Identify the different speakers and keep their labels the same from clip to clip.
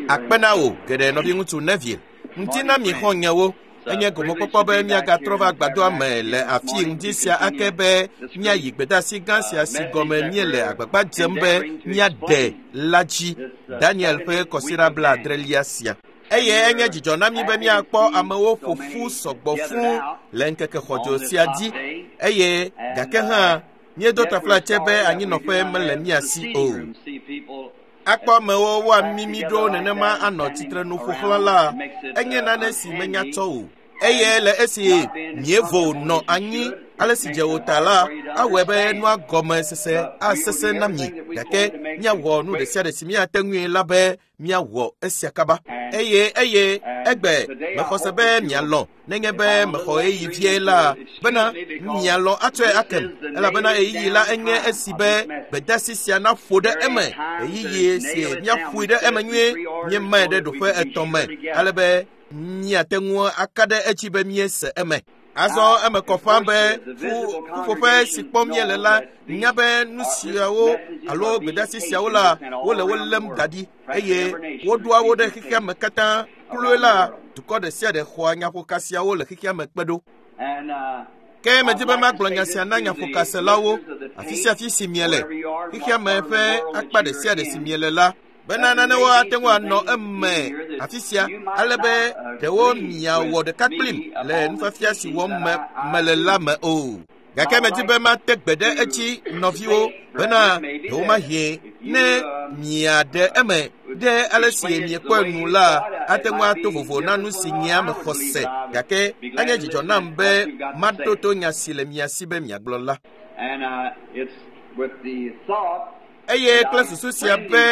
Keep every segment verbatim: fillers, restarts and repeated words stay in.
Speaker 1: Akpe na wò geɖe nɔviŋutsu Neville. Ŋuti na mi xɔ̃nyewo. Enye gomekpɔkpɔ be míagatrɔ va agbadɔa me le afi ŋdi sia ake be míayi gbedeasi gã sia si gɔme míele agbagba dzem be míaɖe la dzi. Daniel ƒe kɔsiɖa blaadrelia sia. Eye enye dzidzɔ na mí be míakpɔ amewo ƒo ƒu sɔgbɔ fũu le ŋkeke xɔdzo sia dzi eye gake hã míedo taflatse be anyinɔƒe mele mía si o. Akpɔ amewo woamimi ɖo nenema anɔ tsitrenu ƒo xlã la, enye nane si menya tsɔ o. Eye le esi míevo nɔ anyi ale si dze wò ta la, awɔe be nua gɔme sese asesẽ na mi gake míawɔ nu ɖe sia ɖe si míate ŋui la be míawɔ esia kaba. Eye eye egbe mexɔ se be mialɔ̃ nenye be mexɔ ɣeyiɣi vie la bena mialɔ̃ atsɔe akem elabena ɣeyiɣi la enye esi be gbedeasi sia naƒo ɖe eme ɣeyiɣi si míaƒoe ɖe eme nyuie míemae ɖe ɖoƒe etɔ̃ me ale be míate ŋu aka ɖe edzi be míese eme. Azɔ eme kɔ ƒã be ƒuƒoƒe si kpɔm míele la nya be nu siawo alo gbedeasi siawo la wole wo lém da ɖi eye woɖoa wo ɖe xexea me katã kloe la dukɔ ɖe sia ɖe xɔa nyaƒoka siawo le xexea me kpe ɖo. Ke medi be magblɔ nya sia na nyaƒokaselawo afi sia afi si miele xexea me ƒe akpa ɖe sia ɖe si miele la bena nanewo ate ŋu anɔ eme afi sia ale be ɖewo miawɔ ɖeka kplim le nufiafia si wɔm me mele la me o. Gake medi be mate gbe ɖe edzi nɔviwo bena ɖewomahi ne miaɖe eme ɖe ale si miekpɔe nu la ate ŋu ato vovo na nu si nyea mexɔ se gake enye dzidzɔ nam be maɖo to nya si le mia si be miagblɔ la. Eye kple susu sia be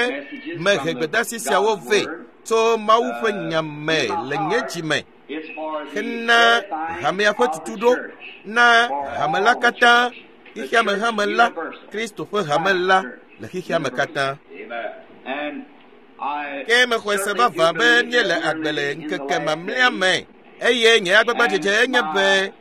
Speaker 1: mehe gbedeasi siawo vɛ tso Mawu ƒe nya me le nye dzi me hena hamea ƒe tutuɖo na hame la katã, xexeame hame la, Kristo ƒe hame la le xexeame katã. Ke mexɔe se vavã be míele agbe le ŋkeke mamlɛa me eye nye agbagbadzedze enye be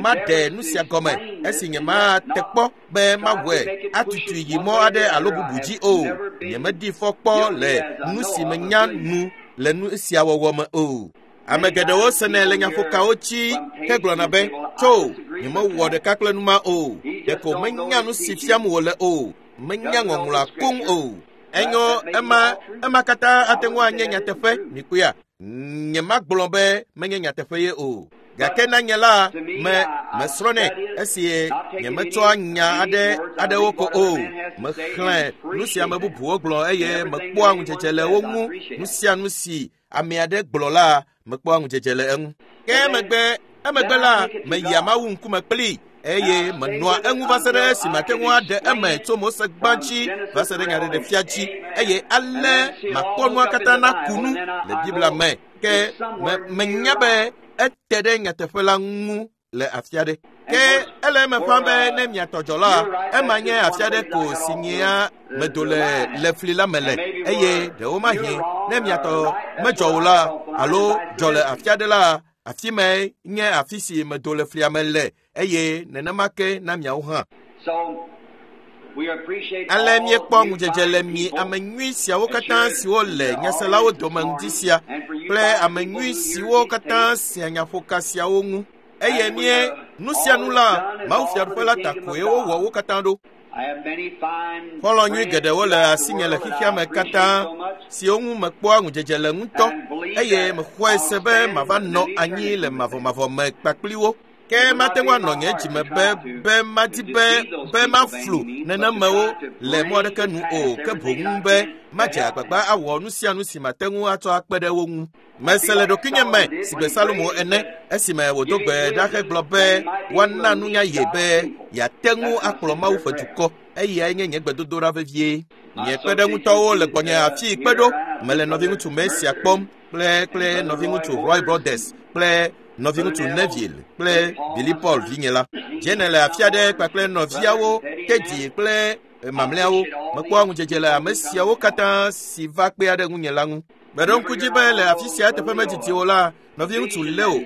Speaker 1: maɖe nu sia gɔme esi nyemate kpɔ be mawɔe atutui yi mɔ aɖe alo bubu dzi o. Nyemedi fɔ kpɔ le nu si menya nu le nu sia wɔwɔ me o. Ame geɖewo senɛ le nyaƒokawo dzi hegblɔna be tso nyemewɔ ɖeka kple nu ma o. Ɖeko menya nu si fiam wòle o. Menya ŋɔŋlɔa koŋ o. Enyo ema ema katã ate ŋu anye nyateƒe mikpɔea. Nyemagblɔ be menye nyateƒe ye o. Gake na nye la me mesrɔ̃nɛ esi nyemetsɔa nya aɖe aɖewo ko o. Mexlẽ nu si ame bubuwo gblɔ eye mekpɔa ŋudzedze le wo ŋu. Nu sia nu si ame aɖe gblɔ la mekpɔa ŋudzedze le eŋu. Ke emegbe emegbe la meyia Mawu ŋkume kplii eye menɔa eŋu va se ɖe esi mate ŋu aɖe eme tso Mose gbã dzi va se ɖe nyaɖeɖefia dzi eye ale makpɔ nua katã naku nu le Biblia me. Ke me menya be ete ɖe nyateƒe la ŋu le afi aɖe. Ke ele eme ƒã be ne miatɔ dzɔ la, ema nye afi aɖe ko si nyea medo le le fli la me le eye ɖewomahi ne miatɔ medzɔ o la alo dzɔ le afi aɖe la, afi mae nye afi si medo le flia me le eye nenema ke na miawo hã. Ale míekpɔ ŋudzedze le mi ame nyui siawo katã siwo le nyaselawo dome ŋdi sia kple ame nyui siwo katã sea nyaƒoka siawo ŋu. Eye mie nu sia nu la, Mawu Fiaɖuƒe la ta koe wowɔ wo katã ɖo. Xɔlɔ̃ nyui geɖewo le asinye le xexea me katã siwo ŋu mekpɔa ŋudzedze le ŋutɔ eye mexɔe se be mava nɔ anyi le mavɔmavɔ me kpakpli wo. Ke mate ŋu anɔ nye dzime be be madi be be maflu nenemewo le mɔ aɖeke nu o ke boŋ be madze agbagba awɔ nu sia nu si mate ŋu atsɔ akpe ɖe wo ŋu. Mese le ɖokuinye me sigbe Salomo ene esime wòdo gbe ɖa hegblɔ be woana nunya ye be yeate ŋu akplɔ Mawu ƒe dukɔ. Eyae nye nye gbedodoɖa vevie. Nye kpeɖeŋutɔwo le gbɔnye afii kpe ɖo. Mele nɔviŋutsu Mesia kpɔm kple kple nɔviŋutsu Roy Brothers kple nɔviŋutsu Neville kple Billy Paul vinye la. Jene le afi aɖe kpakple nɔviawo Teddy kple mamlɛawo. Mekpɔa ŋudzedze le ame siawo katã si va kpea ɖe ŋunye la ŋu. Meɖo ŋku dzi be le afi sia teƒe medidi o la, nɔviŋutsu Leo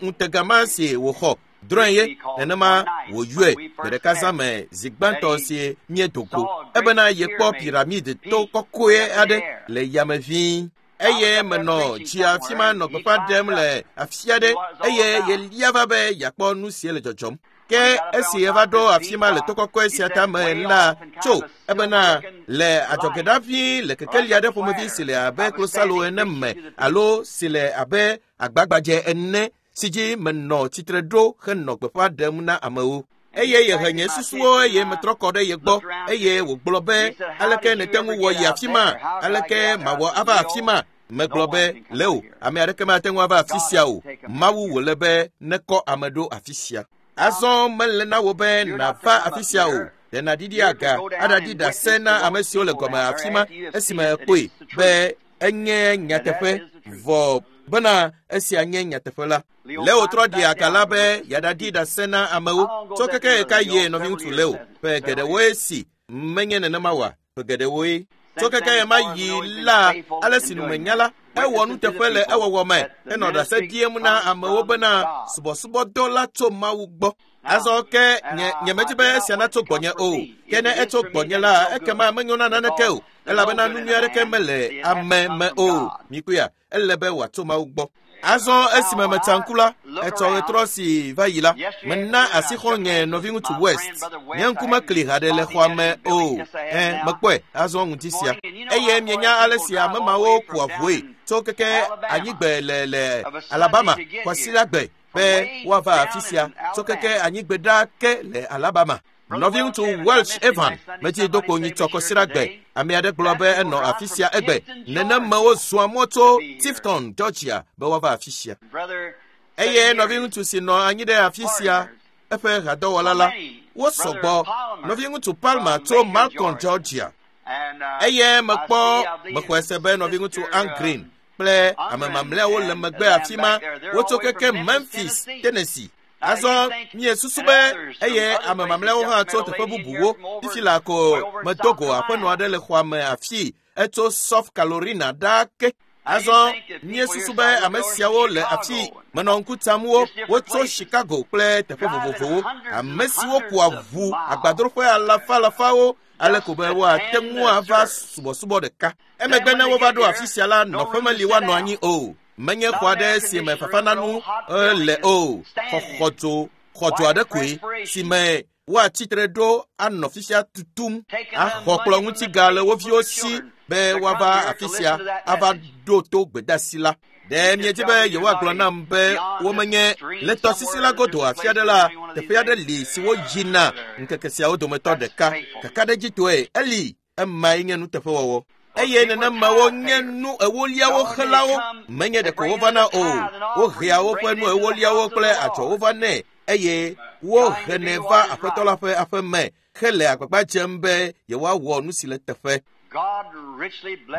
Speaker 1: ŋutega ma si wòxɔ drɔ̃e ye nenema wòyɔe gbe ɖeka zã me zi gbãtɔ si míedo go ebena yekpɔ piramid to kɔkɔe aɖe le yame ʋĩi. Eye menɔ dzi afi ma nɔ gbeƒã ɖem le afi aɖe eye yelia va be yeakpɔ nu si le dzɔdzɔm. Ke esi yeva ɖo afi ma le to kɔkɔe sia tame la tso ebena le adzɔge ɖa vi le kekeli aɖe ƒomevi si le abe klosalo ene me alo si le abe agbagbadze ene si dzi menɔ tsitre ɖo henɔ gbeƒã ɖem na amewo. Eye yehe nye susuwo eye metrɔ kɔ ɖe ye gbɔ eye wògblɔ be aleke nète ŋu wɔ yi afi ma, aleke mawɔ ava afi ma. Megblɔ be Leo, ame aɖeke mate ŋu ava afi sia o. Mawu wòle be nekɔ ame ɖo afi sia. Azɔ mele na wò be nàva afi sia o. Ɖe nàɖiɖi aga aɖaɖi ɖase na ame siwo le gɔme afi ma esime ekpɔe be enye nyateƒe vɔ bena esia nye nyateƒe la. Leo trɔ ɖi aga la be yeaɖaɖi ɖase na amewo. Tso keke ɣeka yie nɔviŋutsu Leo ƒe geɖewoe si menye nenema oa? Ƒe geɖewoe. Tso keke ɣema yi la ale si numenya la ewɔ nuteƒe le ewɔwɔ me henɔ ɖase ɖiem na amewo bena subɔsubɔdɔ la tso Mawu gbɔ. Azɔ ke nye nyemedi be esia natso gbɔnye o. Ke ne etso gbɔnye la ekema menyo na naneke o elabena nu nyui aɖeke mele ame me o. Mikpɔea, ele be wòatso Mawu gbɔ. Azɔ esime metsa ŋku la, etsɔ ɣetrɔ si va yi la, mena asi xɔ̃nye nɔviŋutsu West. Nye ŋku mekli haɖe le xɔa me o. Ẽ, mekpɔe azɔ ŋuti sia. Eye mienya ale si ame mawo kua ʋue tso keke anyigbe le le Alabama kwasiɖagbe be woava afi sia tso keke anyigbe ɖa ke le Alabama. Nɔviŋutsu Welsh Evan metsi do kpo nyitsɔ kwasiɖagbe. Ame aɖe gblɔ be enɔ afi sia egbe. Nenemawo zɔa mɔ tso Tifton, Georgia be woava afi sia. Eye nɔviŋutsu si nɔ anyi ɖe afi sia eƒe hadɔwɔla la, wosɔgbɔ. Nɔviŋutsu Palmer tso Malcolm, Georgia. Eye mekpɔ mexɔe se be nɔviŋutsu Ann Green kple ame mamlɛawo le megbe afi ma. Wotso keke Memphis, Tennessee. Azɔ miesusu be eye ame mamlɛawo hã tso teƒe bubuwo. Fifi la ko medo go aƒenɔ aɖe le xɔa me afii. Etso South Carolina ɖaa ke. Azɔ miesusu be ame siawo le afii. Menɔ ŋku tsam wo. Wotso Chicago kple teƒe vovovowo. Ame siwo kua ʋu agbadroƒe alafa alafawo ale ko be woate ŋu ava subɔsubɔ ɖeka. Emegbe ne wova ɖo afi sia la, nɔƒe meli woanɔ anyi o. Menye xɔ aɖe si me fafananu le o. Xɔxɔdzo xɔdzo aɖe koe si me woatsitre ɖo anɔ fisia tutum axɔ kplɔ ŋuti ga le wo viwo si be woava afi sia ava ɖo to gbedeasi la. Ɖe miedi be yewoagblɔ nam be womenye le tɔsisi la godo afi aɖe la, teƒe aɖe li si woyina ŋkeke siawo dometɔ ɖeka. Kakaɖedzitɔe eli emae nye nuteƒewɔwɔ. Eye nenemawo nye nu ewoliawo xelawo menye ɖeko wovana o. Wohea woƒe nu ewoliawo kple adzɔwo va nɛ eye wohenɛ va aƒetɔ la ƒe aƒe me hele agbagba dzem be yewoawɔ nu si le teƒe.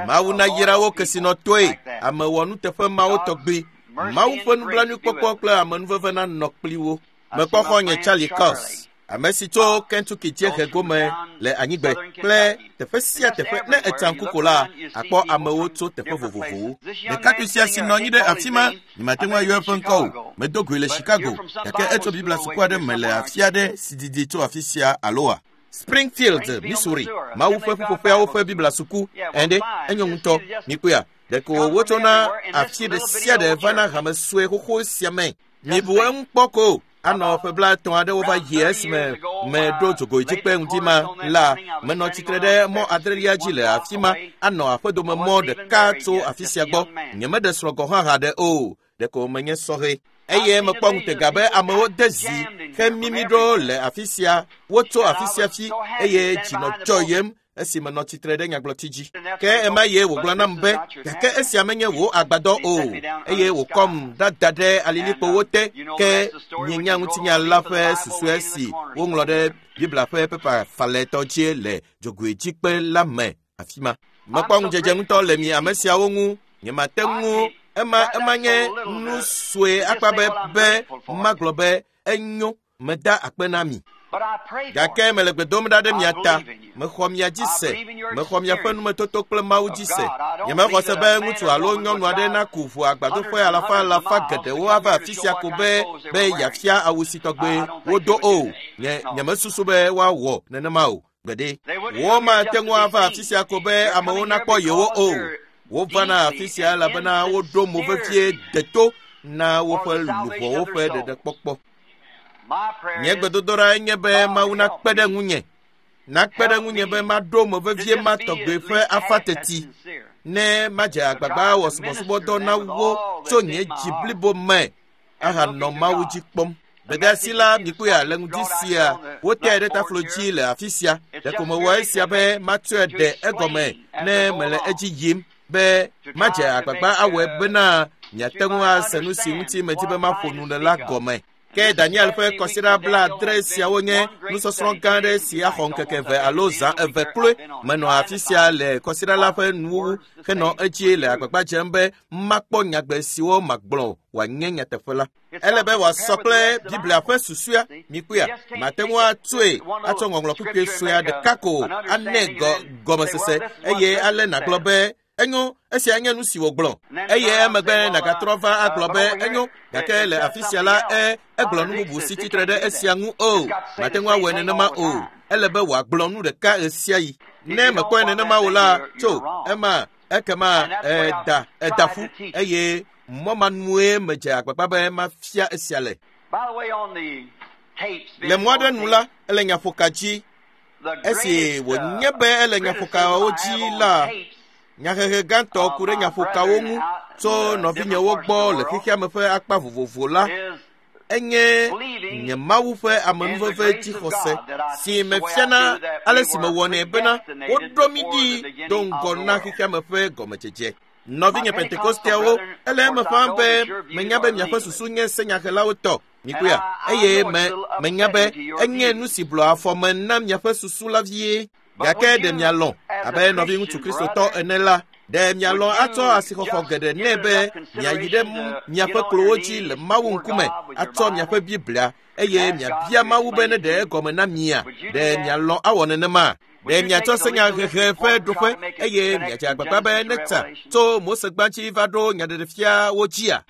Speaker 1: Mawu nayra wo kesinɔtɔe, ame wɔ nuteƒe mawo tɔgbi. Mawu ƒe nublanuikpɔkpɔ kple amenuveve nanɔ kpli wo. Mekpɔ xɔ̃nye Charlie Cox, ame si tso Kentucky dziehe gome le anyigbe kple teƒe sia teƒe. Ne etsa ŋku ko la, akpɔ amewo tso teƒe vovovowo. Ɖekakpui sia si nɔ anyi ɖe afi ma, nyemate ŋu ayɔ eƒe ŋkɔ o. Medo goe le Chicago, gake etso Biblia suku aɖe me le afi aɖe si didi tso afi sia aloa? Springfield, Missouri, Mawu ƒe ƒuƒoƒeawo ƒe Biblia suku. Ɛnde, enyo ŋutɔ. Mikpɔea, ɖeko wotsona afi ɖe sia ɖe vana hame sue xoxo sia me. Mibu eŋu kpɔ ko. Anɔ ƒe blaetɔ̃ aɖewo va yi esime meɖo dzogoedzikpe ŋdi ma la, menɔ tsitre ɖe mɔ adrelia dzi le afi ma anɔ aƒedome mɔ ɖeka tso afi sia gbɔ. Nyemeɖe srɔ̃ gɔ̃ hã haɖe o. Ɖeko menye sɔhɛ. Eye mekpɔ ŋutega be amewo de zi hemimi ɖo le afi sia. Wotso afi sia fi eye dzi nɔ dzɔyem esi menɔ tsitre ɖe nyagblɔti dzi. Ke ema ye wògblɔ nam be, gake esia menye wò agbadɔ o. Eye wòkɔm ɖada ɖe alilikpowo te. Ke mienya ŋutinya la ƒe susɔe si woŋlɔ ɖe Biblia ƒe pepa falɛtɔ dzi le dzogoedzikpe la me afi ma. Mekpɔ ŋudzedze ŋutɔ le mi ame siawo ŋu. Nyemate ŋu ema ema nye nu sue akpa be be magblɔ be enyo meda akpe na mi. Gake mele gbe dom ɖa ɖe mia ta. Mexɔ mia dzi se. Mexɔ miaƒe numetoto kple Mawu dzi se. Nyemexɔ se be ŋutsu alo nyɔnu aɖe naku ʋu agbadroƒe alafa alafa geɖewo ava afi sia ko be be yeafia awu si tɔgbe wodo o. Nye nyemesusu be woawɔ nenema o. Gbeɖe. Womate ŋu ava afi sia ko be amewo nakpɔ yewo o. Wovana afi sia elabena woɖo mo vevie deto na woƒe luʋɔwo ƒe ɖeɖekpɔkpɔ. Nye gbedodoɖa nye be Mawu nakpe ɖe ŋunye. Nakpe ɖe ŋunye be maɖo mo vevie ma tɔgbe ƒe afa teti ne madze agbagba wɔ subɔsubɔdɔ na wo tso nye dzi blibo me ahanɔ Mawu dzi kpɔm. Gbedeasi la mikpɔe le ŋdi sia woteae ɖe taflo dzi le afi sia. Ɖeko mewɔ esia be matsɔe ɖe egɔme ne mele edzi yim be madze agbagba awɔe bena miate ŋu ase nu si ŋuti medi be maƒo nu le la gɔme. Ke Daniel ƒe kɔsiɖa blaadre siawo nye nusɔsrɔ̃ gã aɖe si axɔ ŋkeke eve alo zã eve kloe. Menɔ afi sia le kɔsiɖa la ƒe nuwuwu henɔ edzi le agbagba dzem be makpɔ nyagbe siwo magblɔ wòanye nyateƒe la. Ele be wòasɔ kple Biblia ƒe susua mikpɔea. Mate ŋu atsoe atsɔ ŋɔŋlɔ kpukpui sue ɖeka ko anɛ gɔmesese eye ale nàgblɔ be enyo esia nye nu si wògblɔ eye emegbe nàgatrɔ va agblɔ be enyo gake le afi sia la e egblɔ nu bubu si tsitre ɖe esia ŋu o. Mate ŋu awɔe nenema o. Ele be wòagblɔ nu ɖeka ɣe sia ɣi. Ne mekpɔe nenema o la, tso ema ekema eda eda ƒu eye mɔ ma nue medze agbagba be mafia esia le. Le mɔ aɖe nu la, ele nyaƒoka dzi. Esi wònye be ele nyaƒokawo dzi la, nyahehe gãtɔ ku ɖe nyaƒokawo ŋu tso nɔvinyewo gbɔ le xexeame ƒe akpa vovovo la, enye nye Mawu ƒe amenuveve dzixɔse si mefiana ale si mewɔnɛ bena woɖo mí ɖi do ŋgɔ na xexeame ƒe gɔmedzedze. Nɔvinye Pentekosteawo, ele eme ƒãa be menya be miaƒe susu nye senyahelawo tɔ mikpɔea eye me menya be enye nu si blɔ afɔme na miaƒe susu la vie. Gake ɖe mialɔ̃ abe nɔviŋutsu Kristotɔ ene la, ɖe mialɔ̃ atsɔ asixɔxɔ geɖe nɛ be miayi ɖe miaƒe klowo dzi le Mawu ŋkume atsɔ miaƒe Biblia eye miabia Mawu be ne ɖe egɔme na mia. Ɖe mialɔ̃ awɔ nenema? Ɖe miatsɔ senyahehe ƒe ɖoƒe eye miadze agbagba be netsa tso Mose gbãdzi va ɖo nyaɖeɖefiawo dzia?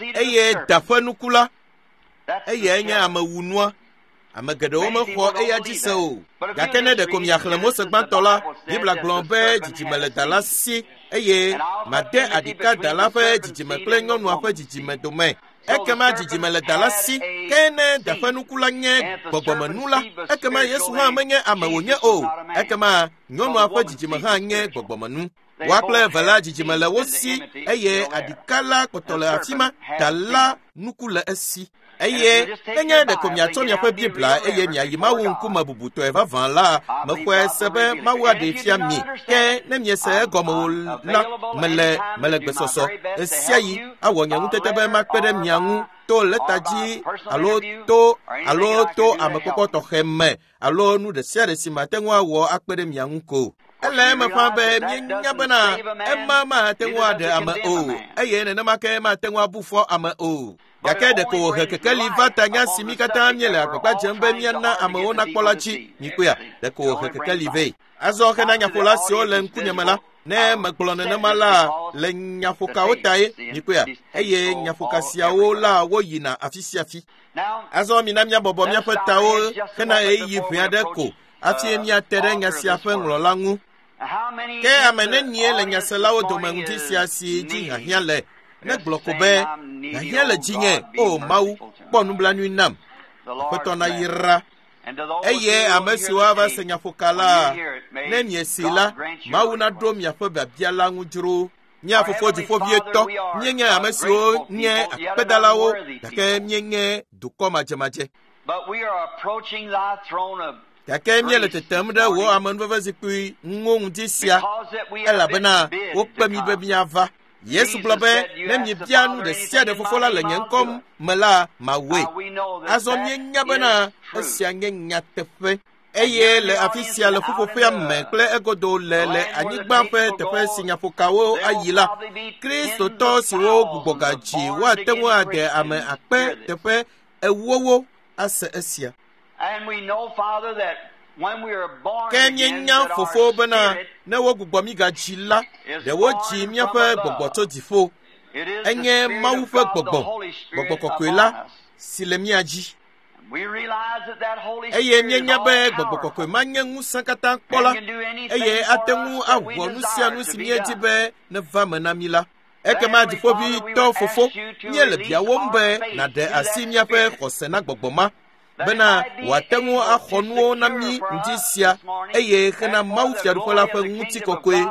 Speaker 1: Eye da ƒe nuku la, eyae nye amewunua. Ame geɖewo mexɔ eya dzi se o. Gake ne ɖeko miaxlẽ Mose gbãtɔ la, Biblia gblɔ be dzidzime le da la si eye made aɖika da la ƒe dzidzime kple nyɔnua ƒe dzidzime dome. Ekema dzidzime le da la si, ke ne da ƒe nuku la nye gbɔgbɔmenu la, ekema Yesu hã menye ame wònye o. Ekema nyɔnua ƒe dzidzime hã nye gbɔgbɔmenu. Woa kple eve la dzidzime le wo si eye aɖika la kpɔtɔ le afi ma, da la nuku le esi. Eye nenye ɖeko miatsɔ miaƒe Biblia eye miayi Mawu ŋkume bubutɔe vavã la, mexɔe se be Mawu aɖee fia mi. Ke ne miese egɔme o la, mele mele gbesɔsɔ ɣe sia ɣi awɔ nye ŋutete be makpe ɖe mia ŋu to lɛta dzi alo to alo to amekpɔkpɔ tɔxɛ me alo nu ɖe sia ɖe si mate ŋu awɔ akpe ɖe mia ŋu ko. Ele eme ƒã be míenya bena ema mate ŋu aɖe ame o eye nenema ke mate ŋu abu fɔ ame o. Gake ɖeko wòhe kekeli va ta nya si mí katã míele agbagba dzem be míana amewo nakpɔ la dzi. Mikpɔea, ɖeko wòhe kekeli vɛ. Azɔ hena nyaƒola siwo le ŋkunye me la, ne megblɔ nenema la le nyaƒokawo tae mikpɔea, eye nyaƒoka siawo la woyina afi sia afi. Azɔ mina míabɔbɔ míaƒe tawo hena ɣeyiɣi ʋɛ aɖe ko hafi míate ɖe nya sia ƒe ŋlɔla ŋu. Ke ame nenie le nyaselawo dome ŋdi sia si dzi hiahiã le? Negblɔ ko be, hiahiã le dzinye, o Mawu, kpɔ nublanui nam. Aƒetɔ nayra. Eye ame siwo ava se nyaƒoka la, ne miesi la, Mawu naɖo miaƒe biabia la ŋu dzro. Mía fofo dziƒovietɔ, míenye ame siwo nye akpedalawo, gake míenye dukɔ madzemadze. Gake míele tetem ɖe wò amenuvevezikpui ŋu ŋdi sia, elabena wokpe mí be míava. Yesu gblɔ be ne miebia nu ɖe sia ɖe fofo la le nye ŋkɔ me la, mawɔe. Azɔ míenya bena esia nye nyateƒe. Eye le afi sia le ƒuƒoƒea me kple egodo le le anyigba ƒe teƒe si nyaƒokawo ayi la, Kristotɔ siwo gbugbɔ gadzi woate ŋu ade ame akpe teƒe ewowo ase esia. Ke míenya fofo bena ne wogbugbɔ mí gadzi la, ɖe wodzi míaƒe gbɔgbɔ tso dziƒo. Enye Mawu ƒe gbɔgbɔ, gbɔgbɔ kɔkɔe la, si le mía dzi. Eye míenya be gbɔgbɔ kɔkɔe ma nye ŋusẽ katã kpɔla eye ate ŋu awɔ nu sia nu si míedi be neva me na mí la. Ekema dziƒoʋĩtɔ fofo, míele biawòm be nàɖe asi míaƒe xɔse na gbɔgbɔ ma bena wòate ŋu axɔ nuwo na mí ŋdi sia eye hena Mawu Fiaɖuƒe la ƒe ŋutikɔkɔe,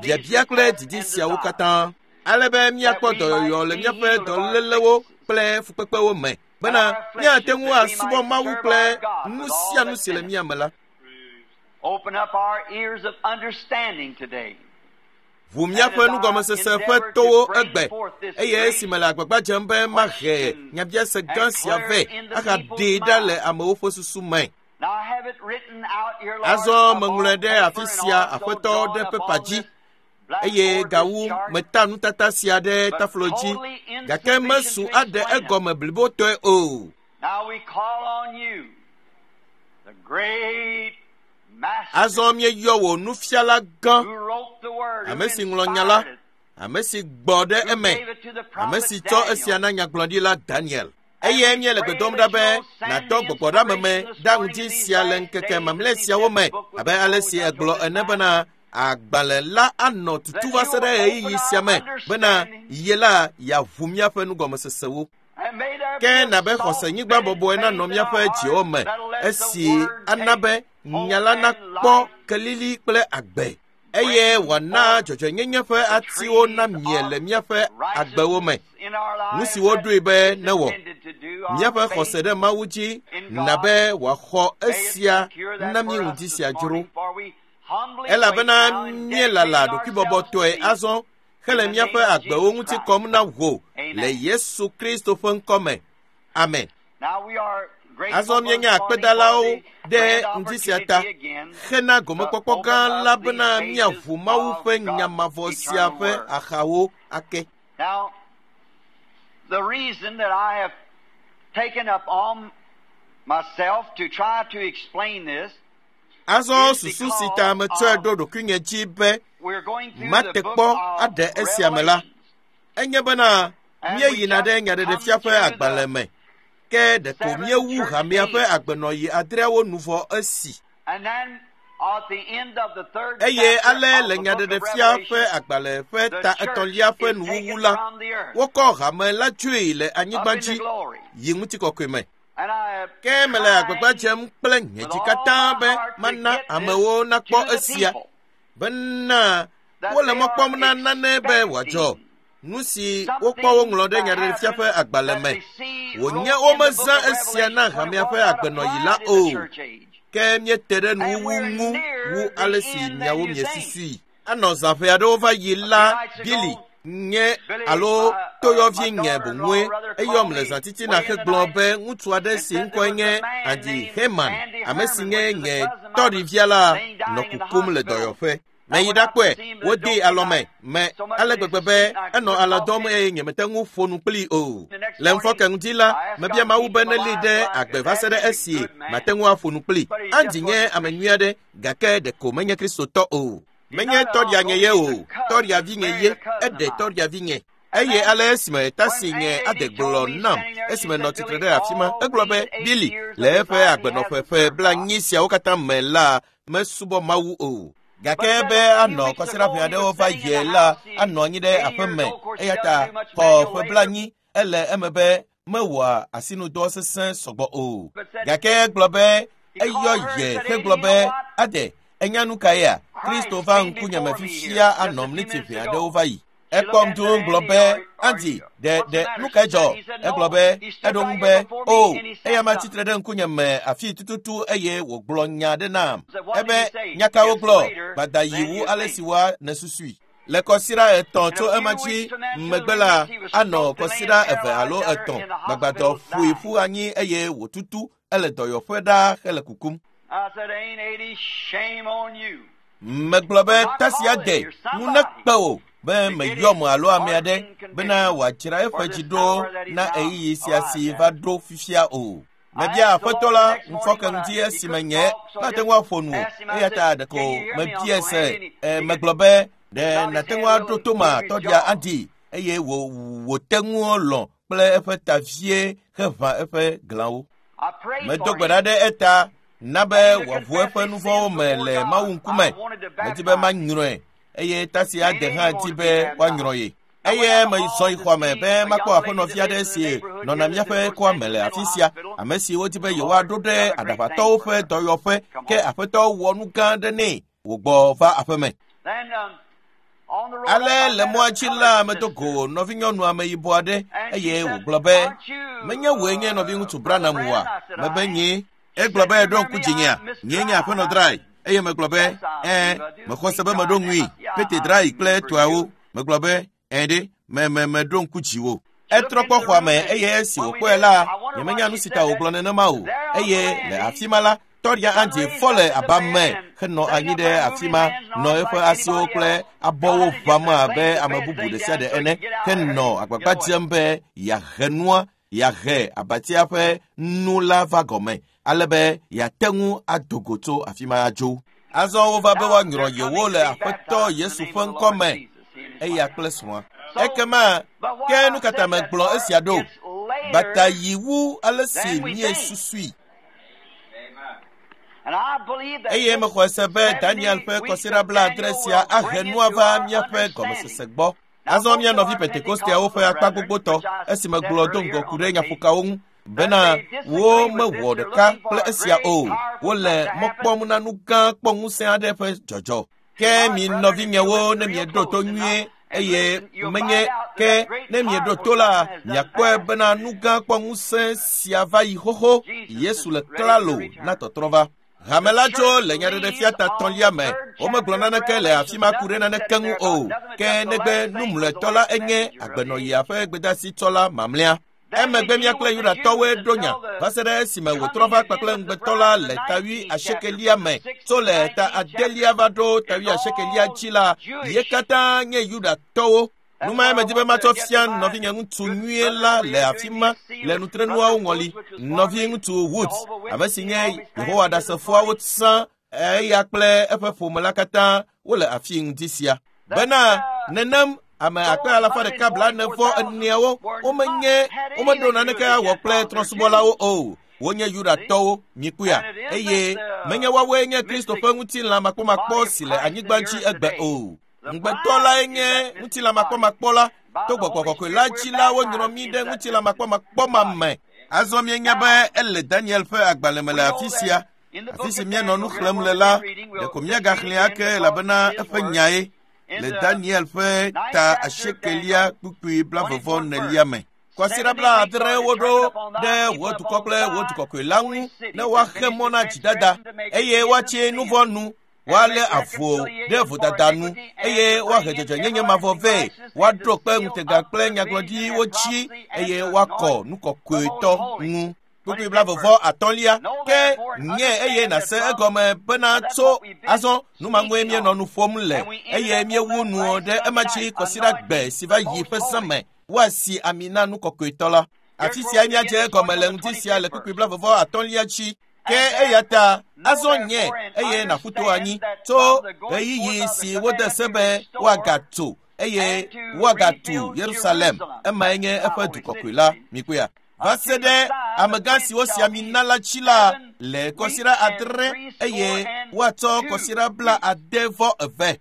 Speaker 1: biabia kple didi siawo katã, ale be míakpɔ dɔyɔyɔ le míaƒe dɔlélewo kple fukpekpewo me bena míate ŋu asubɔ Mawu kple nu sia nu si le mía me la. Ʋu míaƒe nugɔmesese ƒe towo egbe eye esime le agbagba dzem be mahe nyabiase gã sia vɛ ahaɖee ɖa le amewo ƒe susu me. Azɔ meŋlɔe ɖe afi sia Aƒetɔ ɖe pepa dzi eye gawu meta nutata sia ɖe taflo dzi gake mesu aɖe egɔme blibotɔe o. Azɔ míeyɔ wò nufiala gã, ame si ŋlɔ nya la, ame si gbɔ ɖe eme, ame si tsɔ esia na nyagblɔɖila Daniel. Eye míele gbe dom ɖa be nàdɔ gbɔgbɔɖeameme ɖa ŋdi sia le ŋkeke mamlɛ siawo me abe ale si egblɔ ene bena agbalẽ la anɔ tutu va se ɖe ɣeyiɣi sia me bena ye la yeaʋu míaƒe nugɔmesesewo. Ke nabe xɔsenyigba bɔbɔe nanɔ míaƒe dziwo me esi ana be nya la nakpɔ kelili kple agbe eye wòana dzɔdzɔenyenye ƒe atiwo namie le míaƒe agbewo me. Nu si woɖoe be newɔ míaƒe xɔse ɖe Mawu dzi na be wòaxɔ esia na mí ŋdi sia dzro. Elabena míelala ɖokuibɔbɔtɔe azɔ hele míaƒe agbewo ŋuti kɔm na wò le Yesu Kristo ƒe ŋkɔ me. Amen. Azɔ míenye akpedalawo ɖe ŋdi sia ta hena gomekpɔkpɔ gã la bena míaʋu Mawu ƒe nya mavɔ sia ƒe axawo ake.
Speaker 2: Now, the reason that I have taken up on myself to try to explain this,
Speaker 1: Azɔ susu si ta metsɔe ɖo ɖokuinye dzi be
Speaker 2: we're going through the
Speaker 1: mate
Speaker 2: book
Speaker 1: kpɔ
Speaker 2: of
Speaker 1: aɖe esia me la,
Speaker 2: Revelation.
Speaker 1: enye bena míeyina ɖe nyaɖeɖefia ƒe agbalẽ me ke ɖeko míewu hamea ƒe agbenɔɣi adreawo nu vɔ esi.
Speaker 2: And then at the end of the third
Speaker 1: Eye
Speaker 2: chapter
Speaker 1: ale
Speaker 2: of
Speaker 1: le
Speaker 2: the book of
Speaker 1: nyaɖeɖefia ƒe
Speaker 2: Revelation,
Speaker 1: agbalẽ ƒe
Speaker 2: the
Speaker 1: ta
Speaker 2: church
Speaker 1: etɔ̃lia ƒe
Speaker 2: is
Speaker 1: nuwuwu
Speaker 2: taken
Speaker 1: la,
Speaker 2: from the earth
Speaker 1: wokɔ hame la tsoe le
Speaker 2: up
Speaker 1: anyigba
Speaker 2: into
Speaker 1: dzi
Speaker 2: glory.
Speaker 1: yi ŋutikɔkɔe me.
Speaker 2: And I have
Speaker 1: Ke mele agbagba
Speaker 2: tried
Speaker 1: dzem kple nye
Speaker 2: with
Speaker 1: dzi
Speaker 2: all
Speaker 1: katã
Speaker 2: my
Speaker 1: be
Speaker 2: heart to
Speaker 1: mana
Speaker 2: get
Speaker 1: amewo
Speaker 2: this
Speaker 1: nakpɔ
Speaker 2: to the
Speaker 1: esia
Speaker 2: people,
Speaker 1: bena
Speaker 2: that
Speaker 1: wole
Speaker 2: they
Speaker 1: mɔ kpɔm
Speaker 2: are
Speaker 1: na nane be wòadzɔ.
Speaker 2: expecting
Speaker 1: Nu si wokpɔ woŋlɔ ɖe
Speaker 2: something to
Speaker 1: nyaɖeɖefia ƒe
Speaker 2: happen
Speaker 1: agbalẽ
Speaker 2: that
Speaker 1: me.
Speaker 2: they see
Speaker 1: Wònye
Speaker 2: wrote in the book
Speaker 1: womezã
Speaker 2: of
Speaker 1: esia na
Speaker 2: Revelation when it
Speaker 1: hamea
Speaker 2: was
Speaker 1: ƒe
Speaker 2: not
Speaker 1: agbenɔɣi la
Speaker 2: applied in the
Speaker 1: o.
Speaker 2: church age.
Speaker 1: Ke míete ɖe
Speaker 2: And
Speaker 1: nuwuwu
Speaker 2: we're
Speaker 1: ŋu
Speaker 2: nearer
Speaker 1: wu
Speaker 2: the
Speaker 1: ale si
Speaker 2: end than
Speaker 1: miawo
Speaker 2: you think.
Speaker 1: miesusui. Anɔ zã ƒe aɖewo va yi
Speaker 2: A few
Speaker 1: la
Speaker 2: nights
Speaker 1: Bili
Speaker 2: ago,
Speaker 1: nye
Speaker 2: Billy,
Speaker 1: alo
Speaker 2: my, uh,
Speaker 1: toyɔvi
Speaker 2: my
Speaker 1: nye
Speaker 2: daughter-in-law
Speaker 1: boŋue
Speaker 2: rather
Speaker 1: eyɔm
Speaker 2: called
Speaker 1: le
Speaker 2: me
Speaker 1: zã titina
Speaker 2: way in the
Speaker 1: hegblɔ
Speaker 2: night
Speaker 1: be ŋutsu aɖe
Speaker 2: and
Speaker 1: si
Speaker 2: said there
Speaker 1: ŋkɔe
Speaker 2: was a
Speaker 1: nye
Speaker 2: man
Speaker 1: Andy
Speaker 2: named
Speaker 1: Herman,
Speaker 2: Andy
Speaker 1: ame si
Speaker 2: Herman,
Speaker 1: nye
Speaker 2: which is a
Speaker 1: nye
Speaker 2: cousin of mine, was
Speaker 1: tɔɖivia la
Speaker 2: laying
Speaker 1: nɔ
Speaker 2: dying in the
Speaker 1: kukum le
Speaker 2: hospital.
Speaker 1: dɔyɔƒe.
Speaker 2: I
Speaker 1: Meyi
Speaker 2: went out to
Speaker 1: ɖakpɔe,
Speaker 2: see him, but the
Speaker 1: wodee
Speaker 2: doctor
Speaker 1: alɔme
Speaker 2: died
Speaker 1: me
Speaker 2: so much
Speaker 1: ale
Speaker 2: that his
Speaker 1: gbegbe be
Speaker 2: I
Speaker 1: enɔ
Speaker 2: couldn't
Speaker 1: alɔ
Speaker 2: talk
Speaker 1: dɔm
Speaker 2: to him.
Speaker 1: eye nyemete ŋu ƒo nu kplii o.
Speaker 2: The next
Speaker 1: Le
Speaker 2: morning,
Speaker 1: ŋufɔke ŋdi la,
Speaker 2: I asked
Speaker 1: mebia
Speaker 2: God to
Speaker 1: Mawu
Speaker 2: keep
Speaker 1: be
Speaker 2: him
Speaker 1: nelée
Speaker 2: alive
Speaker 1: ɖe
Speaker 2: so I
Speaker 1: agbe
Speaker 2: could
Speaker 1: va se
Speaker 2: ask
Speaker 1: ɖe
Speaker 2: him,
Speaker 1: esi
Speaker 2: good man,
Speaker 1: mate ŋu aƒo nu kplii.
Speaker 2: but he
Speaker 1: Andy
Speaker 2: just
Speaker 1: nye
Speaker 2: wasn't
Speaker 1: ame
Speaker 2: Christian.
Speaker 1: nyui aɖe gake ɖeko menye Kristotɔ o.
Speaker 2: He's
Speaker 1: Menye
Speaker 2: not an
Speaker 1: tɔɖia
Speaker 2: uncle,
Speaker 1: nye ye
Speaker 2: he's
Speaker 1: o,
Speaker 2: a cousin,
Speaker 1: tɔɖia vi nye
Speaker 2: married
Speaker 1: ye,
Speaker 2: a cousin of
Speaker 1: eɖe
Speaker 2: mine.
Speaker 1: tɔɖia vi nye.
Speaker 2: And
Speaker 1: Eye
Speaker 2: then
Speaker 1: ale esime tasi
Speaker 2: when
Speaker 1: nye
Speaker 2: Aunt
Speaker 1: ade
Speaker 2: Ady told
Speaker 1: gblɔ
Speaker 2: me
Speaker 1: nam
Speaker 2: standing there, she
Speaker 1: esime nɔ
Speaker 2: said,
Speaker 1: tsitre
Speaker 2: Billy,
Speaker 1: ɖe afi ma,
Speaker 2: all
Speaker 1: egblɔ be
Speaker 2: these eight
Speaker 1: Bili
Speaker 2: years
Speaker 1: le
Speaker 2: of his
Speaker 1: eƒe
Speaker 2: life he
Speaker 1: agbenɔƒe
Speaker 2: hasn't
Speaker 1: ƒe
Speaker 2: served
Speaker 1: bla
Speaker 2: God.
Speaker 1: nyi siawo katã me la mesubɔ Mawu o.
Speaker 2: But
Speaker 1: Gake
Speaker 2: said
Speaker 1: be
Speaker 2: a few
Speaker 1: anɔ
Speaker 2: weeks
Speaker 1: kɔsiɖa
Speaker 2: ago
Speaker 1: ƒe
Speaker 2: he
Speaker 1: aɖewo
Speaker 2: was
Speaker 1: va
Speaker 2: sitting in
Speaker 1: yie
Speaker 2: the
Speaker 1: la
Speaker 2: house. He's
Speaker 1: anɔ anyi ɖe
Speaker 2: eighty
Speaker 1: aƒe
Speaker 2: years
Speaker 1: me
Speaker 2: old. Of course, he
Speaker 1: eya
Speaker 2: doesn't
Speaker 1: ta
Speaker 2: do much
Speaker 1: xɔ
Speaker 2: manual
Speaker 1: ƒe
Speaker 2: labor.
Speaker 1: blanyi ele eme be mewɔa asinudɔ sesẽ sɔgbɔ o.
Speaker 2: But said
Speaker 1: Gake egblɔ be
Speaker 2: he
Speaker 1: eyɔ
Speaker 2: called her and
Speaker 1: ye
Speaker 2: said, Ady,
Speaker 1: hegblɔ
Speaker 2: you know
Speaker 1: be
Speaker 2: what?
Speaker 1: ade enya nu ka yea?
Speaker 2: Christ
Speaker 1: Kristo va
Speaker 2: came
Speaker 1: ŋkunye me
Speaker 2: before me here
Speaker 1: fifia
Speaker 2: just a
Speaker 1: anɔ
Speaker 2: few
Speaker 1: mliti
Speaker 2: minutes
Speaker 1: ʋɛ
Speaker 2: ago.
Speaker 1: aɖewo va yi.
Speaker 2: She looked
Speaker 1: Ekpɔm
Speaker 2: at
Speaker 1: dũ
Speaker 2: said,
Speaker 1: gblɔ
Speaker 2: Andy,
Speaker 1: be
Speaker 2: or, or
Speaker 1: Andy ɖe
Speaker 2: what's the
Speaker 1: ɖe
Speaker 2: matter?
Speaker 1: nu
Speaker 2: She
Speaker 1: kae
Speaker 2: said,
Speaker 1: dzɔ?
Speaker 2: he said,
Speaker 1: Egblɔ
Speaker 2: no.
Speaker 1: be
Speaker 2: He stood
Speaker 1: eɖo
Speaker 2: right
Speaker 1: ŋu
Speaker 2: here
Speaker 1: be
Speaker 2: before me
Speaker 1: o
Speaker 2: and he said
Speaker 1: eya ma
Speaker 2: something.
Speaker 1: tsitre ɖe ŋkunye me afii tututu eye wògblɔ nya aɖe nam.
Speaker 2: I said, what did
Speaker 1: Ebe
Speaker 2: he say?
Speaker 1: nya kawo
Speaker 2: It's
Speaker 1: gblɔ?
Speaker 2: later
Speaker 1: Gbada yi
Speaker 2: than
Speaker 1: wu
Speaker 2: you
Speaker 1: ale
Speaker 2: think.
Speaker 1: si woa nesusui. Le kɔsiɖa etɔ̃
Speaker 2: And
Speaker 1: tso
Speaker 2: a
Speaker 1: ema
Speaker 2: few
Speaker 1: dzi
Speaker 2: weeks from that, two or
Speaker 1: megbe
Speaker 2: three
Speaker 1: la
Speaker 2: weeks, he was
Speaker 1: anɔ
Speaker 2: stroked and laying
Speaker 1: kɔsiɖa eve alo
Speaker 2: paralyzed out
Speaker 1: etɔ̃.
Speaker 2: in the
Speaker 1: Gbagbadɔ
Speaker 2: hospital,
Speaker 1: ƒoe
Speaker 2: dying.
Speaker 1: ƒu anyi eye wòtutu ele dɔyɔƒe ɖaa hele kukum.
Speaker 2: I said, Ain't Ady, shame on you
Speaker 1: Megblɔ
Speaker 2: for
Speaker 1: be
Speaker 2: not
Speaker 1: tasi
Speaker 2: calling
Speaker 1: ade
Speaker 2: here
Speaker 1: nu
Speaker 2: somebody
Speaker 1: nekpe wò be
Speaker 2: to get
Speaker 1: meyɔm
Speaker 2: his
Speaker 1: alo ame
Speaker 2: heart
Speaker 1: aɖe
Speaker 2: in
Speaker 1: bena
Speaker 2: condition
Speaker 1: wòadzra eƒe
Speaker 2: for
Speaker 1: dzi
Speaker 2: this
Speaker 1: ɖo
Speaker 2: hour that he's
Speaker 1: na
Speaker 2: now
Speaker 1: ɣeyiɣi sia
Speaker 2: arrived
Speaker 1: si
Speaker 2: at.
Speaker 1: va ɖo fifia o.
Speaker 2: I
Speaker 1: Mebia
Speaker 2: asked the
Speaker 1: aƒetɔ
Speaker 2: Lord the
Speaker 1: la
Speaker 2: next morning
Speaker 1: ŋufɔke
Speaker 2: when I,
Speaker 1: ŋdi
Speaker 2: he
Speaker 1: esime
Speaker 2: couldn't
Speaker 1: nye
Speaker 2: talk, so I
Speaker 1: mate
Speaker 2: just
Speaker 1: ŋu aƒo nu o
Speaker 2: asked him, I
Speaker 1: eya
Speaker 2: said,
Speaker 1: ta
Speaker 2: Can
Speaker 1: ɖeko
Speaker 2: you hear me,
Speaker 1: mebiae
Speaker 2: Uncle
Speaker 1: se
Speaker 2: Andy? And he,
Speaker 1: e,
Speaker 2: he could
Speaker 1: megblɔ be ɖe
Speaker 2: nod his
Speaker 1: nàte
Speaker 2: head
Speaker 1: ŋu
Speaker 2: a
Speaker 1: aɖo
Speaker 2: little and
Speaker 1: to ma
Speaker 2: move his
Speaker 1: tɔɖia
Speaker 2: jaw.
Speaker 1: Andy eye wò wòte ŋu lɔ̃ kple eƒe ta vie heʋã eƒe glãwo. Medo gbe ɖa ɖe eta na be wòaʋu eƒe nu vɔ̃wo me le Mawu ŋkume. Medi be manyrɔe eye tasi ade hã di be woanyrɔ ye. Eye mezɔ yi xɔa me be makpɔ aƒenɔvi aɖe si nɔna míaƒe kɔa me le afi sia, ame si wodi be yewoaɖo ɖe aɖaʋatɔwo ƒe dɔyɔƒe, ke aƒetɔ wɔ nu gã aɖe nɛ wògbɔ va aƒeme. Ale le mɔa dzi la medo go nɔvinyɔnu ameyibɔ aɖe eye wògblɔ be, menye wòe nye nɔviŋutsu Branham oa? Mebe nyee. Egblɔ be ɖo ŋku dzinyea, nyee nye aƒenɔ Drai. Eye megblɔ be, ɛɛ, mexɔ se be meɖo ŋui, Pete Drai kple etɔawo. Megblɔ be, ɛɛ ɖe, me me meɖo ŋku dziwò. Etrɔ kpɔ xɔa me eye esi wòkpɔe la, nyemenya nu si ta wògblɔ nenema o. Eye le afi ma la, tɔɖia Andy fɔ le aba me henɔ anyi ɖe afi ma, nɔ eƒe asiwo kple abɔwo ʋãm abe ame bubu ɖe sia ɖe ene, henɔ agbagba dzem be yeahe nua, yeahe abatia ƒe nu la va gɔme, ale be yeate ŋu ado go tso afi ma adzo. Azɔ wova be woanyrɔ yewo le Aƒetɔ Yesu ƒe ŋkɔ me, eya kple srɔ̃a. Ekema ke nu katã megblɔ esia ɖo? Bata yi wu ale si míesusui. Eye mexɔe se be Daniel ƒe kɔsiɖa blaadre sia ahe nua va míaƒe gɔmesese gbɔ. Azɔ mía nɔvi Pentekosteawo ƒe akpa gbogbotɔ esi megblɔ do ŋgɔ ku ɖe nyaƒokawo ŋu bena wo mewɔ ɖeka kple esia o. Wole mɔ kpɔm na nu gã kpɔ ŋusẽ aɖe ƒe dzɔdzɔ. Ke mi nɔvinyewo ne mieɖo to nyuie eye menye ke ne mieɖo to la, miakpɔe bena nu gã kpɔ ŋusẽ sia va yi xoxo. Yesu le klalo na tɔtrɔ va. Hame la tso le nyaɖeɖefia ta tɔ̃lia me. Womegblɔ naneke le afi ma ku ɖe naneke ŋu o. Ke negbe nu mlɔetɔ la enye agbenɔyia ƒe gbedasitsɔla mamlɛa. Emegbe mía kple Yudatɔwoe ɖo nya va se ɖe esime wòtrɔ va kpakple ŋugbetɔ la le ta wuiasiekelia me. Tso le ta adelia va ɖo ta wuiasiekelia dzi la, ye katã nye Yudatɔwo. Nu mae medi be matsɔ fia nɔvinye ŋutsu nyuie la le afi ma le nutrenuawo ŋɔli. Nɔvi ŋutsu Woods, ame si nye Yehowa Ɖasefoawo tsã, eya kple eƒe ƒome la katã wole afi ŋdi sia. Bena nenem ame akpe alafa ɖeka blaene vɔ eneawo womenye womeɖo naneke awɔ kple trɔ̃subɔlawo o. Wonye Yudatɔwo, mikpɔea, eye menye woawoe nye Kristo ƒe ŋutilã makpɔmakpɔ si le anyigba dzi egbe o. Ŋugbetɔ lae nye ŋutilã makpɔmakpɔ la. To gbɔgbɔ kɔkɔe la dzi la wonyrɔ mí ɖe ŋutilã makpɔmakpɔ ma me. Azɔ míenya be ele Daniel ƒe agbalẽ me le afi sia. Afi si míenɔ nu xlẽm le la, ɖeko míagaxlẽe ake elabena eƒe nyae le Daniel ƒe ta asiekelia kpukpui blavevɔ nelia me. Kɔsiɖa blaadre woɖo ɖe wò dukɔ kple wò dukɔkɔe la ŋu ne woaxe mɔ na dzidada eye woatsi nu vɔ̃ nu, woalé avu ɖe vodada nu eye woahe dzɔdzɔenyenye mavɔ vɛ, woaɖo kpe ŋutega kple nyagblɔɖiwo dzi eye woakɔ nu kɔkɔetɔ ŋu. Kpukpui blavevɔ atɔ̃lia. Ke nye eye nàse egɔme bena tso azɔ nu ma ŋue míenɔ nu ƒom le eye míewu nu ɖe ema dzi kɔsiɖa gbe si va yi ƒe zã me. Woasi ami na nu kɔkɔetɔ la. Afi sia míadze egɔme le ŋdi sia le kpukpui blavevɔ atɔ̃lia dzi. Ke eya ta azɔ nye eye nàƒu to anyi tso ɣeyiɣi si wode se be woagatso eye woagatu Yerusalem. Emae nye eƒe du kɔkɔe la. Mikpɔea? Va se ɖe amegã siwo si ami na la dzi la le kɔsiɖa adre eye woatsɔ kɔsiɖa bla ade vɔ eve.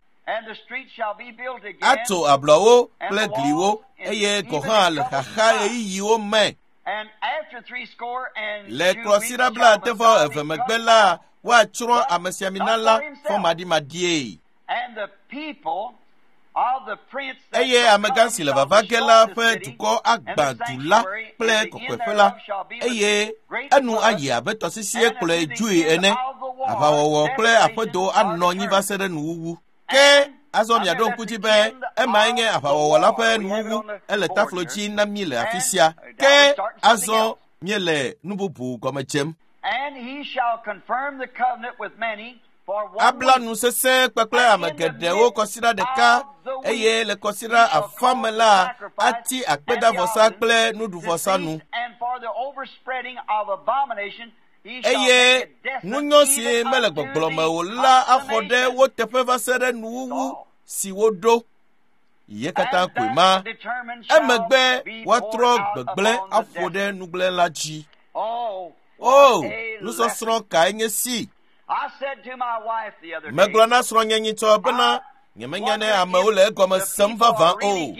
Speaker 1: Atso ablɔwo kple gliwo eye gɔ̃ hã le xaxa ɣeyiɣiwo me. Le kɔsiɖa bla ade vɔ eve megbe la, woatsrɔ̃ amesiamina la fɔmaɖimaɖie. Eye amegã si le vava ge la ƒe dukɔ agbã du la kple kɔkɔeƒe la, eye enu ayi abe tɔsisie kplɔe dzoe ene. Aʋawɔwɔ kple aƒedo anɔ anyi va se ɖe nuwuwu. Ke azɔ miaɖo ŋku dzi be emae nye aʋawɔwɔ la ƒe nuwuwu. Ele taflo dzi na mí le afi sia. Ke azɔ míele nu bubu gɔme dzem. Abla nu sesẽ kpakple ame geɖewo kɔsiɖa ɖeka eye le kɔsiɖa afã me la ati akpedavɔsa kple nuɖuvɔsa nu. Eye ŋunyɔ si mele gbɔgblɔ me o la axɔ ɖe wo teƒe va se ɖe nuwuwu si woɖo. Ye katã koe ma. Emegbe woatrɔ gbegblẽ aƒo ɖe nugblẽla dzi. O, nusɔsrɔ̃ kae nye si! Megblɔ na srɔ̃nye nyitsɔ bena nyemenya ne amewo le egɔme sem vavã o.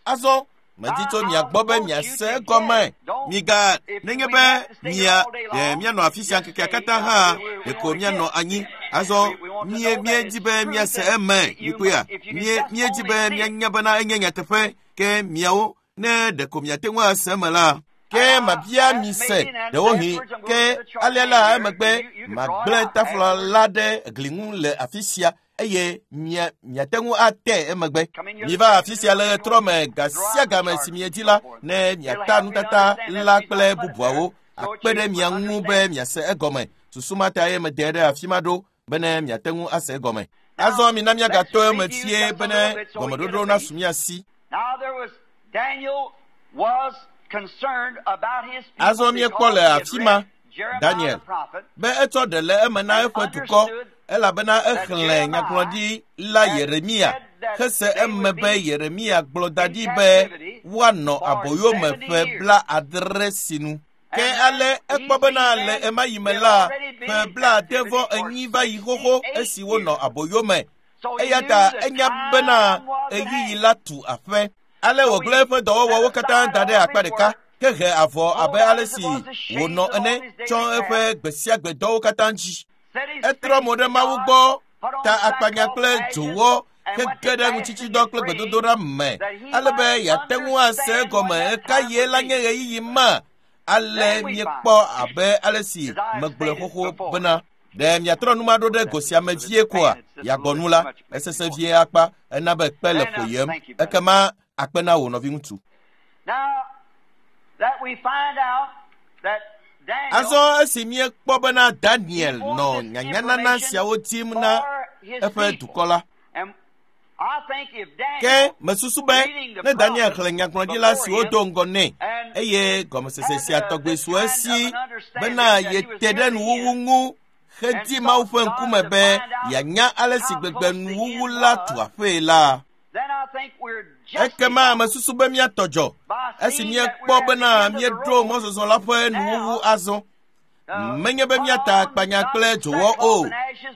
Speaker 1: Azɔ medi tso mia gbɔ be miase egɔme. Miga nenye be mia ɖe mianɔ afi sia ŋkekea katã hã ɖeko mianɔ anyi. Azɔ mie miedi be miase eme mikpɔea mie miedi be mianya bena enye nyateƒe ke miawo ne ɖeko miate ŋu ase eme la. Ke mabia mi se ɖewohĩ ke alea la emegbe magblẽ tafla la ɖe gli ŋu le afi sia eye mia miate ŋu ate emegbe. Miva afi sia le ɣetrɔ me ga sia game si miedi la ne miata nutata la kple bubuawo akpe ɖe mia ŋu be miase egɔme. Susu ma ta ye mede ɖe afi ma ɖo bene miate ŋu ase egɔme. Azɔ mina miagatɔ eme fie bene gɔmeɖoɖo nasu mia si. Azɔ míekpɔ le afi ma Daniel be etsɔ ɖe le eme na eƒe dukɔ elabena exlẽ nyagblɔɖi la Yeremia hese eme be Yeremia gblɔ da ɖi be woanɔ aboyome ƒe bla adre sinu. Ke ale ekpɔ bena le ema yi me la ƒe bla ade vɔ enyi va yi xoxo esi wonɔ aboyome. Eya ta enya bena ɣeyiɣi la tu aƒe. Ale wògblẽ eƒe dɔwɔwɔwo katã da ɖe akpa ɖeka ke he avɔ abe ale si wònɔ ene tsɔ eƒe gbe sia gbe dɔwo katã dzi. Etrɔ mo ɖe Mawu gbɔ ta akpanya kple dzowɔ hege ɖe ŋutsitsidɔ kple gbedodoɖa me ale be yeate ŋu ase egɔme ɣekaɣie la nye ɣeyiɣi ma. Ale míekpɔ abe ale si megblɔe xoxo bena ɖe miatrɔ nu ma ɖo ɖe go sia me vie koa yeagbɔ nu la esese vie akpa ena be kpe le ƒoyem ekema akpe na wò nɔviŋutsu. Azɔ esi míekpɔ bena Daniel nɔ nyanyanana siawo dim na eƒe dukɔ la, ke mesusu be ne Daniel xlẽ nyagblɔɖila siwo do ŋgɔ nɛ eye gɔmesese sia tɔgbe su esi bena yete ɖe nuwuwu ŋu hedi Mawu ƒe ŋkume be yeanya ale si gbegbe nuwuwu la tu aƒee la, ekema mesusu be míatɔ dzɔ esi míekpɔ bena míeɖo mɔzɔzɔ la ƒe nuwuwu azɔ. Menye be míata akpanya kple dzowɔ o,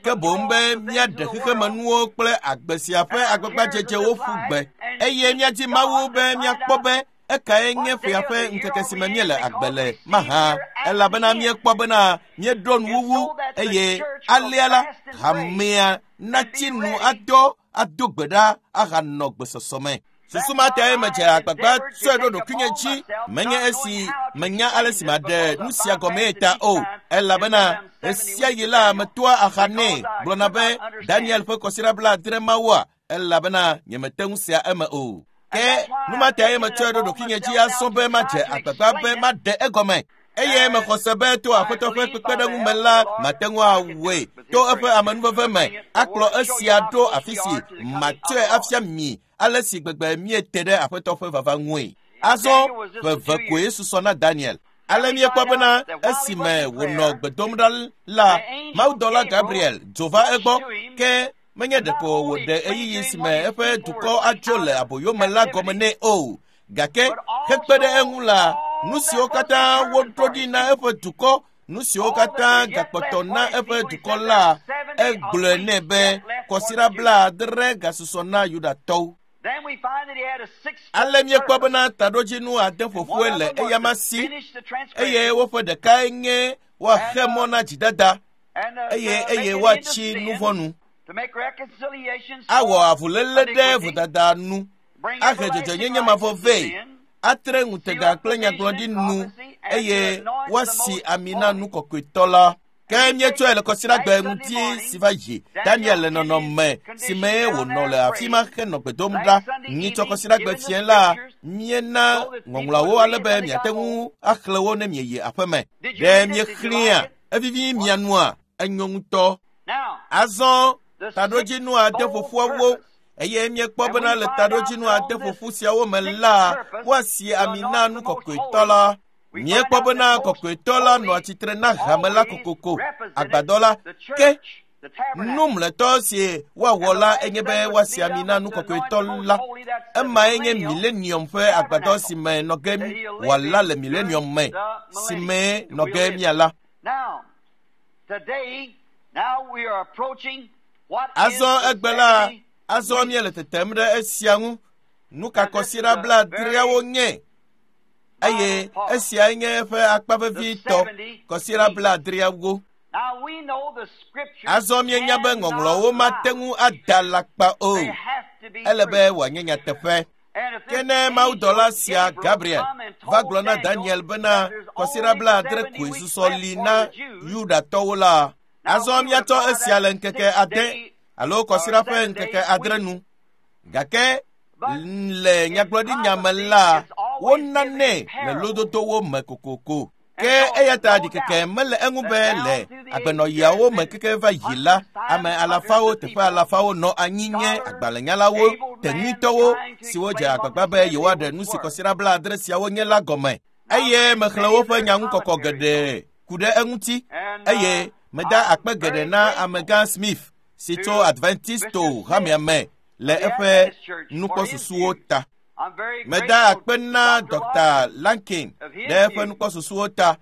Speaker 1: ke boŋ be míaɖe xexemenuwo kple agbe sia ƒe agbagbadzedzewo ƒu gbe eye míadi Mawu be míakpɔ be ekae nye ƒea ƒe ŋkeke si me míele agbe le mahã, elabena míekpɔ bena míeɖo nuwuwu eye alea la hamea natsi nu adɔ ado gbe ɖa ahanɔ gbesɔsɔ me. Susu ma tae medze agbagba tsɔe ɖo ɖokuinye dzi menye esi menya ale si maɖe nu sia gɔmee ta o, elabena ɣesiaɣi la metoa axa nɛ gblɔna be Daniel ƒe kɔsiɖa bla adre mawua elabena nyemete ŋu sea eme o. Ke nu ma tae metsɔe ɖo ɖokuinye dzi azɔ be madze agbagba be maɖe egɔme. Eye mexɔ se be to Aƒetɔ ƒe kpekpeɖeŋu me la mate ŋu awɔe to eƒe amenuveve me akplɔ esia ɖo afi si matsɔe afia mi ale si gbegbe míete ɖe Aƒetɔ ƒe vava ŋue. Azɔ ƒe eve koe susɔ na Daniel. Ale míekpɔ bena esime wònɔ gbe dom ɖa la, mawudɔla Gabriel dzo va egbɔ ke menye ɖeko wòɖe ɣeyiɣi si me eƒe dukɔ adzo le aboyome la gɔme nɛ o, gake hekpe ɖe eŋu la, nu siwo katã woɖo ɖi na eƒe dukɔ, nu siwo katã gakpɔtɔ na eƒe dukɔ la, egblɔe nɛ be kɔsiɖa bla adre gasusɔ na Yudatɔwo. Ale míekpɔ bena taɖodzinu ade ƒoƒoe le eyama si eye woƒe ɖekae nye woaxe mɔ na dzidada eye eye woatsi nuvɔ̃ nu, awɔ avuléle ɖe vodada nu, ahe dzɔdzɔenyenye mavɔ vɛ, atre ŋutega kple nyagblɔɖi nu eye woasi ami na nu kɔkɔetɔ la. Ke míetsɔe le kɔsiɖagbe ŋuti si va yi Daniel le nɔnɔme si me wònɔ le afi ma henɔ gbe dom ɖa. Nyitsɔ kɔsiɖagbe fiẽ la míena ŋɔŋlɔawo ale be miate ŋu axlẽ wo ne mieyi aƒeme. Ɖe miexlẽa evivi mia nua enyo ŋutɔ. Azɔ taɖodzinu ade ƒoƒuawo eye míekpɔ bena le taɖodzinu ade ƒoƒu siawo me la woasi ami na nu kɔkɔetɔ la. Míekpɔ bena kɔkɔetɔ la nɔa tsitre na hame la kokoko, agbadɔ la. Ke nu mlɔetɔ si woawɔ la enye be woasi ami na nu kɔkɔetɔ la. Emae nye milenium ƒe agbadɔ si me nɔ ge wòala le milenium me, si me nɔ ge míala. Azɔ egbe la, azɔ míele tetem ɖe esia ŋu. Nu ka kɔsiɖa blaadreawo nye? Eye esiae nye eƒe akpa vevitɔ, kɔsiɖa blaadreawo. Azɔ míenya be ŋɔŋlɔwo mate ŋu ada alakpa o. Ele be wòanye nyateƒe. Ke ne mawudɔla sia Gabriel va gblɔ na Daniel bena kɔsiɖa blaadre koe susɔ li na Yudatɔwo la, azɔ míatsɔ esia le ŋkeke ade alo kɔsiɖa ƒe ŋkeke adre nu. Gake le nyagblɔɖinya me la, wonanɛ le lododowo me kokoko. Ke eya ta ɖikeke mele eŋu be le agbenɔɣiawo me keke va yi la, ame alafawo teƒe alafawo nɔ anyi nye agbalẽnyalawo, tenyuitɔwo siwo dze agbagba be yewoaɖe nu si kɔsiɖa blaadre siawo nye la gɔme. Eye mexlẽ woƒe nyaŋukɔkɔ geɖe ku ɖe eŋuti. Eye meda akpe geɖe na amegã Smith si tso Adventisto hamea me le eƒe nukpɔsusuwo ta. Meda akpe na Dɔkta Lankin ɖe eƒe nukpɔsusuwo ta.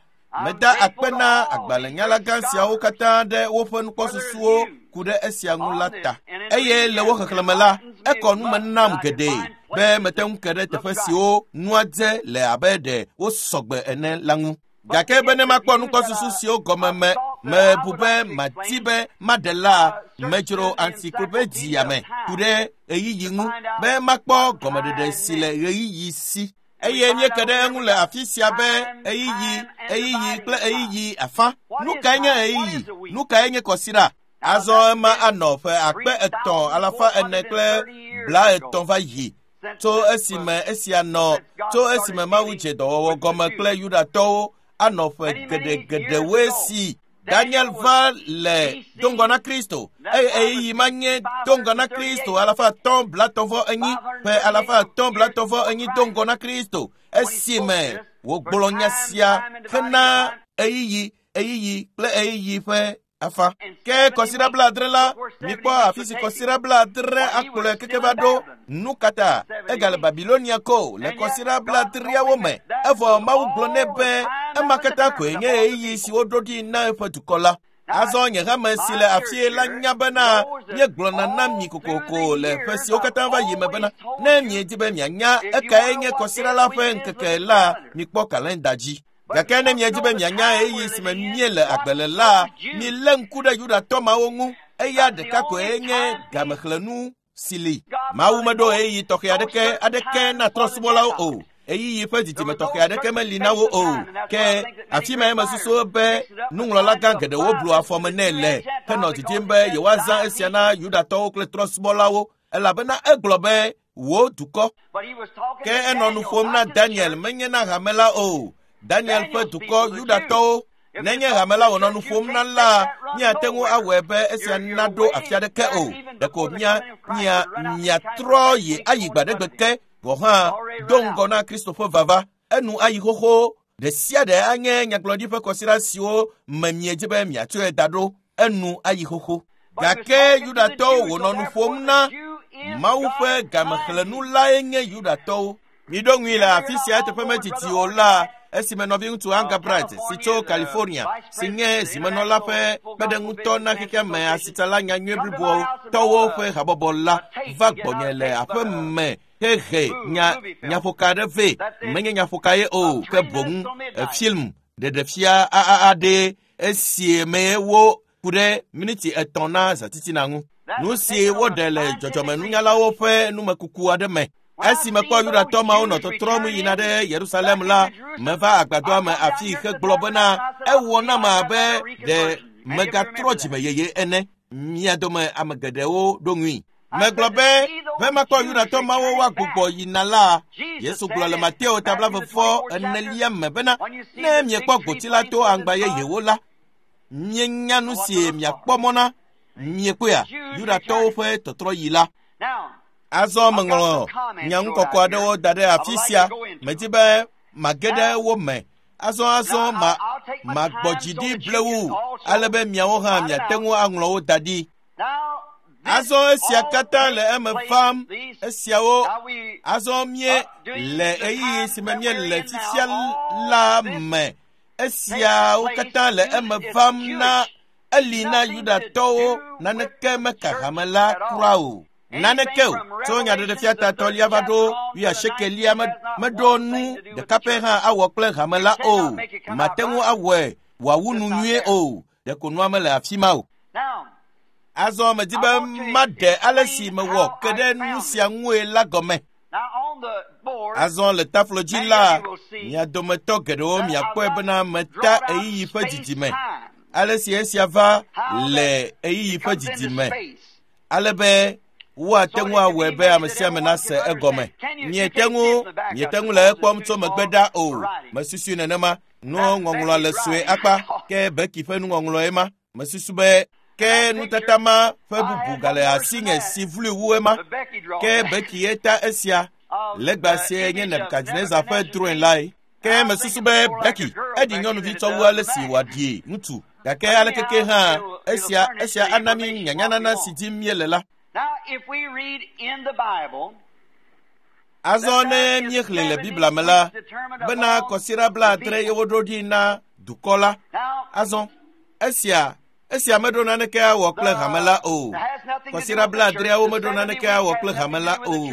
Speaker 1: Meda akpe na agbalẽnyalagã siawo katã ɖe woƒe nukpɔsusuwo ku ɖe esia ŋu la ta. Eye le wo xexlẽme la, ekɔ nume nam geɖe be mete ŋu ke ɖe teƒe siwo nua dze le abe ɖe wosɔgbe ene la ŋu. Gake be ne makpɔ nukpɔsusu siwo gɔme me mebu be mati be maɖe la, medzro encyclopedia me ku ɖe ɣeyiɣi ŋu be makpɔ gɔmeɖeɖe si le ɣeyiɣi si. Eye míeke ɖe eŋu le afi sia be ɣeyiɣi, ɣeyiɣi kple ɣeyiɣi afã. Nu kae nye ɣeyiɣi? Nu kae nye kɔsiɖa? Azɔ ema anɔ ƒe akpe etɔ̃ alafa ene kple blaetɔ̃ va yi tso esime esia nɔ tso esime Mawu dze dɔwɔwɔ gɔme kple Yudatɔwo anɔ ƒe geɖegeɖewoe si Daniel va le do ŋgɔ na Kristo. Eye ɣeyiɣi ma nye do ŋgɔ na Kristo alafa atɔ̃ blatɔ̃ vɔ enyi ƒe alafa atɔ̃ blatɔ̃ vɔ enyi do ŋgɔ na Kristo esime wògblɔ nya sia hena ɣeyiɣi, ɣeyiɣi kple ɣeyiɣi ƒe afã. Ke kɔsiɖa blaadre la, mikpɔ afi si kɔsiɖa blaadre akplɔe keke va ɖo. Nu ka ta egale Babilonia ko le kɔsiɖa blaadreawo me. Evɔ Mawu gblɔ nɛ be ema katã koe nye ɣeyiɣi si woɖo ɖi na eƒe dukɔ la. Azɔ nye hame si le afie la nya bena míegblɔna na mi kokoko le ƒe siwo katã va yi me bena ne miedi be mianya ekae nye kɔsiɖa la ƒe ŋkeke la, mikpɔ kalenda dzi. Gake ne miedi be mianya ɣeyiɣi si me míele agbe le la, milé ŋku ɖe Yudatɔ mawo ŋu. Eya ɖeka koe nye gamexlẽnu si li. Mawu meɖo ɣeyiɣi tɔxɛ aɖeke aɖeke na trɔ̃subɔlawo o. Ɣeyiɣi ƒe didime tɔxɛ aɖeke meli na wo o. Ke afi mae mesusu be nuŋlɔlagã geɖewo blu afɔme nɛ le henɔ didim be yewoazã esia na Yudatɔwo kple trɔ̃subɔlawo elabena egblɔ be wò dukɔ. Ke enɔ nu ƒom na Daniel menye na hame la o. Daniel ƒe dukɔ Yudatɔwo. Nenye hame la wònɔ nu ƒom na la, míate ŋu awɔe be esia naɖo afi aɖeke o. Ɖeko mía mía miatrɔ yi ayi gbaɖegbe ke gɔ̃ hã do ŋgɔ na Kristo ƒe vava. Enu ayi xoxo. Ɖe sia ɖe anye nyagblɔɖi ƒe kɔsiɖa siwo me miedzi be miatsɔe da ɖo. Enu ayi xoxo. Gake Yudatɔwo wònɔ nu ƒom na Mawu ƒe gamexlẽnu lae nye Yudatɔwo. Miɖo ŋui le afi sia eteƒe medidi o la, esime nɔviŋutsu Angabrat si tso California si nye zimenɔla ƒe kpeɖeŋutɔ na xexea me asitsala nyanyui bliboawo tɔwo ƒe habɔbɔ la va gbɔnye le aƒe me hehe nya nyaƒoka aɖe vɛ. Menye nyaƒoka ye o, ke boŋ film ɖeɖefia aɖe esi me wo ku ɖe miniti etɔ̃ na zãtitina ŋu. Nu si woɖe le dzɔdzɔmenunyalawo ƒe numekuku aɖe me. Esi mekpɔ Yudatɔ mawo nɔ tɔtrɔm yina ɖe Yerusalem la, meva agbadɔa me afi hegblɔ bena ewɔ nam abe ɖe megatrɔ dzime yeye ene. Mia dome ame geɖewo ɖo ŋui. Megblɔ be be makpɔ Yudatɔ mawo woagbugbɔ yina la, Yesu gblɔ le Mateo ta blaeve vɔ enelia me bena ne miekpɔ gboti la to aŋgba yeyewo la, mienya nu si miakpɔ mɔ na. Miekpɔea Yudatɔwo ƒe tɔtrɔyi la. Azɔ meŋlɔ nyaŋukɔkɔ aɖewo da ɖe afi sia. Medi be mage ɖe wo me. Azɔ azɔ ma magbɔ dzi ɖi blewu ale be miawo hã miate ŋu aŋlɔ wo da ɖi. Azɔ esia katã le eme vam. Esiawo azɔ mie le ɣeyiɣi si me míele fifia la me. Esiawo katã le eme vam na eli na Yudatɔwo naneke meka hame la kura o. Naneke o. Tso nyaɖeɖefia tatɔlia va ɖo wuiasiekelia meɖo nu ɖeka pɛ hã awɔ kple hame la o. Mate ŋu awɔe wòawu nu nyuie o. Ɖeko nua mele afi ma o. Azɔ medi be maɖe ale si mewɔ ke ɖe nu sia ŋue la gɔme. Azɔ le taflo dzi la, mia dometɔ geɖewo miakpɔe bena meta ɣeyiɣi ƒe didime. Ale si esia va le ɣeyiɣi ƒe didime. Ale be woate ŋu awɔe be ame sia ame nase egɔme. Miete ŋu, miete ŋu le ekpɔm tso megbe ɖa o. Mesusu nenema. Nuŋɔŋlɔ le sue akpa ke Becky ƒe nuŋɔŋlɔe ma. Mesusu be ke nutata ma ƒe bubu gale asinye si vlui wu ema. Ke Becky ye ta esia. Legba sie nye Nebukadnezar ƒe drɔ̃e lae. Ke mesusu be Becky eɖi nyɔnuvi tsɔ wu ale si wòaɖi ŋutsu. Gake alekeke hã esia esia ana mí nyanyanana si dim míele la. Azɔ ne míexlẽ le Biblia me la, bena kɔsiɖa blaadre ye woɖo ɖi na dukɔ la. Azɔ esia esia meɖo naneke awɔ kple hame la o. Kɔsiɖa blaadreawo meɖo naneke awɔ kple hame la o.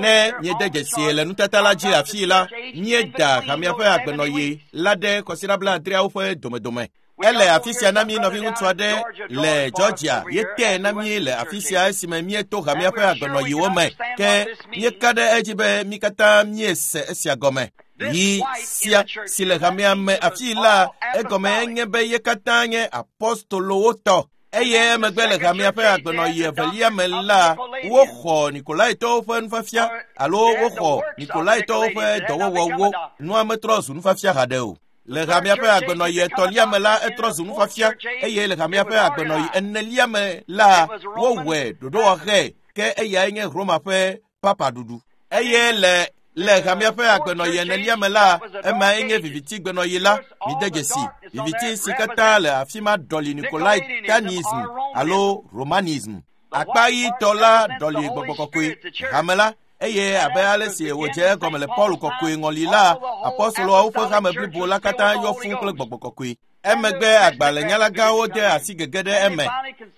Speaker 1: Ne míede dzesi le nutata la dzi afii la, míeda hamea ƒe agbenɔɣi la ɖe kɔsiɖa blaadreawo ƒe domedome. Ele afi sia na mí nɔviŋutsu aɖe le Georgia ye tee na mí le afi sia esime míeto hamea ƒe agbenɔɣiwo me. Ke míeka ɖe edzi be mí katã míese esia gɔme. Yi sia si le hamea me afii la, egɔme nye be ye katã nye apostolowo tɔ. Eye emegbe le hamea ƒe agbenɔɣi evelia me la, woxɔ Nikolaitɔwo ƒe nufiafia alo woxɔ Nikolaitɔwo ƒe dɔwɔwɔwo. Nua metrɔ zu nufiafia haɖe o. Le hamea ƒe agbenɔɣi etɔ̃lia me la, etrɔ zu nufiafia eye le hamea ƒe agbenɔɣi enelia me la, wowɔe ɖoɖowɔɣe ke eyae nye Roma ƒe papa ɖuɖu. Eye le le hamea ƒe agbenɔɣi enelia me la, emae nye viviti gbenɔɣi la. Mide dzesi viviti si katã le afi ma ɖɔli Nikolaitanism alo Romanism. Akpa ɣitɔ la ɖɔli gbɔgbɔ kɔkɔe hame la. Eye abe ale si wòdze egɔme le Paul kɔkɔe ŋɔli la, apostoloawo ƒe hame blibo la katã yɔ fũu kple gbɔgbɔ kɔkɔe. Emegbe agbalẽnyalagãwo de asi gege ɖe eme.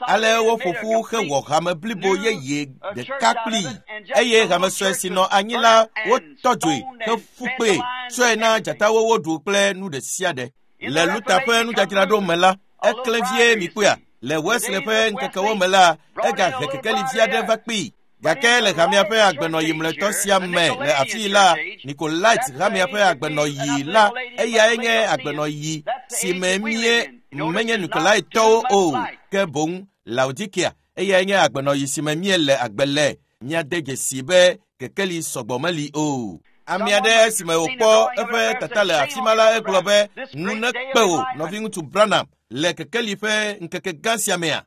Speaker 1: Ale woƒo ƒu hewɔ hame blibo yeye ɖeka kplii. Eye hame sue si nɔ anyi la wotɔ dzoe heƒu kpee tsɔe na dzatawo woɖu kple nu ɖe sia ɖe. Le Luther ƒe nudzadzraɖo me la, eklẽ vie mikpɔea. Le Wesley ƒe ŋkekewo me la, egahe kekeli vi aɖe va kpee. Gake le hamea ƒe agbenɔɣi mlɔetɔ sia me le afii la, Nikolait hamea ƒe agbenɔɣi la, eyae nye agbenɔɣi si me mie menye Nikolaitɔwo o, ke boŋ Laodikea, eyae nye agbenɔɣi si me míele agbe le. Míade dzesi be kekeli sɔgbɔ meli o. Ame aɖe esime wòkpɔ eƒe tata le afi ma la, egblɔ be, "Nu nekpe wò, nɔviŋutsu Branham, le kekeli ƒe ŋkeke gã sia mea?"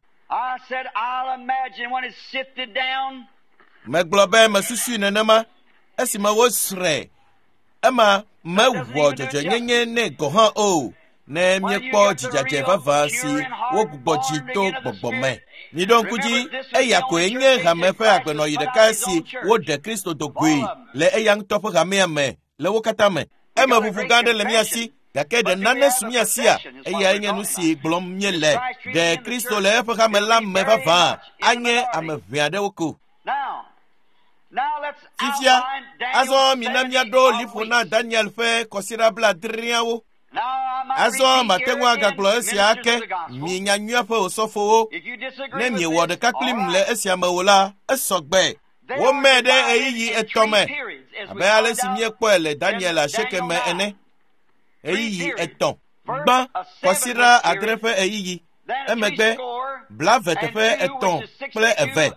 Speaker 1: Megblɔ be mesusui nenema esime wosrɔ̃e. Ema mewɔ dzɔdzɔenyenye nɛ gɔ̃ hã o. Ne míekpɔ dzidzadze vavã si wogbugbɔ dzi to gbɔgbɔ me. Miɖo ŋku dzi, eya koe nye hame ƒe agbenɔɣi ɖeka si woɖe Kristo do goe le eya ŋutɔ ƒe hamea me le wo katã me. Eme ʋuʋu gã aɖe le mía si, gake ɖe nane su mía sia? Eyae nye nu si gblɔm míele. Ɖe Kristo le eƒe hame la me vavã anye ame ʋɛ aɖewo ko. Fifia, azɔ mina míaɖo liƒo na Daniel ƒe kɔsiɖa blaadreawo. Azɔ mate ŋu agagblɔ esia ake, mi nyanyuia ƒe osɔfowo. Ne miewɔ ɖeka kplim le esia me o la, esɔ gbe. Womee ɖe ɣeyiɣi etɔ̃ me, abe ale si míekpɔe le Daniel asieke me ene. Ɣeyiɣi etɔ̃. Gbã, kɔsiɖa adre ƒe ɣeyiɣi. Emegbe, blave teƒe etɔ̃ kple eve,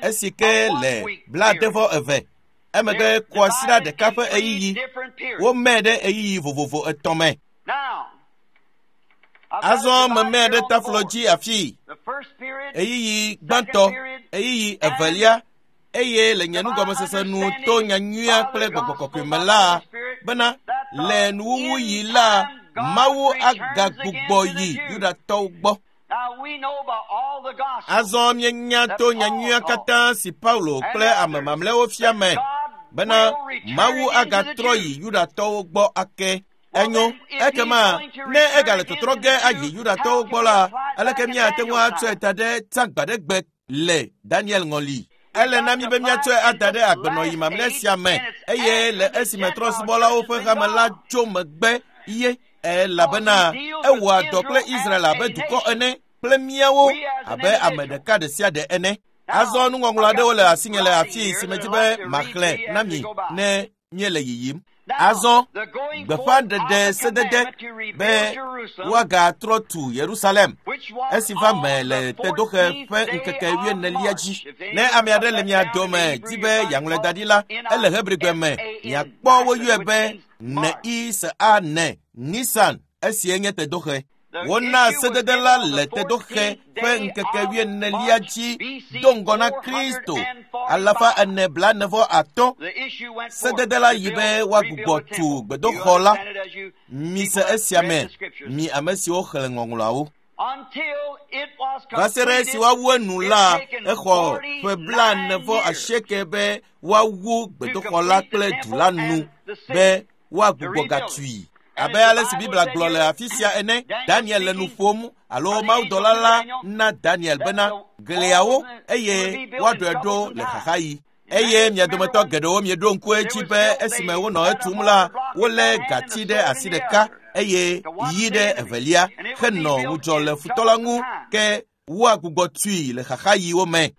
Speaker 1: esi ke le blaadevɔ eve. Emegbe kɔsiɖa ɖeka ƒe ɣeyiɣi. Womee ɖe ɣeyiɣi vovovo etɔ̃ me. Azɔ memee ɖe taflo dzi afii. Ɣeyiɣi gbãtɔ, ɣeyiɣi evelia, eye le nye nugɔmesese nu to nyanyuia kple gbɔgbɔ kɔkɔe me la, bena le nuwuwuɣi la, Mawu agagbugbɔ yi Yudatɔwo gbɔ. Azɔ míenya to nyanyuia katã si Paulo kple ame mamlɛwo fia me bena Mawu agatrɔ yi Yudatɔwo gbɔ ake. Enyo, ekema ne egale tɔtrɔ ge ayi Yudatɔwo gbɔ la, aleke míate ŋu atsɔe da ɖe tsã gbaɖegbe le Daniel ŋɔli? Ele na mí be míatsɔe ada ɖe agbenɔyi mamlɛ sia me eye le esime trɔ̃subɔlawo ƒe hame la tso megbe ye elabena ewɔa dɔ kple Israel abe dukɔ ene kple míawo abe ame ɖeka ɖe sia ɖe ene. Azɔ nuŋɔŋlɔ aɖewo le asinye le afii si medi be maxlẽ na mi ne míele yiyim. Azɔ gbeƒãɖeɖe sedede be woagatrɔ tu Yerusalem esi va me le tedoxe ƒe ŋkeke wuienelia dzi. Ne ame aɖe le mia dome di be yeaŋlɔe da ɖi la, ele Hebrigbe me. Miakpɔ woyɔe be N I S A N, Nisan, esie nye tedoxe. Wona sedede la le tedoxe ƒe ŋkeke wuienelia dzi do ŋgɔ na Kristo alafa ene blaene vɔ atɔ̃. Sedede la yi be woagbugbɔ tu gbedoxɔ la. Mise esia me, mi ame siwo xlẽ ŋɔŋlɔawo. Va se ɖe esi woawu enu la, exɔ ƒe blaene vɔ asieke be woawu gbedoxɔ la kple du la nu be woagbugbɔ gatui. Abe ale si Biblia gblɔ le afi sia ene, Daniel le nu ƒom alo mawudɔla la na Daniel bena gliawo eye woaɖɔe ɖo le xaxaɣi. Eye mia dometɔ geɖewo mieɖo ŋku edzi be esime wonɔ etum la, wolé gati ɖe asi ɖeka eye yi ɖe evelia henɔ ŋudzɔ le futɔ la ŋu ke woagbugbɔ tui le xaxaɣiwo me.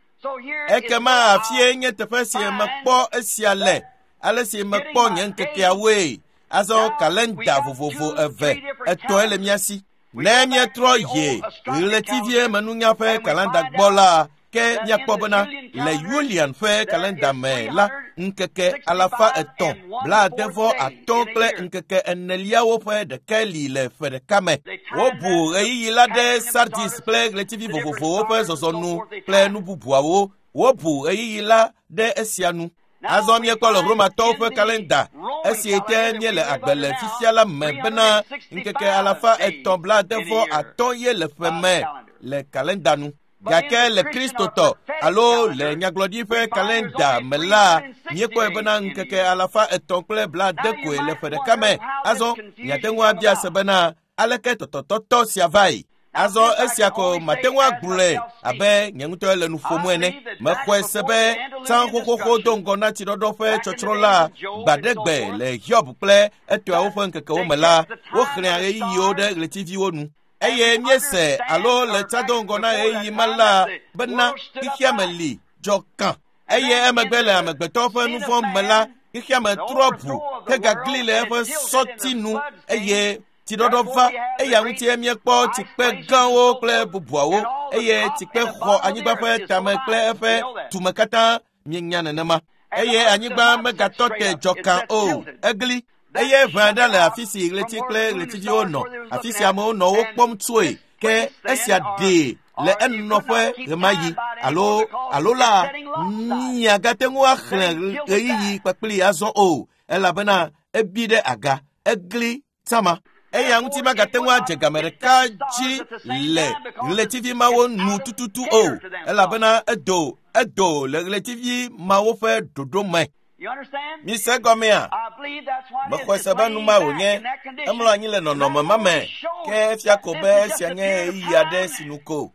Speaker 1: Ekema afie nye teƒe si mekpɔ esia le, ale si mekpɔ nye ŋkekeawoe. Azɔ kalenda vovovo eve etɔ̃e le mía si. Ne míetrɔ yi ɣletiviemenunya ƒe kalenda gbɔ la, ke míakpɔ bena le Julian ƒe kalenda me la, ŋkeke alafa etɔ̃ blaade vɔ atɔ̃ kple ŋkeke eneliawo ƒe ɖeke li le ƒe ɖeka me. Wobu ɣeyiɣi la ɖe Sardis kple ɣletivi vovovowo ƒe zɔzɔnu kple nu bubuawo. Wobu ɣeyiɣi la ɖe esia nu. Azɔ míekpɔ le Romatɔwo ƒe kalenda esi te míele agbe le fifia la me bena ŋkeke alafa etɔ̃ blaade vɔ atɔ̃ ye le ƒe me le kalenda nu. Gake le Kristotɔ alo le nyagblɔɖi ƒe kalenda me la, míekpɔe bena ŋkeke alafa etɔ̃ kple blaade koe le ƒe ɖeka me. Azɔ miate ŋu abia se bena aleke tɔtɔtɔtɔ sia vae. Azɔ esia ko mate ŋu agblɔe abe nye ŋutɔ le nu ƒom ene. Mexɔe se be tsã xoxoxo do ŋgɔ na tsiɖɔɖɔ ƒe tsɔtsrɔ̃ la gbaɖegbe le Hiob kple etɔawo ƒe ŋkekewo me la, woxlẽa ɣeyiɣiwo ɖe ɣletiviwo nu. Eye míese alo le tsã do ŋgɔ na ɣeyiɣi ma la bena xexeame li dzɔ kã. Eye emegbe le amegbetɔ ƒe nu vɔ̃ me la, xexeame trɔ ʋu hegagli le eƒe sɔti nu eye tsiɖɔɖɔ va. Eya ŋutie míekpɔ tsikpe gãwo kple bubuawo eye tsikpe xɔ anyigba ƒe tame kple eƒe tume katã. Míenya nenema. Eye anyigba megatɔ te dzɔ kã o, egli. Eye ʋe aɖe le afi si ɣleti kple ɣletiviwo nɔ, afi si amewo nɔ wo kpɔm tsoe. Ke esia ɖee le enɔƒe ɣemaɣi alo alo la miagate ŋu axlẽ ɣeyiɣi kpakpli azɔ o, elabena ebi ɖe aga, egli tsama. Eya ŋuti magate ŋu adze game ɖeka dzi le ɣletivi mawo nu tututu o, elabena edo edo le ɣletivi mawo ƒe ɖoɖo me. Mise gɔmea? Mexɔe se be nu ma wònye. Emlɔ anyi le nɔnɔme ma me. Ke efia ko be esia nye ɣeyiɣi aɖe si nu ko.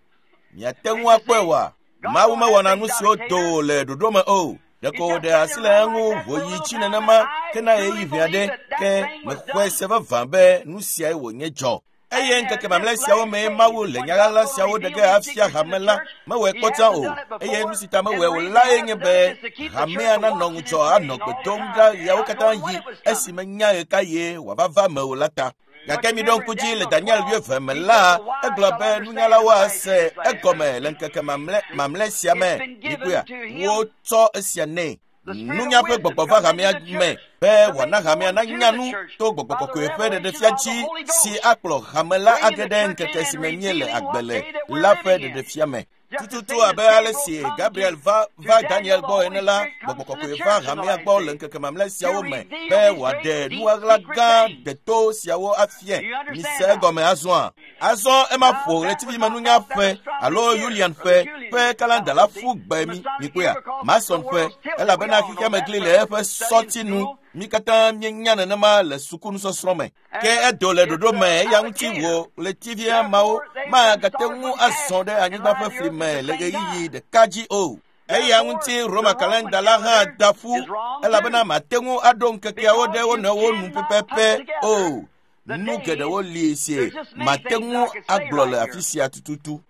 Speaker 1: Miate ŋu akpɔe oa? Mawu mewɔna nu siwo do le ɖoɖo me o. Ɖeko wòɖe asi le eŋu wòyi tsi nenema hena ɣeyiɣi ʋɛ aɖe. Ke mexɔe se vavã be nu siae wònye dzɔ. Eye ŋkeke mamlɛ siawo mee Mawu le nya ɣaɣla siawo ɖe ge afia hame la. Mewɔe kpɔtsã o. Eye nu si ta mewɔe o lae nye be hamea nanɔ ŋudzɔ anɔ gbe dom ɖa ɣeawo katã ɣi esime nya ɣekaɣie wòava va eme o la ta. Gake miɖo ŋku dzi le Daniel wuieve me la, egblɔ be nunyalawo ase egɔme le ŋkeke mamlɛ mamlɛ sia me. Mikpɔea, wotsɔ esia nɛ. Nunya ƒe gbɔgbɔ va hamea me be wòana hamea nanya nu to gbɔgbɔ kɔkɔe ƒe ɖeɖefia dzi si akplɔ hame la age ɖe ŋkeke si me míele agbe le la ƒe ɖeɖefia me. Tututu abe ale si Gabriel va va Daniel gbɔ ene la, gbɔgbɔ kɔkɔe va hamea gbɔ le ŋkeke mamlɛ siawo me be wòaɖe nu ɣaɣla gã deto siawo afia. Mise egɔme azɔa? Azɔ ema ƒo ɣletivimenunya ƒe alo Julian ƒe ƒe kalenda la ƒu gbe mi. Mikpɔea? Mason ƒe, elabena xexeame gli le eƒe sɔti nu. Mi katã míenya nenema le sukunusɔsrɔ̃ me. Ke edo le ɖoɖo me eya ŋuti wò ɣletivia mawo magate ŋu azɔ ɖe anyigba ƒe fli me le ɣeyiɣi ɖeka dzi o. Eya ŋuti Roma kalenda la hã da ƒu elabena mate ŋu aɖo ŋkekeawo ɖe wo nɔewo nu pɛpɛpɛ o. Nu geɖewo li si mate ŋu agblɔ le afi sia tututu.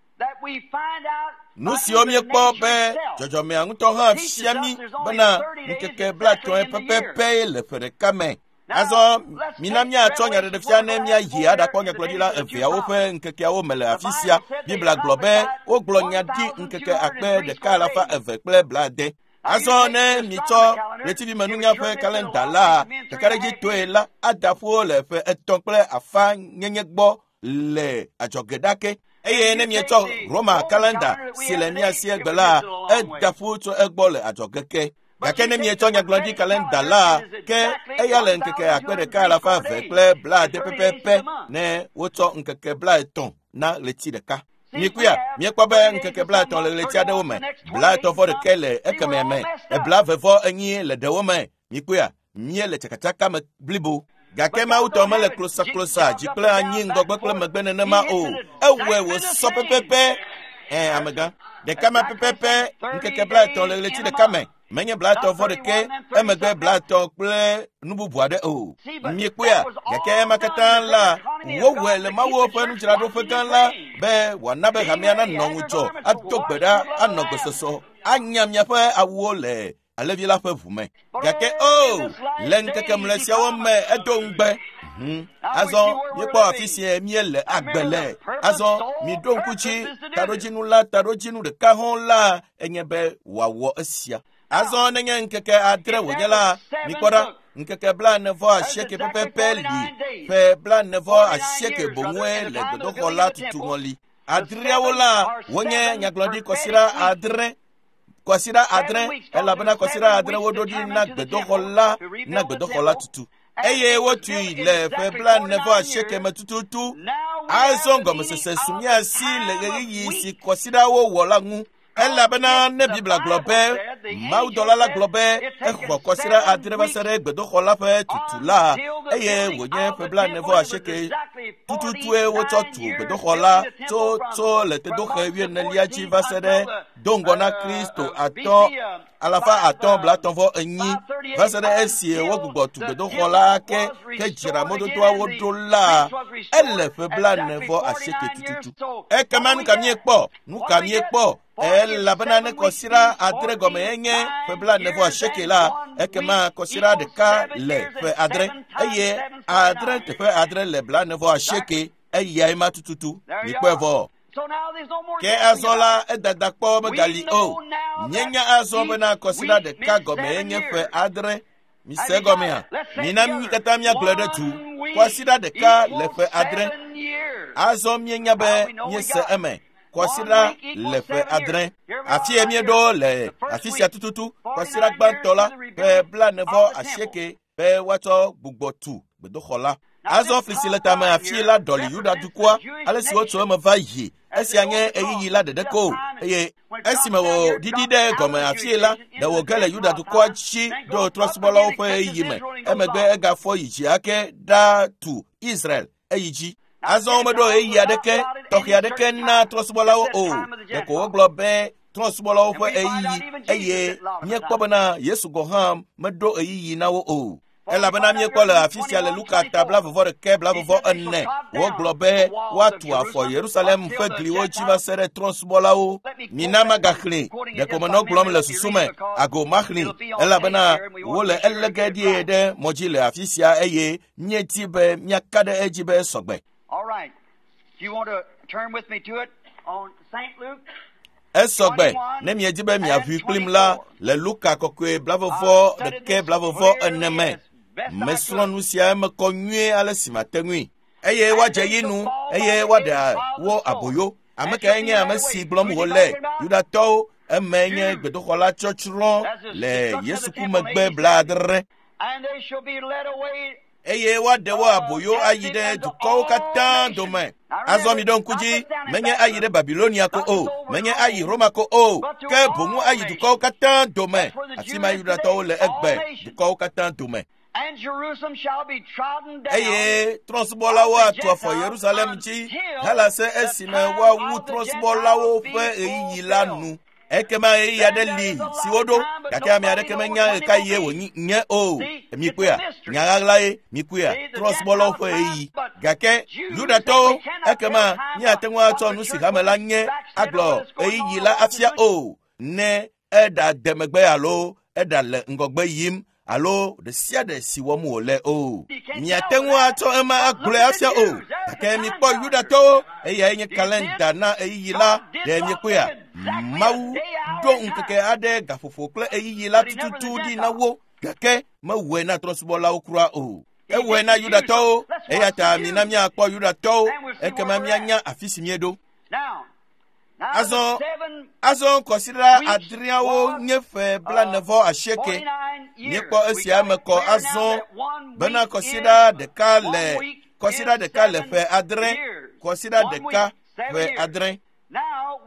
Speaker 1: Nu siwo míekpɔ be dzɔdzɔmea ŋutɔ hã fia mí bena ŋkeke blaetɔ̃ pɛpɛpɛ le ƒe ɖeka me. Azɔ mina míatsɔ nyaɖeɖefia ne míayi aɖakpɔ nyagblɔɖila eveawo ƒe ŋkekeawo me le afi sia. Biblia gblɔ be wogblɔ nya ɖi ŋkeke akpe ɖeka alafa eve kple blaade. Azɔ ne mitsɔ ɣletivimenunya ƒe kalenda la ɖekaɖedzitɔe la ada ƒu le ƒe etɔ̃ kple afã nyenye gbɔ le adzɔge ɖake. Eye ne mietsɔ Roma kalenda si le mía si egbe la, eda ƒu tso egbɔ le adzɔge ke. Gake ne mietsɔ nyagblɔɖi kalenda la, ke eya le ŋkeke akpe ɖeka alafa eve kple blaade pɛpɛpɛ ne wotsɔ ŋkeke blaetɔ̃ na ɣleti ɖeka. Mikuya, míekpɔ be ŋkeke blaetɔ̃ le ɣleti aɖewo me, blaetɔ̃ vɔ ɖeke le ekemɛ me, blaeve vɔ enyi le ɖewo me. Mikuya, míele tsakatsaka me blibo. Gake Mawu tɔ mele klosaklosa dzi kple anyi ŋgɔgbe kple megbe nenema o. Ewɔe wòsɔ pɛpɛpɛ. Ɛ amegã. Ɖeka ma pɛpɛpɛ ŋkeke blaetɔ̃ le ɣleti ɖeka me. Menye blaetɔ̃ vɔ ɖeke emegbe blaetɔ̃ kple nu bubu aɖe o. Miekpɔea, gake ema katã la, wowɔe le Mawu ƒe nudzraɖoƒe gã la be wòana be hamea nanɔ ŋudzɔ, ado gbe ɖa, anɔ gbesɔsɔ, anya miaƒe awuwo le Alevi la ƒe ʋu me. Gake o, le ŋkeke mlɔe siawo me edo ŋugbe. Hmm. Azɔ míekpɔ afi si míele agbe le. Azɔ miɖo ŋku dzi taɖodzinu la taɖodzinu ɖeka hɔ̃ la enye be wòawɔ esia. Azɔ nenye ŋkeke adre wònye la, mikpɔ ɖa, ŋkeke blaene vɔ asieke pɛpɛpɛ li ƒe blaene vɔ asieke boŋue le gbedoxɔ la tutu ŋɔli. Adreawo la wonye nyagblɔɖi kɔsiɖa adre. Kɔsiɖa adre elabena kɔsiɖa adre woɖo ɖi na gbedoxɔ la na gbedoxɔ la tutu. Eye wotui le ƒe blaene vɔ asieke me tututu. Azɔ gɔmesese su mía si le ɣeyiɣi si kɔsiɖawo wɔ la ŋu. Elabena ne Biblia gblɔ be Mawudɔla la gblɔ be exɔ kɔsiɖa adre va se ɖe gbedoxɔ la ƒe tutu la, eye wònye ƒe blaene vɔ asieke tututue wotsɔ tu gbedoxɔ la tso tso le tedoxe wuienelia dzi va se ɖe do ŋgɔ na Kristo atɔ̃ alafa atɔ̃ blaetɔ̃ vɔ enyi va se ɖe esi wogbugbɔ tu gbedoxɔ la ke ke dzra mɔdodoawo ɖo la, ele ƒe blaene vɔ asieke tututu. Ekema nu ka míekpɔ? Nu ka míekpɔ? Elabena ne kɔsiɖa adre gɔme enye ƒe blaene vɔ asieke la, ekema kɔsiɖa ɖeka le ƒe adre eye adre teƒe adre le blaene vɔ asieke eyae ma tututu. Mikpɔe vɔ. Ke azɔ la edada kpɔ megali o. Míenya azɔ bena kɔsiɖa ɖeka gɔme enye ƒe adre. Mise gɔmea? Mina mí katã míagblɔe ɖe du. Kɔsiɖa ɖeka le ƒe adre. Azɔ míenya be míese eme. Kɔsiɖa le ƒe adre. Afi ye míeɖo le afi sia tututu. Kɔsiɖa gbãtɔ la ƒe blaene vɔ asieke be woatsɔ gbugbɔ tu gbedoxɔ la. Azɔ fli si le tame afi la ɖɔli Yuda dukɔa ale si wotso eme va yi. Esia nye ɣeyiɣi la ɖeɖe ko eye esime wòɖiɖi ɖe gɔme afi la, ɖe wòge le Yuda dukɔa dzi ɖo trɔ̃subɔlawo ƒe ɣeyiɣi me. Emegbe egafɔ yi dzi ake ɖatu Israel eyi dzi. Azɔ womeɖo ɣeyiɣi aɖeke tɔxɛ aɖeke na trɔ̃subɔlawo o. Ɖeko wogblɔ be trɔ̃subɔlawo ƒe ɣeyiɣi eye míekpɔ bena Yesu gɔ̃ hã meɖo ɣeyiɣi na wo o. Elabena míekpɔ le afi sia le Luka ta blaeve vɔ ɖeke blaeve vɔ ene wogblɔ be woatu afɔ Yerusalem ƒe gliwo dzi va se ɖe trɔ̃subɔlawo. Mina magaxlẽ, ɖeko menɔ gblɔm le susu me, ago maxlẽ, elabena wole elege ɖie ɖe mɔ dzi le afi sia eye míedi be míaka ɖe edzi be sɔgbe. Esɔgbe ne miedi be miaʋui kplim la le Luka kɔkɔe blaeve vɔ ɖeke blaeve vɔ ene me. Mesrɔ̃ nu sia eme kɔ nyuie ale si mate ŋui. Eye woadze yi nu eye woaɖe wo aboyo. Ame kae nye ame si gblɔm wòle? Yudatɔwo. Eme nye gbedoxɔ la tsɔtsrɔ̃ le Yesu ku megbe blaadre. Eye woaɖe wo aboyo ayi ɖe dukɔwo katã dome. Azɔ mi ɖo ŋku dzi, menye ayi ɖe Babilonia ko o, menye ayi Roma ko o, ke boŋu ayi dukɔwo katã dome. Afi ma Yudatɔwo le egbe, dukɔwo katã dome. Eye trɔ̃subɔlawo atu afɔ Yerusalem dzi halase esime woawu trɔ̃subɔlawo ƒe ɣeyiɣi la nu. Ekema ɣeyiɣi aɖe li si woɖo gake ame aɖeke menya ɣekaɣie wònye o. Mikpɔea, nya ɣaɣlae mikpɔea, trɔ̃subɔlawo ƒe ɣeyiɣi. Gake Yudatɔwo, ekema míate ŋu atsɔ nu si hame la nye agblɔ ɣeyiɣi la afia o ne eɖa de megbe alo eɖa le ŋgɔgbe yim alo ɖe sia ɖe si wɔm wòle o. Miate ŋu atsɔ ema agblɔe afia o. Gake mikpɔ Yudatɔwo, eyae nye kalenda na ɣeyiɣi la. Ɖe miekpɔea? Mawu ɖo ŋkeke aɖe gaƒoƒo kple ɣeyiɣi la tututu ɖi na wo, gake mewɔe na trɔ̃subɔlawo kura o. Ewɔe na Yudatɔwo, eya ta mina míakpɔ Yudatɔwo, ekema míanya afi si míeɖo. Azɔ azɔ kɔsiɖa adreawo nye ƒe blaene-vɔ asieke. Míekpɔ esia me kɔ azɔ bena kɔsiɖa ɖeka le kɔsiɖa ɖeka le ƒe adre, kɔsiɖa ɖeka ƒe adre.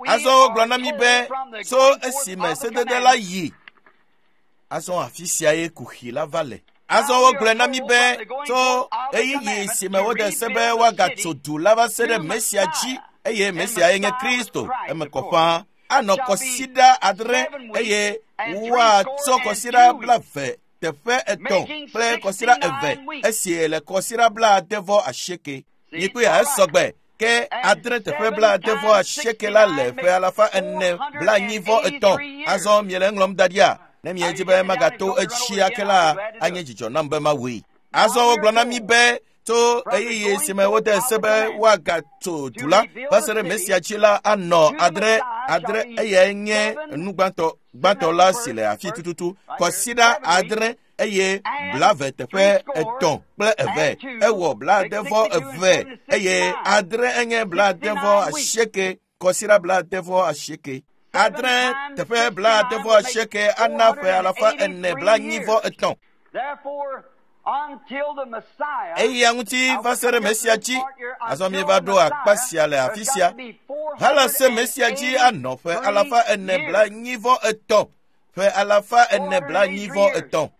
Speaker 1: Azɔ wogblɔ na mí be tso esime sedede la yi. Azɔ afi sia ye kuxi la va le. Azɔ wogblɔe na mí be tso ɣeyiɣi si me wode se be woagatso du la va se ɖe Mesia dzi, eye Mesia ye nye Kristo, eme kɔ ƒãa. Anɔ kɔsiɖa adre eye woatsɔ kɔsiɖa blaeve teƒe etɔ̃ kple kɔsiɖa eve esi le kɔsiɖa blaade vɔ asieke. Mikpɔe esɔgbe ke adre teƒe blaade vɔ asieke la le ƒe alafa ene blaenyi vɔ etɔ̃. Azɔ miele eŋlɔm da ɖia? Ne miedzi be magato etsi ake la, anye dzidzɔ nam be mawui. Azɔ wogblɔ na mí be tso ɣeyiɣi si me wode se be woagatso du la va se ɖe Mesia dzi la anɔ adre adre eyae nye nu gbãtɔ gbãtɔ la si le afi tututu kɔsiɖa adre eye blave teƒe etɔ̃ kple eve ewɔ blaade vɔ eve eye adre enye blaade vɔ asieke kɔsiɖa blaade vɔ asieke. Adre teƒe blaade vɔ asieke ana ƒe alafa ene blaenyi vɔ etɔ̃. Eya ŋuti va se ɖe Mesia dzi. Azɔ míeva ɖo akpa sia le afi sia. Halase Mesia dzi anɔ ƒe alafa ene blaenyi vɔ etɔ̃. Ƒe alafa ene blaenyi vɔ etɔ̃.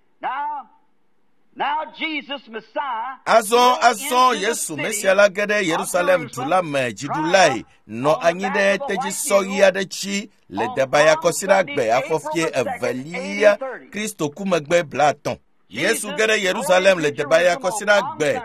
Speaker 1: Azɔ azɔ Yesu Mesia la ge ɖe Yerusalem du la me dziɖulae nɔ anyi ɖe tedzisɔ ɣi aɖe dzi le Debaya kɔsiɖagbe afɔfie evelia Kristo ku megbe blaetɔ̃. Yesu ge ɖe Yerusalem le Debaya kɔsiɖagbe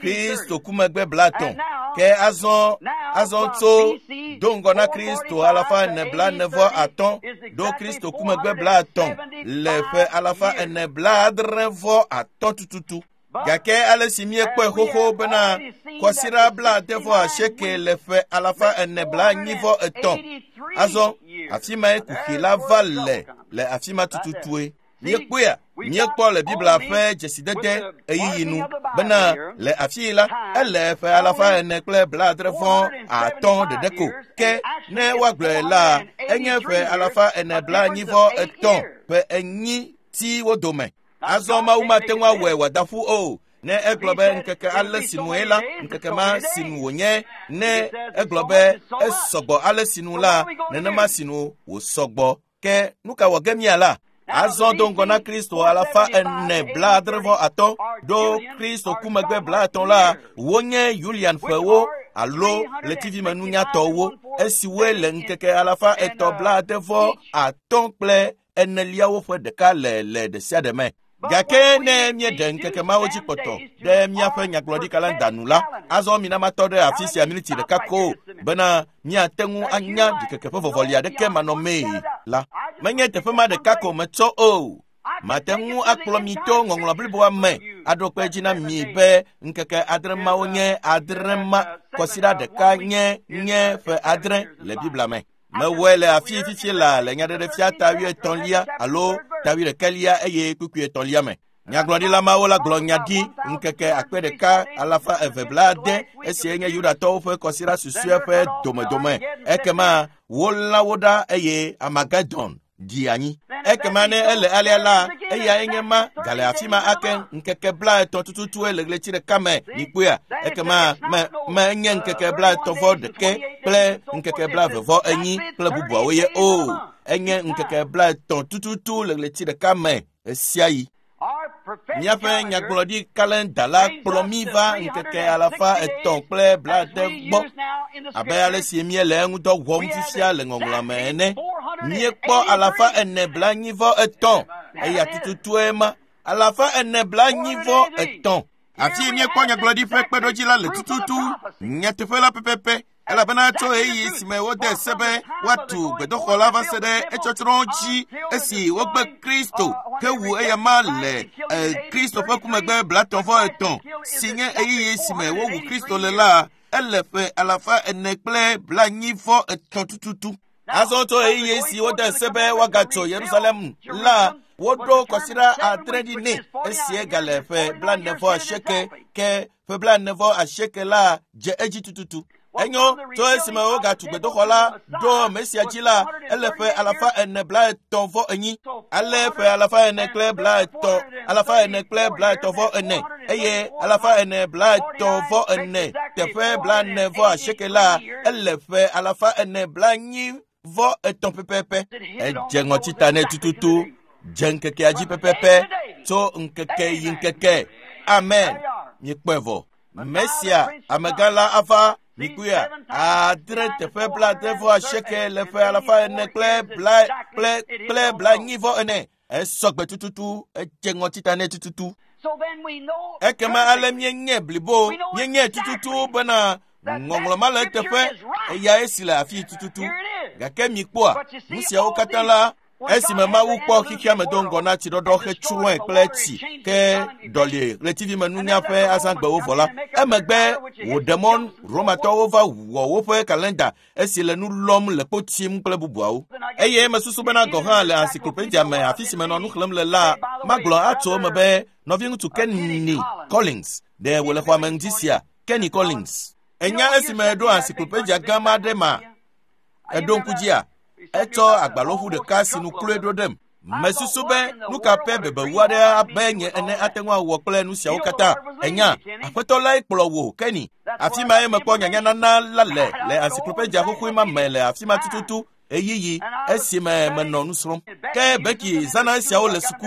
Speaker 1: Kristo ku megbe blaetɔ̃. Ke azɔ azɔ tso do ŋgɔ na Kristo alafa ene blaene vɔ atɔ̃ ɖo Kristo ku megbe blaetɔ̃ le ƒe alafa ene blaadre vɔ atɔ̃ tututu. Gake ale si míekpɔe xoxo bena kɔsiɖa blaade vɔ asieke le ƒe alafa ene blaenyi vɔ etɔ̃. Azɔ afi mae kuxi la va le le afi ma tututue. Míekpɔea, míekpɔ le Biblia ƒe dzesidede ɣeyiɣi nu bena le afi la ele ƒe alafa ene kple blaadre vɔ atɔ̃ ɖeɖe ko. Ke ne woagblɔe la, enye ƒe alafa ene blaenyi vɔ etɔ̃ ƒe enyi ti wo dome. Azɔ Mawu mate ŋu awɔe wòada ƒu o. Ne egblɔ be ŋkeke ale si nue la, ŋkeke ma si nu wònye. Ne egblɔ be esɔgbɔ ale si nu la, nenema si nu wòsɔgbɔ. Ke nu ka wɔ ge mía la? Azɔ do ŋgɔ na Kristo alafa ene blaadre vɔ atɔ̃ ɖo Kristo ku megbe blaetɔ̃ la, wonye Julian ƒewo alo ɣletivimenunyatɔwo esiwoe le ŋkeke alafa etɔ̃ blaade vɔ atɔ̃ kple eneliawo ƒe ɖeka le le ɖe sia ɖe me. Gake ne míeɖe ŋkeke mawo dzi kpɔtɔ ɖe míaƒe nyagblɔɖi kalenda nu la, azɔ mina matɔ ɖe afi sia miniti ɖeka ko bena míate ŋu anya ɖikeke ƒe vɔvɔli aɖeke manɔmee la. Menye teƒe ma ɖeka ko metsɔ o. Mate ŋu akplɔ mi to ŋɔŋlɔ bliboa me aɖo kpe dzi na mi be ŋkeke adre mawo nye adre ma kɔsiɖa ɖeka nye nye ƒe adre le Biblia me. Mewɔe le afi fifi la le nyaɖeɖefia ta wuietɔ̃lia alo ta wuiɖekɛlia eye kpukpui etɔ̃lia me. Nyagblɔɖila mawo la gblɔ nya ɖi ŋkeke akpe ɖeka alafa eve blaade esie nye Yudatɔwo ƒe kɔsiɖa susɔe ƒe domedome. Ekema wolã wo ɖa eye Armageddon ɖi anyi. Ekema ne ele alea la, eyae nye ma gale afi ma ake ŋkeke blaetɔ̃ tututue le ɣleti ɖeka me mikpɔea. Ekema me menye ŋkeke blaetɔ̃ vɔ ɖeke kple ŋkeke blaeve vɔ enyi kple bubuawo ye o. Enye ŋkeke blaetɔ̃ tututu le ɣleti ɖeka me ɣesiaɣi. Míaƒe nyagblɔɖi kalenda la kplɔ mí va ŋkeke alafa etɔ̃ kple blaade gbɔ abe ale si míele eŋudɔ wɔm fifia le ŋɔŋlɔa me ene. Míekpɔ alafa ene blaenyi vɔ etɔ̃ eya tututue ma alafa ene blaenyi vɔ etɔ̃. Afi míekpɔ nyagblɔɖi ƒe kpeɖodzi la le tututu nyateƒe la pɛpɛpɛ elabena tso ɣeyiɣi si me wode se be woatu gbedoxɔ la va se ɖe etsɔtsrɔ̃ dzi esi wogbe Kristo hewu eyama le Kristo ƒe ku megbe blatɔ̃ vɔ etɔ̃ si nye ɣeyiɣi si me wowu Kristo le la ele ƒe alafa ene kple blaenyi vɔ etɔ̃ tututu. Azɔ tso ɣeyiɣi si wode se be woagatso Yerusalem la woɖo kɔsiɖa adre ɖi nɛ esie gale ƒe blaene vɔ asieke ke ƒe blaene vɔ asieke la dze edzi tututu. Enyo tso esime wogatu gbedoxɔ la ɖo Mesia dzi la ele ƒe alafa ene blaetɔ̃ vɔ enyi. Ale ƒe alafa ene kple blaetɔ̃ alafa ene kple blaetɔ̃ vɔ ene eye alafa ene blaetɔ̃ vɔ ene teƒe blaene vɔ asieke la ele ƒe alafa ene blaenyi vɔ etɔ̃ pɛpɛpɛ. Edze ŋɔtita nɛ tututu dze ŋkekea dzi pɛpɛpɛ tso ŋkeke yi ŋkeke. Amen. Míekpɔe vɔ. Mesia amegã la ava mikuya adre teƒe blaade vɔ asieke le ƒe alafa ene kple bla kple kple blaenyi vɔ ene. Esɔgbe tututu edze ŋɔtita nɛ tututu. Ekema ale míenye blibo míenye tututu bena ŋɔŋlɔ ma le eteƒe eya esi le afi tututu. Gake mikpɔa nu siawo katã la esime Mawu kpɔ xexea me do ŋgɔ na tsiɖɔɖɔ hetsrɔ̃e kple tsi ke ɖɔli ɣletivimenunya ƒe azãgbewo vɔ la emegbe wòɖe mɔ Romatɔwo va wɔ woƒe kalenda esi le nu lɔm le kpo tim kple bubuawo. Eye mesusu bena gɔ̃ hã le encyclopedia me afi si menɔ nu xlẽm le la magblɔ atso eme be nɔviŋutsu Kenny Collins ɖe wòle xɔa me ŋdi sia. Kenny Collins enya esime ɖo encyclopedia gã ma ɖe ma eɖo ŋku dzia etsɔ agbalẽʋu ɖeka si nu kloe ɖo ɖem. Mesusu be nu ka ƒe bebewu aɖe abe nye ene ate ŋu awɔ kple nu siawo katã. Enya aƒetɔ lae kplɔ wò Kenny. Afi mae mekpɔ nyanyanana la le le encyclopedia xoxoe ma me le afi ma tututu ɣeyiɣi esime menɔ nu srɔ̃m. Ke Becky zãna esiawo le suku.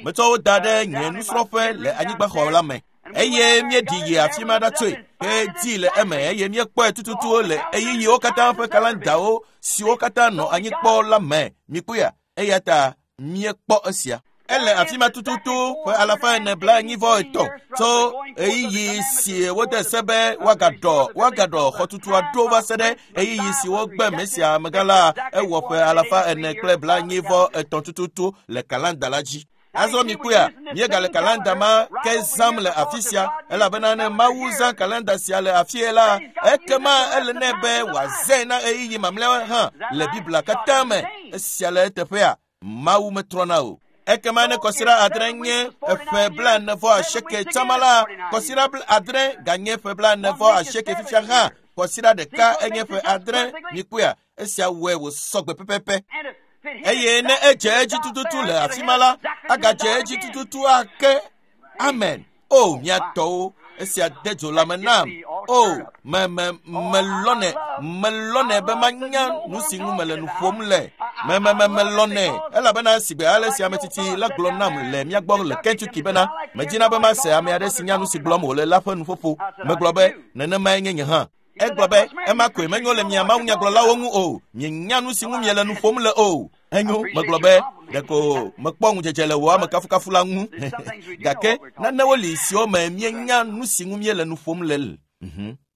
Speaker 1: Metsɔ wo da ɖe nye nusrɔ̃ƒe le anyigbaxɔ la me. Eye míeɖi yi afi ma ɖatsoe hedii le eme eye míekpɔe tututu le ɣeyiɣiwo katã ƒe kalendawo siwo katã nɔ anyi kpɔ la me. Mikpɔea eya ta míekpɔ esia. Ele afi ma tututu ƒe alafa ene blaenyi vɔ etɔ̃ tso ɣeyiɣi si wode se be woagaɖɔ woagaɖɔ xɔtutua ɖo va se ɖe ɣeyiɣi si wogbe Mesia amegã la ewɔ ƒe alafa ene kple blaenyi vɔ etɔ̃ tututu le kalenda la dzi. Azɔ mikpɔea míegale kalenda ma ke zãm le afi sia elabena ne Mawu zã kalenda sia le afie la ekema ele nɛ be wòazãe na ɣeyiɣi mamlɛawo hã le Biblia katã me. Esia le eteƒea Mawu metrɔna o. Ekema ne kɔsiɖa adre nye eƒe blaene vɔ asieke tsama la kɔsiɖa adre ganye ƒe blaene vɔ asieke fifia hã kɔsiɖa ɖeka enye ƒe adre. Mikpɔea esia wɔe wòsɔgbe pɛpɛpɛ. Eye ne edze edzi tututu le afi ma la agadze edzi tututu ake. Amen. O mía tɔwo esia de dzo lãme nam. O me me melɔnɛ melɔnɛ be manya nu si ŋu mele nu ƒom le. Me me me melɔnɛ elabena sigbe ale si ame tsitsi la gblɔ nam le mía gbɔ le Kentucky bena medina be mase ame aɖe si nya nu si gblɔm wòle la ƒe nuƒoƒo. Megblɔ be nenemae nye nye hã. Egblɔ be ema koe menyo le mia mawunyagblɔlawo ŋu o. Mienya nu si ŋu miele nu ƒom le o. Enyo megblɔ be ɖeko mekpɔ ŋudzedze le wò amekafukafu la ŋu. Gake nanewo li siwo me mienya nu si ŋu miele nu ƒom le.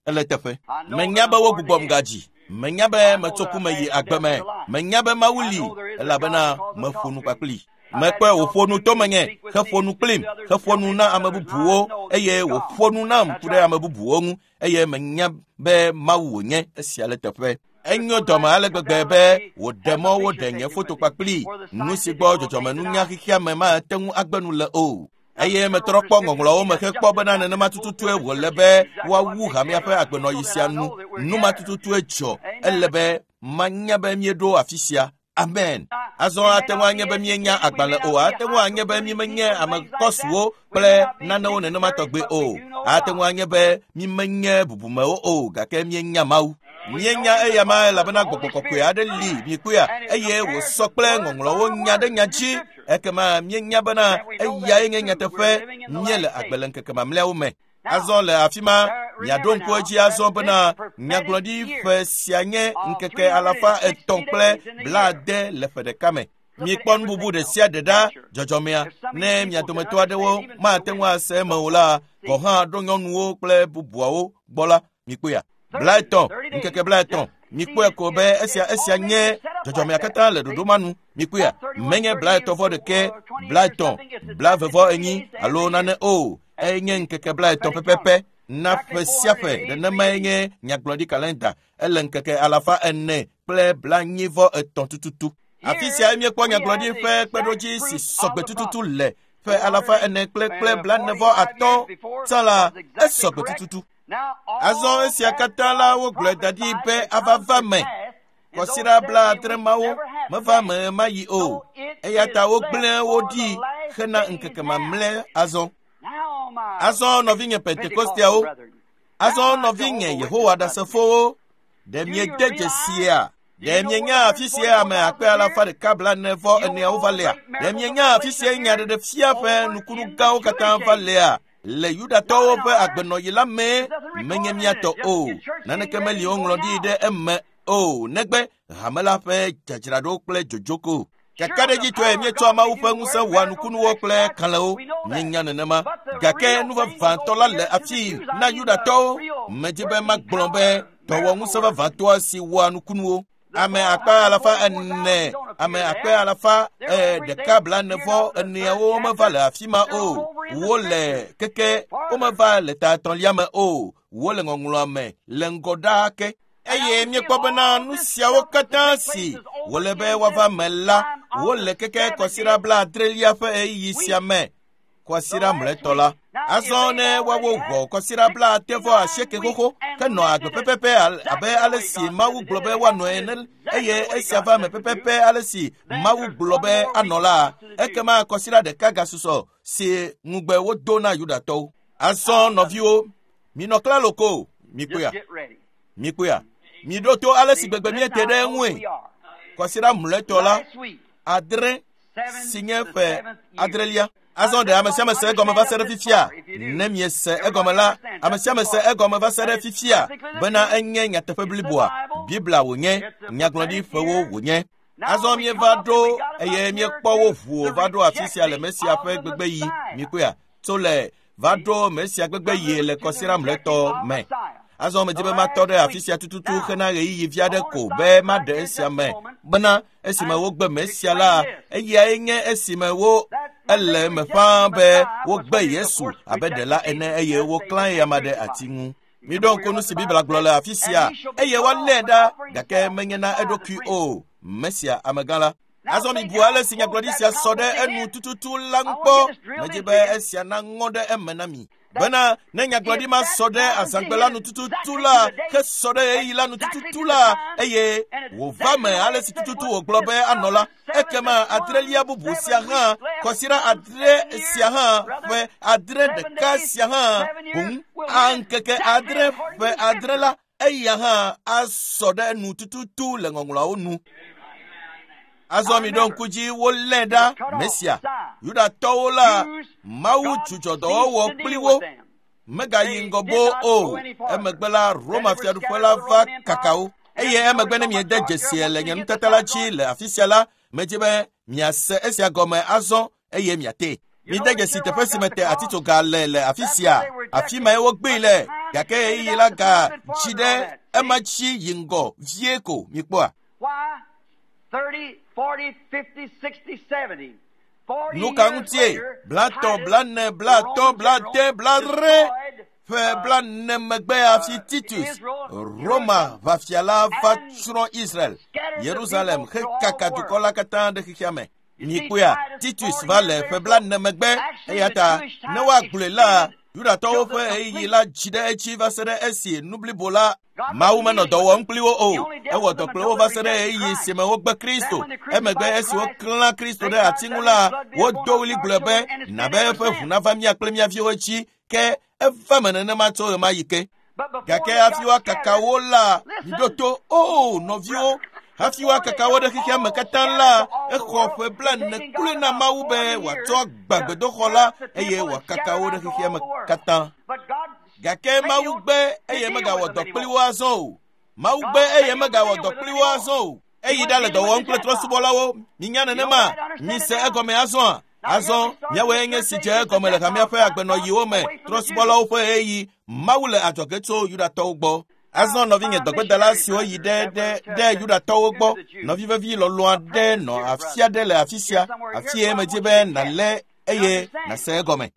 Speaker 1: Ele teƒe. Menya be wogbugbɔm gadzi. Menya be metso ku me yi agbe me. Menya be Mawu li elabena meƒo nu kpakpli. Mekpɔe wòƒo nu to menye heƒo nu kplim heƒo nu na ame bubuwo eye wòƒo nu nam ku ɖe ame bubuwo ŋu eye menya be Mawu wònye esia le teƒe. Enyo dɔme ale gbegbe be wòɖe mɔ woɖe nye foto kpakpli nu si gbɔ dzɔdzɔmenunya xexea me mate ŋu agbe nu le o. Eye metrɔ kpɔ ŋɔŋlɔwo me hekpɔ bena nenema tututue wòle be woawu hamea ƒe agbenɔɣi sia nu. Nu ma tututue dzɔ. Ele be manya be míeɖo afi sia. Amen. Azɔ ate ŋu anye be míenya agbalẽ o. Ate ŋu anye be mímenye ame kɔsuwo kple nanewo nenema tɔgbe o. Ate ŋu anye be mímenye bubumewo o gake míenya Mawu. Míenya eya ma elabena gbɔgbɔ kɔkɔe aɖe li mikpɔea eye wòsɔ kple ŋɔŋlɔwo nya ɖe nya dzi. Ekema míenya bena eyae nye nyateƒe míele agbe le ŋkeke mamlɛawo me. Azɔ le afi ma miaɖo ŋku edzi azɔ bena nyagblɔɖi ƒe sia nye ŋkeke alafa etɔ̃ kple blaade le ƒe ɖeka me. Mikpɔ nu bubu ɖe sia ɖe ɖa dzɔdzɔmea ne mia dometɔ aɖewo mate ŋu ase eme o la gɔ̃ hã ɖo nyɔnuwo kple bubuawo gbɔ la mikpɔea. Blaetɔ̃ ŋkeke blaetɔ̃ mikpɔe ko be esia esia nye dzɔdzɔmea katã le ɖoɖo ma nu mikpɔea menye blaetɔ̃ vɔ ɖeke blaetɔ̃ blavevɔ enyi alo nane o enye ŋkeke blaetɔ̃ pɛpɛpɛ na ƒe sia ƒe nenemae nye nyagblɔɖi kalenda ele ŋkeke alafa ene kple blanyivɔ etɔ̃ tututu. Afi sia míekpɔ nyagblɔɖi ƒe kpeɖodzi si sɔgbe tututu le ƒe alafa ene kple kple blanevɔ atɔ̃ tsã la esɔgbe tututu. Azɔ esia katã la wogblɔe da ɖi be ava va me. Kɔsiɖa blaadre mawo meva me ma yi o. Eya ta wogblẽ wo ɖi hena ŋkeke mamlɛ azɔ. Azɔ nɔvinye Pentekosteawo, azɔ nɔvinye Yehowa Ɖasefowo, ɖe miede dzesia? Ɖe mienya afi sia ame akpe alafa ɖeka blaene vɔ eneawo va lea? Ɖe mienya afi sia nyaɖeɖefia ƒe nukunu gãwo katã va lea? Le Yudatɔwo ƒe agbenɔɣi la mee menye míatɔ o. Naneke meli woŋlɔ ɖi ɖe eme o negbe hame la ƒe dzadzraɖo kple dzodzoko. Kakaɖedzitɔe míetsɔa Mawu ƒe ŋusẽ wɔa nukunuwo kple kalẽwo. Míenya nenema. Gake nu vavãtɔ la le afii na Yudatɔwo. Medzi be magblɔ be dɔwɔŋusẽ vavãtɔa si wɔa nukunuwo. Ame akpe alafa ene, ame akpe alafa ɖeka blaene-vɔ eneawo meva le afi ma o. Wole keke womeva le ta etɔ̃lia me o. Wole ŋɔŋlɔa me le ŋgɔ ɖaa ke. Eye míekpɔ bena nu siawo katã si wòle be woava me la, wole keke kɔsiɖa blaadrelia ƒe ɣeyiɣi sia me. Kɔsiɖa mlɔetɔ la. Azɔ ne woawo wɔ kɔsiɖa blaade vɔ asieke xoxo henɔ agbe pɛpɛpɛ abe ale si Mawu gblɔ be woanɔ ene eye esia va me pɛpɛpɛ ale si Mawu gblɔ be anɔ la, ekema kɔsiɖa ɖeka gasusɔ si ŋugbe wodo na Yudatɔwo. Azɔ nɔviwo, minɔ klalo ko, mikpɔea, mikpɔea, miɖo to ale si gbegbe míete ɖe eŋue. Kɔsiɖa mlɔetɔ la, adre si nye ƒe adrelia. Azɔ ɖe ame sia ame se egɔme va se ɖe fifia? Ne miese egɔme la, ame sia ame se egɔme va se ɖe fifia bena enye nyateƒe bliboa. Biblia wònye, nyagblɔɖiƒewo wònye. Azɔ míeva ɖo eye míekpɔ wo ʋu va ɖo afi sia le Mesia ƒe gbegbeɣi. Mikpɔea, tso le va ɖo Mesia gbegbeɣi le kɔsiɖa mlɔetɔ me. Azɔ medzi be matɔ ɖe afi sia tututu hena ɣeyiɣi vi aɖe ko be maɖe esia me bena esime wogbe Mesia la, eyae nye esime wo ele eme ƒãa be wogbe Yesu abe ɖela ene eye woklã eyama ɖe ati ŋu. Miɖo ŋku nu si Biblia gblɔ le afi sia eye woalée ɖa gake menye na eɖokui o. Mesia amegã la. Azɔ mibu ale si nyagblɔɖi sia sɔ ɖe enu tututu la ŋu kpɔ. Medzi be esia naŋɔ ɖe eme na mi. Bena ne nyagblɔɖi ma sɔ ɖe azãgbe la nu tututu la, hesɔ ɖe ɣeyiɣi la nu tututu la, eye wòva me ale si tututu wògblɔ be anɔ la, ekema adrelia bubu sia hã, kɔsiɖa adre sia hã, ƒe adre ɖeka sia hã, boŋ ŋkeke adre ƒe adre la, eya hã asɔ ɖe enu tututu le ŋɔŋlɔawo nu. Azɔ miɖo ŋku dzi wolé ɖa Mesia. Yudatɔwo la, Mawu dzudzɔ dɔwɔwɔ kpli wo. Megayi ŋgɔ boo o. Emegbe la, Roma fiaɖuƒe la va kaka wo. Eye emegbe ne miede dzesie le nye nutata la dzi le afi sia la, medzi be miase esia gɔme azɔ eye miate. Mide dzesi teƒe si mete atitsoga le le afi sia. Afi mae wogbee le gake ɣeyiɣi la ga dzi ɖe ema dzi yi ŋgɔ vie ko mikpɔa. Nu ka ŋutie? Blatɔ̃, blane, blatɔ̃, blade, bladre ƒe blane megbe hafi Titus, Roma ʋafia la va tsrɔ̃ Israel, Yerusalem hekaka dukɔ la katã ɖe xexea me. Mikpɔea, Titus va le ƒe blane megbe eya ta ne woagblɔe la, Yudatɔwo ƒe ɣeyiɣi la dzi ɖe edzi va se ɖe esi nu blibo la Mawu menɔ dɔ wɔm kpli wo o. Ewɔ dɔ kple wo va se ɖe ɣeyiɣi si me wogbe Kristo. Emegbe esi woklã Kristo ɖe ati ŋu la, wodo ɣli gblɔ be na be eƒe ʋu nava mía kple mía viwo dzi ke eva me nenema tso ɣemaɣi ke. Gake hafi woakaka wo la, miɖo to, o nɔviwo, hafi woakaka wo ɖe xexea me katã la, exɔ ƒe blaene kloe na Mawu be wòatsɔ agbã gbedoxɔ la eye wòakaka wo ɖe xexea me katã. Gake Mawu gbe eye megawɔ dɔ kpli wo azɔ o. Mawu gbe eye megawɔ dɔ kpli wo azɔ o. Eyi ɖa le dɔ wɔm kple trɔ̃subɔlawo. Minya nenema, mise egɔme azɔa. Azɔ míawoe nye si dze egɔme le hamea ƒe agbenɔyiwo me, trɔ̃subɔlawo ƒe ɣeyiɣi. Mawu le adzɔge tso Yudatɔwo gbɔ. Azɔ nɔvinye dɔgbedala siwo yi ɖe ɖe ɖe Yudatɔwo gbɔ, nɔvi vevi lɔlɔ̃ aɖe nɔ afi aɖe le afi sia, afi ye medzi be nàlé eye nàse egɔme.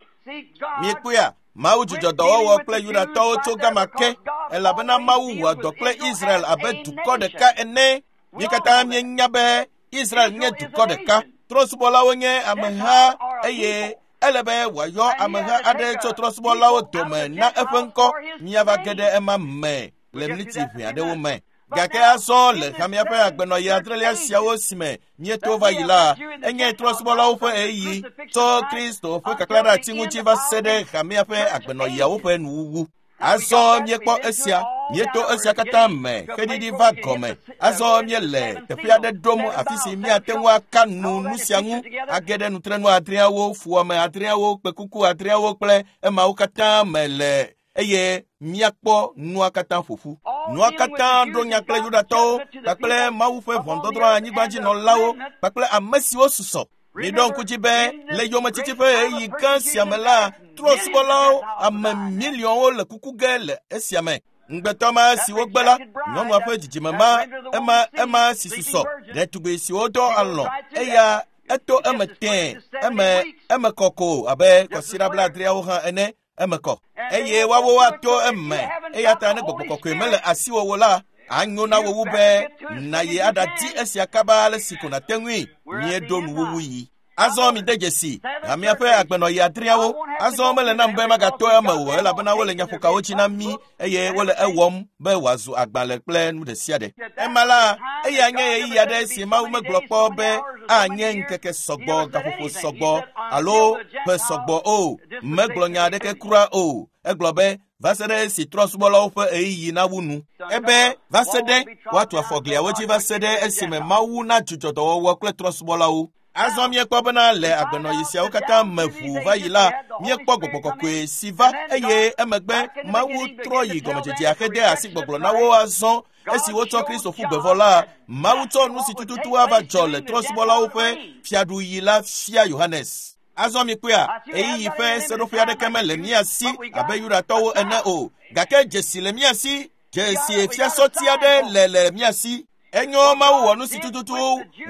Speaker 1: Miekpɔea, Mawu dzudzɔ dɔwɔwɔ kple Yudatɔwo tso gama ke, elabena Mawu wɔa dɔ kple Israel abe dukɔ ɖeka ene. Mí katã míenya be Israel nye dukɔ ɖeka. Trɔ̃subɔlawo nye ameha eye ele be wòayɔ ameha aɖe tso trɔ̃subɔlawo dome na eƒe ŋkɔ. Míava ge ɖe ema me le mliti ʋɛ aɖewo me. Gake azɔ le hamea ƒe agbenɔɣi adrelia siawo si me míeto va yi la, enye trɔ̃subɔlawo ƒe ɣeyiɣi tso Kristo ƒe kaklã ɖe ati ŋuti va se ɖe hamea ƒe agbenɔɣiawo ƒe nuwuwu. Azɔ míekpɔ esia, míeto esia katã me xeɖiɖi va gɔme. Azɔ míele teƒe aɖe ɖom afi si míate ŋu aka nu nu sia ŋu, age ɖe nutrenu adreawo, fuwɔame adreawo, kpekuku adreawo kple emawo katã me le eye míakpɔ nua katã ƒoƒu. Nua katã ɖo nya kple Yudatɔwo kpakple Mawu ƒe ʋɔnudɔdrɔ̃ anyigbadzinɔlawo kpakple ame siwo susɔ. Miɖo ŋku dzi be le yometiti ƒe ɣeyiɣi gã sia me la, trɔ̃subɔlawo ame miliɔnwo le kuku ge le esia me. Ŋugbetɔ ma si wogbe la, nyɔnua ƒe dzidzime ma, ema ema si susɔ, ɖetugbi siwo dɔ alɔ̃, eya eto eme tẽe, eme eme kɔ ko abe kɔsiɖa blaadreawo hã ene, eme kɔ. Eye woawo woato eme, eya ta ne gbɔgbɔ kɔkɔe mele asiwò o la, anyo na wo wu be nàyi aɖadi esia kaba ale si ko nàte ŋui. Míeɖo nuwuwu yi. Azɔ mide dzesi hamea ƒe agbenɔɣi adreawo. Azɔ mele nam be magato eme o, elabena wole nyaƒokawo dzi na mí eye wole ewɔm be wòazu agbalẽ kple nu ɖe sia ɖe. Ema la, eya nye ɣeyiɣi aɖe si Mawu megblɔ kpɔ be anye ŋkeke sɔgbɔ, gaƒoƒo sɔgbɔ alo ƒe sɔgbɔ o. Megblɔ nya aɖeke kura o. Egblɔ be va se ɖe esi trɔ̃subɔlawo ƒe ɣeyiɣi nawu nu. Ebe va se ɖe woatu afɔ gliawo dzi va se ɖe esime Mawu nadzudzɔ dɔwɔwɔ kple trɔ̃subɔlawo. Azɔ míekpɔ bena le agbenɔɣi siawo katã me ʋuu va yi la, míekpɔ gbɔgbɔ kɔkɔe si va eye emegbe Mawu trɔ yi gɔmedzedzea hede asi gbɔgblɔ na wo azɔ. Esi wotsɔ Kristo ƒu gbe vɔ la, Mawu tsɔ nu si tututu ava dzɔ le trɔ̃subɔlawo ƒe fiaɖuɣi la fia Yohanes. Azɔ mikpɔea, ɣeyiɣi ƒe seɖoƒe aɖeke mele mía si abe Yudatɔwo ene o, gake dzesi le mía si, dzesi fiasɔti aɖe le le mía si. Enyo Mawu wɔ nu si tututu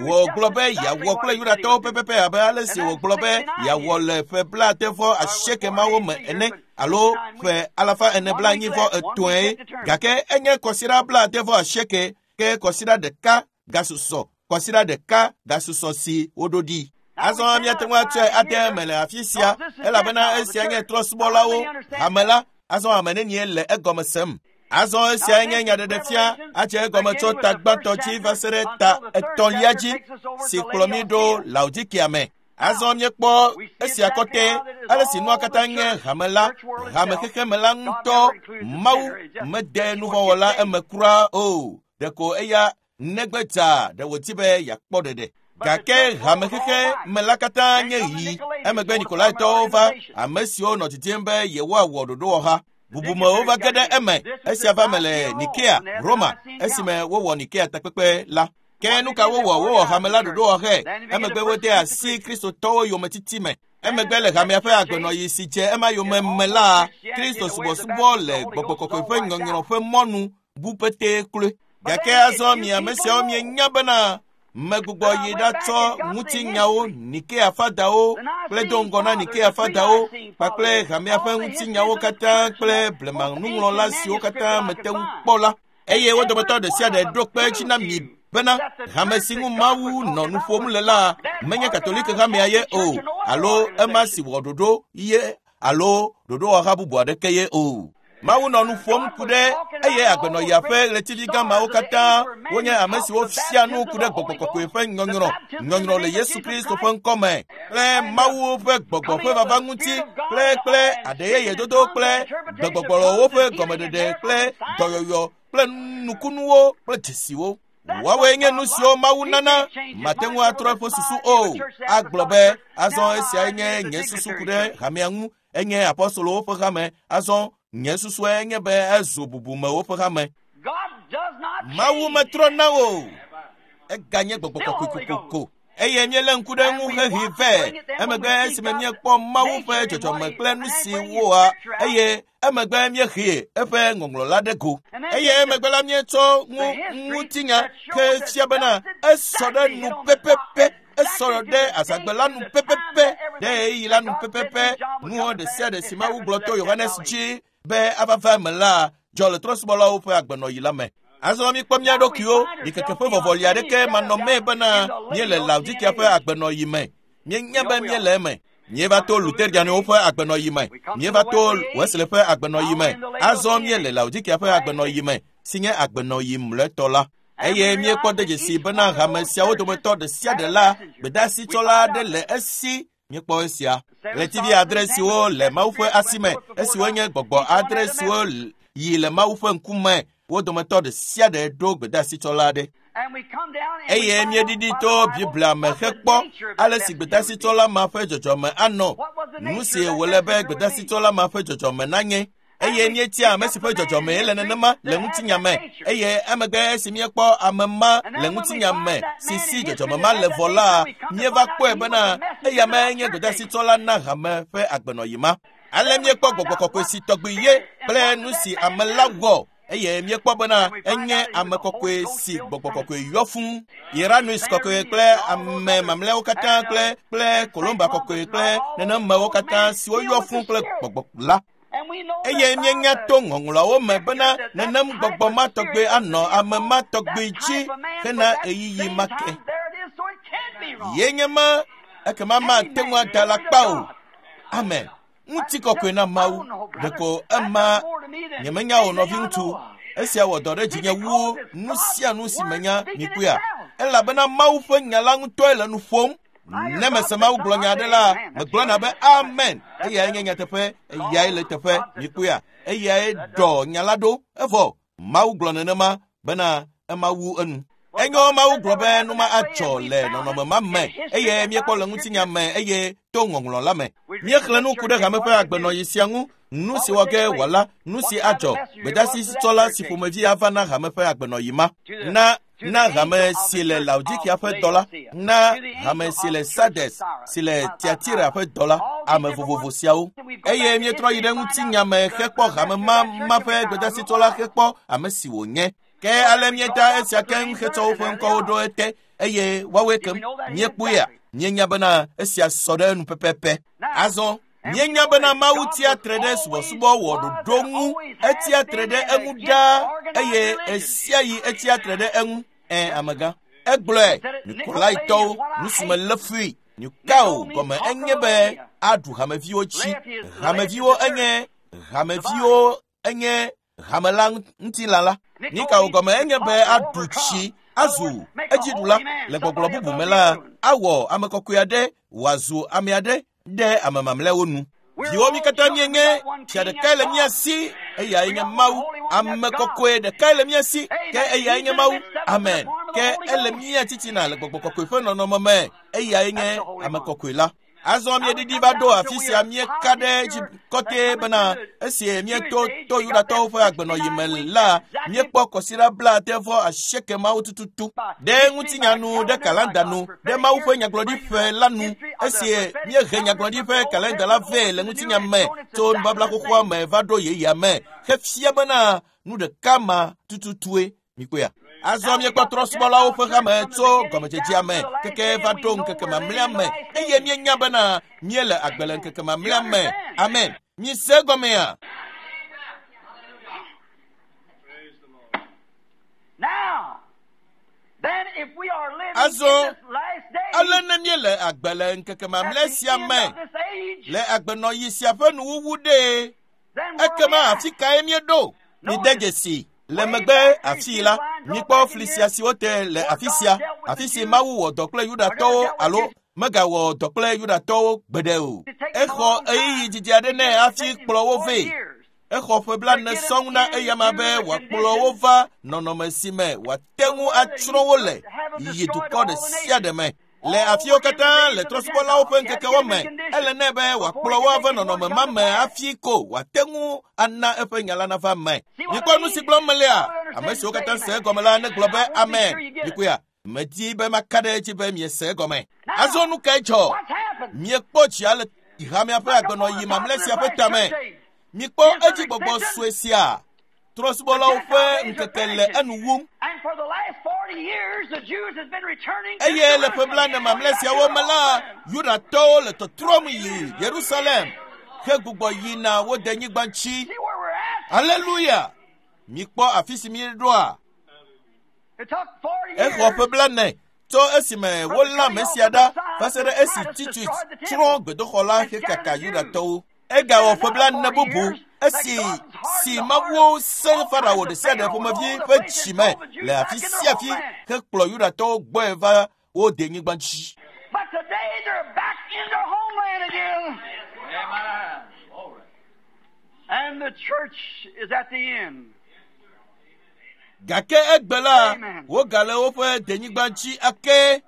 Speaker 1: wògblɔ be yeawɔ kple Yudatɔwo pɛpɛpɛ abe ale si wògblɔ be yeawɔ le ƒe blaade vɔ asieke mawo me ene alo ƒe alafa ene blaenyi vɔ etɔ̃e. Gake enye kɔsiɖa blaade vɔ asieke ke kɔsiɖa ɖeka gasusɔ, kɔsiɖa ɖeka gasusɔ si woɖo ɖi. Azɔ míate ŋu atsɔe ade eme le afi sia, elabena esia nye trɔ̃subɔlawo hame la. Azɔ ame nenie le egɔme sem? Azɔ esia nye nyaɖeɖefia adze egɔme tso ta gbãtɔ dzi va se ɖe ta etɔ̃lia dzi si kplɔ mí ɖo Laodikea me. Azɔ míekpɔ esia kɔtɛ ale si nua katã nye hame la, hame xexeme la ŋutɔ. Mawu mede nuvɔ̃wɔla eme kura o, ɖeko eya negbe dza ɖe wòdi be yeakpɔ ɖeɖe. Gake hame xexeme la katã nye ɣi. Emegbe Nikolaitɔwo va, ame siwo nɔ didim be yewoawɔ ɖoɖowɔha. Bubumewo va ge ɖe eme. Esia va me le Nikea, Roma, esime wowɔ Nikea takpekpe la. Ke nu ka wowɔ? Wowɔ hame la ɖoɖowɔxɛ. Emegbe wode asi Kristotɔwo yometiti me. Emegbe le hamea ƒe agbenɔɣi si dze ema yome me la, Kristo subɔsubɔ le gbɔgbɔ kɔkɔe ƒe nyɔnyrɔ ƒe mɔnu bu petee kloe. Gake azɔ mi ame siawo mienya bena megbugbɔ yi ɖatsɔ ŋutinyawo, Nikea fadawo kple do ŋgɔ na Nikea fadawo kpakple hamea ƒe ŋutinyawo katã kple blemanuŋlɔla siwo katã mete ŋu kpɔ la. Eye wo dometɔ ɖe sia ɖe ɖo kpe edzi na mi bena hame si ŋu Mawu nɔ nu ƒom le la menye Katolike hamea ye o, alo ema si wɔ ɖoɖo ye alo ɖoɖowɔha bubu aɖeke ye o. Mawu nɔ nu ƒom ku ɖe eye agbenɔɣia ƒe ɣletivi gamawo katã wonye ame siwo fia nu ku ɖe gbɔgbɔ kɔkɔe ƒe nyɔnyrɔ, nyɔnyrɔ le Yesu Kristo ƒe ŋkɔme kple Mawu ƒe gbɔgbɔ ƒe vava ŋuti kple kple aɖeyeyedodo kple gbegbɔgblɔwo ƒe gɔmeɖeɖe kple dɔyɔyɔ kple nukunuwo kple dzesiwo. Woawoe nye nu siwo Mawu nana, mate ŋu atrɔ eƒe susu o. Agblɔ be, azɔ esiae nye nye susu ku ɖe hamea ŋu, enye apɔstolowo ƒe hame, azɔ nye susue nye be ezu bubumewo ƒe hame. Mawu metrɔ na o. Eganye gbɔgbɔ kɔkɔe kokoko. Eye míelé ŋku ɖe ŋu hehe vɛ. Emegbe esime míekpɔ Mawu ƒe dzɔdzɔme kple nu si woa, eye emegbe míehe eƒe ŋɔŋlɔ la ɖe go. Eye emegbe la míetsɔ ŋu ŋutinya ke fia bena esɔ ɖe nu pɛpɛpɛ, esɔ ɖe azãgbe la nu pɛpɛpɛ, ɖe ɣeyiɣi la nu pɛpɛpɛ. Nuwo ɖe sia ɖe si Mawu gblɔ to Yohanes dzi be ava va eme la dzɔ le trɔ̃subɔlawo ƒe agbenɔɣi la me. Azɔ míkpɔ mía ɖokuiwo ɖikeke ƒe vɔvɔli aɖeke manɔmee bena míele Laodikia ƒe agbenɔɣi me. Míenya be míele eme. Míeva to Luterianwo ƒe agbenɔɣi me. Míeva to Wesley ƒe agbenɔɣi me. Azɔ míele Laodikia ƒe agbenɔɣi me, si nye agbenɔɣi mlɔetɔ la. Eye míekpɔ de dzesi bena hame siawo dometɔ ɖe sia ɖe la, gbedeasitsɔla aɖe le esi. Míekpɔ esia. Ɣletivi adre siwo le Mawu ƒe asi me, esiwo nye gbɔgbɔ adre siwo yi le Mawu ƒe ŋkume, wo dometɔ ɖe sia ɖe ɖo gbedeasitsɔla aɖe. Eye míeɖiɖi to Biblia me hekpɔ ale si gbedeasitsɔla ma ƒe dzɔdzɔme anɔ, nu si wòle be gbedeasitsɔla ma ƒe dzɔdzɔme nanye. Eye míetia ame si ƒe dzɔdzɔme le nenema le ŋutinya me. Eye emegbe esi míekpɔ ame ma le ŋutinya me si si dzɔdzɔme ma le vɔ la, míeva kpɔe bena eya mee nye gbedeasitsɔla na hame ƒe agbenɔɣi ma. Ale míekpɔ gbɔgbɔ kɔkɔe si tɔgbi ye kple nu si ame la wɔ. Eye míekpɔ bena enye ame kɔkɔe si gbɔgbɔ kɔkɔe yɔ fũu. Irenaeus kɔkɔe kple ame mamlɛawo katã kple kple Columba kɔkɔe kple nenemewo katã siwo yɔ fũu kple gbɔgbɔ la. Eye míenya to ŋɔŋlɔawo me bena nenem gbɔgbɔ ma tɔgbe anɔ ame ma tɔgbe dzi hena ɣeyiɣi ma ke. Ye nye ma, ekema mate ŋu ada alakpa o. Amen. Ŋutikɔkɔe na Mawu. Ɖeko ema nyemenya o nɔviŋutsu. Esia wɔ dɔ ɖe dzinye wu nu sia nu si menya mikpɔea. Elabena Mawu ƒe nya la ŋutɔe le nu ƒom. Ne mese Mawu gblɔ nya aɖe la, megblɔna be amen. Eyae nye nyateƒe, eyae le teƒe, mikpɔea. Eyae ɖɔ nya la ɖo. Evɔ Mawu gblɔ nenema bena ema wu enu. Enyo Mawu gblɔ be nu ma adzɔ le nɔnɔme ma me, eye míekpɔ le ŋutinya me eye to ŋɔŋlɔ la me. Míexlẽ nu ku ɖe hame ƒe agbenɔɣi sia ŋu, nu si wɔ ge wòala, nu si adzɔ, gbedeasitsɔla si ƒomevi ava na hame ƒe agbenɔɣi ma. Na na hame si le Laodikia ƒe dɔ la, na hame si le Sardes si le Tiatira ƒe dɔ la, ame vovovo siawo. Eye míetrɔ yi ɖe ŋutinya me hekpɔ hame ma ma ƒe gbedeasitsɔla hekpɔ ame si wònye. Ke ale míeta esia keŋ hetsɔ woƒe ŋkɔwo ɖo ete, eye woawoe kem. Míekpɔea, míenya bena esia sɔ ɖe enu pɛpɛpɛ. Azɔ míenya bena Mawu tia tre ɖe subɔsubɔ wɔ ɖoɖo ŋu, etia tre ɖe eŋu ɖaa, eye esia yi etia tre ɖe eŋu. Ɛ amegã, egblɔe Nikolaitɔwo, nu si me lé fui. Nikao gɔme enye be aɖu hameviwo dzi. Hameviwo enye hameviwo enye hame la ŋutilã la. Nikao gɔme enye be aɖu tsi, azu edziɖula. Le gbɔgblɔ bubu me la, awɔ ame kɔkɔe aɖe wòazu ame aɖe ɖe ame mamlɛawo nu. Viwo mi katã míenye, fia ɖekae le mía si, eyae nye Mawu. Ame kɔkɔe ɖekae le mía si, ke eyae nye Mawu. Amen. Ke ele mía titina le gbɔgbɔ kɔkɔe ƒe nɔnɔme me, eyae nye ame kɔkɔe la. Azɔ míeɖiɖi va ɖo afi sia míeka ɖe dzi kɔtɛ bena esi míeto to Yudatɔwo ƒe agbenɔɣi me la, míekpɔ kɔsiɖa blaade vɔ asieke mawo tututu ɖe ŋutinya nu, ɖe kalenda nu, ɖe Mawu ƒe nyagblɔɖiƒe la nu. Esi míehe nyagblɔɖiƒe kalenda la vɛ le ŋutinya me tso nubabla xoxoa me va ɖo yeyea me, hefia bena nu ɖeka ma tututue. Mikpɔea. Azɔ míekpɔ trɔ̃subɔlawo ƒe hame tso gɔmedzedzea me keke va ɖo ŋkeke mamlɛa me, eye míenya bena míele agbe le ŋkeke mamlɛa me. Amen. Mise gɔmea. Azɔ ale ne míele agbe le ŋkeke mamlɛ sia me, le agbenɔɣi sia ƒe nuwuwu ɖe, Ekema afi kae míeɖo? Mide dzesi le megbe afii la, mikpɔ fli sia si wote le afi sia, afi si Mawu wɔ dɔ kple Yudatɔwo alo megawɔ dɔ kple Yudatɔwo gbeɖe o. Exɔ ɣeyiɣi didi aɖe nɛ hafi kplɔ wo vɛ. Exɔ ƒe blaene sɔŋ na eyama be wòakplɔ wo va nɔnɔme si me wòate ŋu atsrɔ̃ wo le yi dukɔ ɖe sia ɖe me. Le afiwo katã le trɔ̃subɔlawo ƒe ŋkekewo me, ele nɛ be wòakplɔ wo ava nɔnɔme ma me hafi ko wòate ŋu ana eƒe nya la nava me. Mikpɔ nu si gblɔm melea? Ame siwo katã se egɔme la negblɔ be amen. Mikuya, medi be maka ɖe edzi be miese egɔme. Azɔ nu kae dzɔ? Miekpɔ dzia le hamea ƒe agbenɔyi mamlɛ sia ƒe tame. Mikpɔ edzi gbɔgbɔ sue sia. Trɔ̃subɔlawo ƒe ŋkeke le enu wum. Eye le ƒe blaene mamlɛ siawo me la, Yudatɔwo le tɔtrɔm yi Yerusalem hegbugbɔ yina wo denyigba ŋuti. Aleluya! Mikpɔ afi si míeɖoa. Exɔ ƒe blaene tso esime wolé ame sia ɖa va se ɖe esi Titus tsrɔ̃ gbedoxɔ la hekaka Yudatɔwo. Egawɔ ƒe blaene bubu esi si Mawu sẽ Farao ɖe sia ɖe ƒomevi ƒe dzime le afi sia afi hekplɔ Yudatɔwo gbɔe va wo denyigba dzi.
Speaker 2: But today they're back in their homeland again. And the church is at the end.
Speaker 1: Gake egbe la, wogale woƒe denyigba dzi ake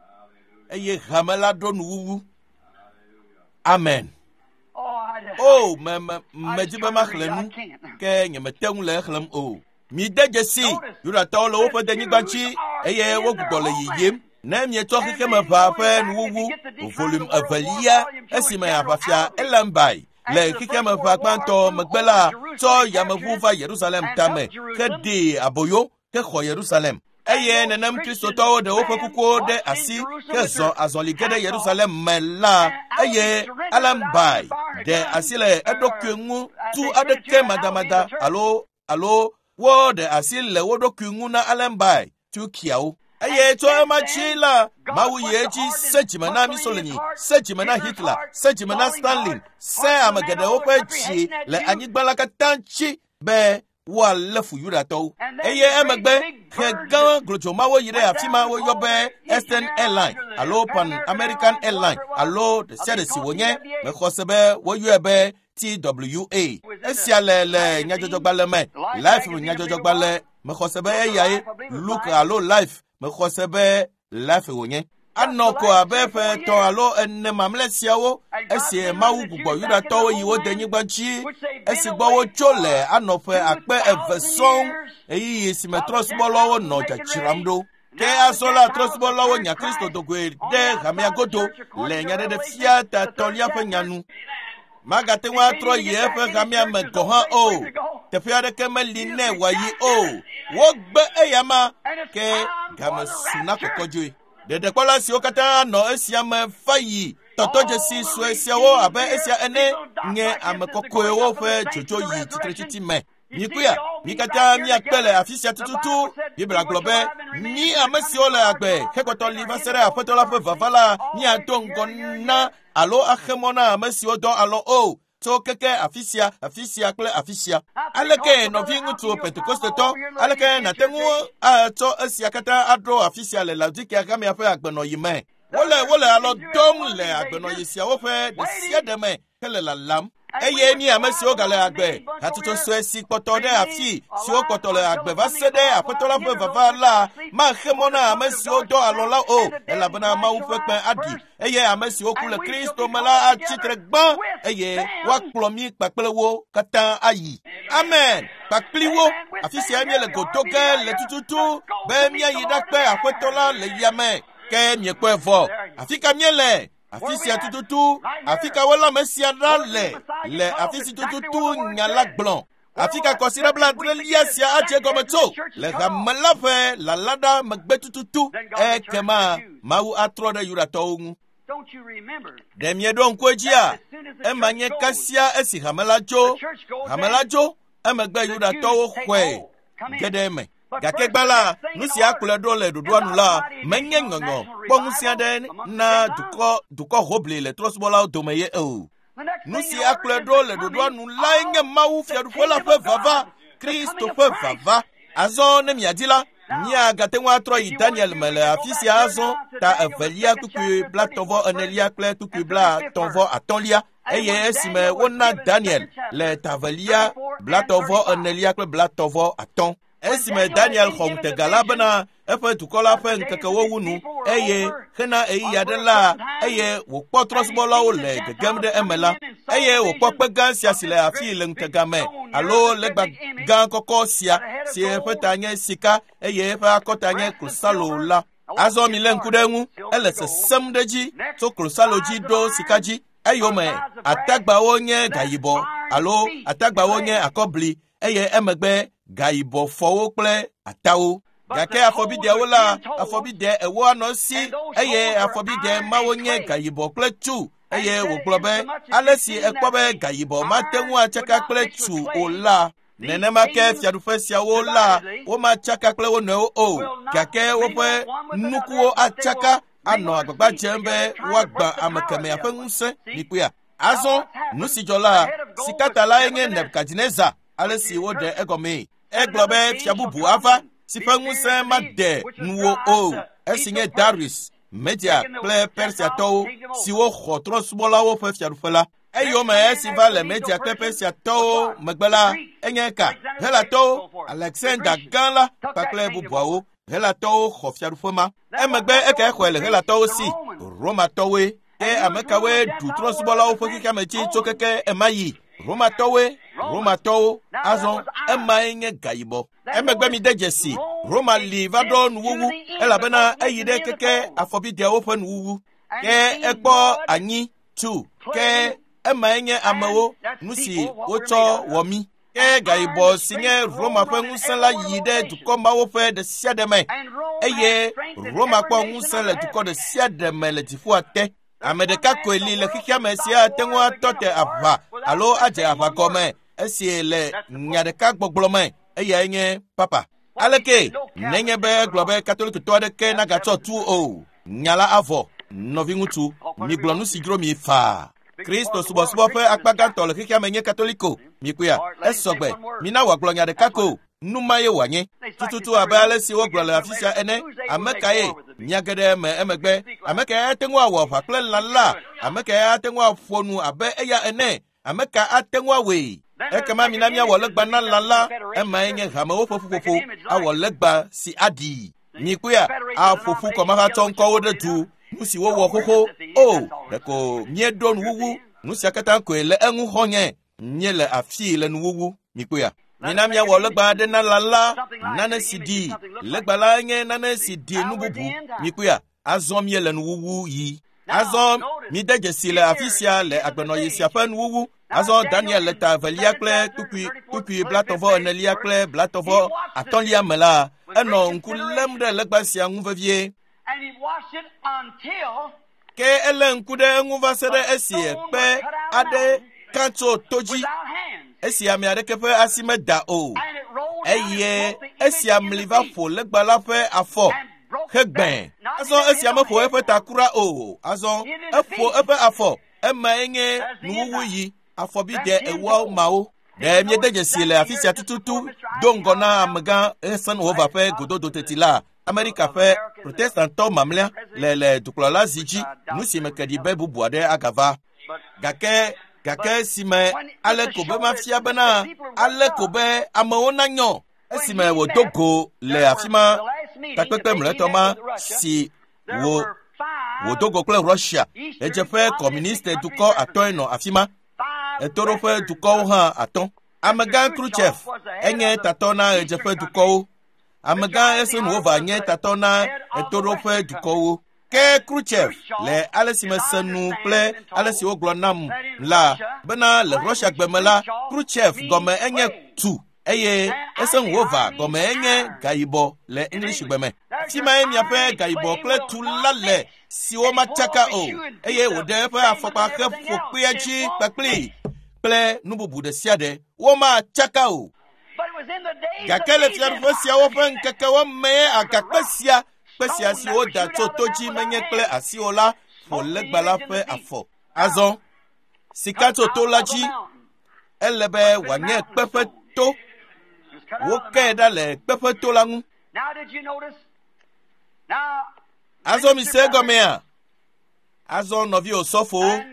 Speaker 1: eye hame la ɖo nuwuwu. Amen.
Speaker 2: Oh, I,
Speaker 1: O, me me
Speaker 2: I
Speaker 1: medi
Speaker 2: just
Speaker 1: be
Speaker 2: trying to
Speaker 1: maxlẽ
Speaker 2: read it. I
Speaker 1: nu
Speaker 2: can't.
Speaker 1: ke nyemete ŋu le exlẽm o. Mide dzesi Yudatɔwo le woƒe denyigba dzi eye wogbugbɔ le yiyim. Ne mietsɔ xexemeʋa ƒe nuwuwu volume evelia esime aʋafia Elambai le xexemeʋa gbãtɔ megbe la tsɔ yameʋu va Yerusalem tame heɖee aboyo hexɔ Yerusalem. Eye nenem Kristotɔwo ɖe woƒe kukuwo ɖe asi hezɔ azɔli ge ɖe Yerusalem me la, eye Elambai ɖe asi le eɖokui ŋu tu aɖeke madamada alo alo woɖe asi le wo ɖokui ŋu na Alembai Turkiawo. Eye tso ema dzi la, Mawu yi edzi se dzime na Mussolini, se dzime na Hitler, se dzime na Stalin, se ame geɖewo ƒe dzi le anyigba la katã dzi be woalé fu Yudatɔwo. Eye emegbe xe gã glodzomawo yi ɖe afi ma woyɔ be Eastern Airline alo Pan American Airline alo ɖe sia ɖe si wònye. Mexɔ se be woyɔe be T W A. Esia le le nyadzɔdzɔgbalẽ me, Life nyadzɔdzɔgbalẽ. Mexɔ se be eyae Look alo Life. Mexɔ se be Life wònye. Anɔ ko abe ƒe etɔ̃ alo ene mamlɛ siawo esi Mawu gbugbɔ Yudatɔwo yi wo denyigba dzi esi gbɔ wotso le anɔ ƒe akpe eve sɔŋ ɣeyiɣi si me trɔ̃subɔlawo nɔ dzadzram ɖo. Ke azɔ la trɔ̃subɔlawo nya Kristo dogoe ɖe hamea godo le nyaɖeɖefia ta etɔ̃lia ƒe nya nu. Magate ŋu atrɔ yi eƒe hamea me gɔ̃ hã o. Teƒe aɖeke meli nɛ wòayi o. Wogbe eyama ke game su na kɔkɔdzoe. Ɖeɖekpɔla siwo katã nɔ esia me va yi tɔtɔdzesi sue siawo abe esia ene nye ame kɔkɔewo ƒe dzodzo yi tsitretsitsi me. Mikuya, mi katã miakpe le afi sia tututu. Biblia gblɔ be mi ame siwo le agbe hekpɔtɔ li va se ɖe Aƒetɔ la ƒe vava la miado ŋgɔ na alo axe mɔ na ame siwo dɔ alɔ o. Tso keke afi sia, afi sia kple afi sia. Aleke nɔviŋutsu Pentekostetɔ, aleke nàte ŋu atsɔ esia katã aɖo afi sia le Laodikea hamea ƒe agbenɔyi me? Wole wole alɔ dɔm le agbenɔyi siawo ƒe ɖe sia ɖe me hele lalam. Eye mi ame siwo gale agbe, hatsotso sue si kpɔtɔ ɖe afi siwo kpɔtɔ le agbe va se ɖe Aƒetɔ la ƒe vava la maxe mɔ na ame siwo dɔ alɔ la o, elabena Mawu ƒe kpẽ aɖi eye ame siwo ku le Kristo me la atsi tre gbã eye woakplɔ mí kpakple wo katã ayi. Amen. Kpakpli wo. Afi sia míele go do ge le tututu be míayi ɖakpe Aƒetɔ la le yame. Ke miekpɔe vɔ. Afi ka míele? Afi sia tututu, afi ka wolé ame sia ɖa le, le afi si tututu nya la gblɔ. Afi ka kɔsiɖa blaadrelia sia adze gɔme tso le hame la ƒe lala ɖa megbe tututu. Ekema Mawu atrɔ ɖe Yudatɔwo ŋu.
Speaker 2: Don't you remember?
Speaker 1: Ɖe mieɖo ŋku edzia? Ema nye kasia esi hame la tso. Hame la tso, emegbe Yudatɔwo xɔe ge ɖe eme. Gake gbã la, nu si akplɔe ɖo le ɖoɖoa nu la, menye ŋɔŋɔ kpɔ ŋusẽ aɖe na dukɔ dukɔ hoʋli le trɔ̃subɔlawo dome ye o. Nu si akplɔe ɖo le ɖoɖoa nu lae nye Mawu fiaɖuƒe la ƒe vava, Kristo ƒe vava. Azɔ ne miadi la, míagate ŋu atrɔ yi Daniel me le afi sia azɔ ta evelia kpukpui blatɔ̃ enelia kple kpukpui blatɔ̃ atɔ̃lia eye esime wona Daniel le ta evelia blatɔ̃ enelia kple blatɔ̃ atɔ̃. Esime Daniel xɔ ŋutega la bena eƒe dukɔ la ƒe ŋkekewo wu nu eye hena ɣeyiɣi aɖe la eye wòkpɔ trɔ̃subɔlawo le gegem ɖe eme la eye wòkpɔ kpe gã sia si le afii le ŋutega me alo legba gã kɔkɔ sia si eƒe ta nye sika eye eƒe akɔta nye klosalo la. Azɔ milé ŋku ɖe eŋu, ele sesẽm ɖe edzi tso klosalo dzi ɖo sika dzi. Eyome atagbawo nye gayibɔ alo atagbawo nye akɔbli eye emegbe gayibɔ fɔwo kple atawo. Gake afɔbideawo la, afɔbide ewo anɔ esi eye afɔbide mawo nye gayibɔ kple tsu. Eye wògblɔ be ale si ekpɔ be gayibɔ mate ŋu atsaka kple tsu o la, nenema ke fiaɖuƒe siawo la womatsaka kple wo nɔewo o, gake woƒe nukuwo atsaka anɔ agbagba dzem be woagbã ame kemɛa ƒe ŋusẽ. Mikpɔea? Azɔ nu si dzɔ la, sikata lae nye Nebukadnezar, ale si woɖe egɔmee. Egblɔ be fia bubu ava si ƒe ŋusẽ made nuwò o, esi nye Darius, Media kple Persiatɔwo siwo xɔ trɔ̃subɔlawo ƒe fiaɖuƒe la. Eyome esi va le Media kple Persiatɔwo megbe la, enye ka? Helatɔwo, Alexander Gã la kpakple bubuawo. Helatɔwo xɔ fiaɖuƒe ma. Emegbe ekae xɔe le Helatɔwo si? Romatɔwoe. Ke ame kawoe ɖu trɔ̃subɔlawo ƒe xexeame dzi tso keke ema yi? Romatɔwoe. Romatɔwo. Azɔ emae nye gayibɔ. Emegbe mide dzesi, Roma li va ɖo nuwuwu elabena eyi ɖe keke afɔbideawo ƒe nuwuwu. Ke ekpɔ anyi tu, ke emae nye amewo, nu si wotsɔ wɔ mí. Ke gayibɔ si nye Roma ƒe ŋusẽ la yi ɖe dukɔ mawo ƒe ɖe sia ɖe me eye Roma kpɔ ŋusẽ le dukɔ ɖe sia ɖe me le dziƒoa te. Ame ɖeka koe li le xexeame si ate ŋu atɔ te aʋa alo adze aʋa gɔme esi le nya ɖeka gbɔgblɔ me, eyae nye papa. Aleke nenye be egblɔ be katolikitɔ aɖeke nagatsɔ tu o, nya la avɔ. Nɔviŋutsu, migblɔ nu si dzro mi faa. Kristo subɔsubɔ ƒe akpa gãtɔ le xexeame nye katoliko. Mikpɔea? Esɔgbe. Mina wòagblɔ nya ɖeka ko. Nu ma ye wòanye. Tututu abe ale si wogblɔ le afi sia ene. Ame kae nya geɖe me emegbe? Ame kae ate ŋu awɔ aʋa kple lã la? Ame kae ate ŋu aƒo nu abe eya ene? Ame ka ate ŋu awɔe? Ekema mina míawɔ legba na lã la. Emae nye hamewo ƒe ƒuƒoƒo. Awɔ legba si aɖii. Mikpɔea? Aƒo ƒu kɔmahatsɔ ŋkɔwo ɖe du. Nu si wowɔ xoxo. O, ɖeko míeɖo nuwuwu. Nu sia katã koe le eŋu xɔnye. Míele afii le nuwuwu. Mikpɔea? Mina míawɔ legba aɖe na lã la, nane si ɖi. Legba la nye nane si ɖi nu bubu. Mikpɔea? Azɔ míele nuwuwu yi. Azɔ mide dzesi le afi sia le agbenɔɣi sia ƒe nuwuwu. Azɔ Daniel le ta evelia kple kpukpui kpukpui blatɔ̃ enelia kple blatɔ̃ atɔ̃lia me la, enɔ ŋku lém ɖe legba sia ŋu vevie. Ke elé ŋku ɖe eŋu va se ɖe esi kpe aɖe ka tso to dzi, esi ame aɖeke ƒe asi meda o. Eye esia mli va ƒo legba la ƒe afɔ hegbẽ. Azɔ esia meƒo eƒe ta kura o. Azɔ eƒo eƒe afɔ. Emae nye nuwuwu yi afɔbide ewoawo mawo. Ɖe míede dzesi le afi sia tututu do ŋgɔ na amegã Eisenhower ƒe gododo teti la, Amerika ƒe protestantɔ mamlɛa le le dukplɔla zi dzi, nu si me ke ɖi be bubu aɖe agava. Gake gake si me ale ko be mafia bena ale ko be amewo nanyɔ. Esime wòdo go le afi ma takpekpe mlɔetɔ ma si wò wòdo go kple Russia, ɣedzeƒe kɔmuniste dukɔ atɔ̃e nɔ afi ma, ɣetoɖoƒe dukɔwo hã atɔ̃. Amegã Khrushchev enye tatɔ na ɣedzeƒe dukɔwo. Amegã Eisenhower nye tatɔ na ɣetoɖoƒe dukɔwo. Ke Khrushchev le ale si mese nu kple ale si wogblɔ nam la bena le Russia gbe me la, Khrushchev gɔme enye tu eye Eisenhower gɔme enye gayibɔ le English gbe me. Afi mae miaƒe gayibɔ kple tu la le siwo matsaka o, eye wòɖe eƒe afɔkpa heƒo kpea dzi kpakpli kple nu bubu ɖe sia ɖe. Womatsaka o. Gake le fiaɖuƒe siawo ƒe ŋkekewo mee agakpe sia kpe sia si woda tso to dzi menye kple asi o la ƒo legba la ƒe afɔ. Azɔ Sika tso to la dzi. Ele be wòanye kpeƒe to. Wokee ɖa le kpeƒe to la ŋu. Azɔ mi se egɔmea? Azɔ nɔvi osɔfowo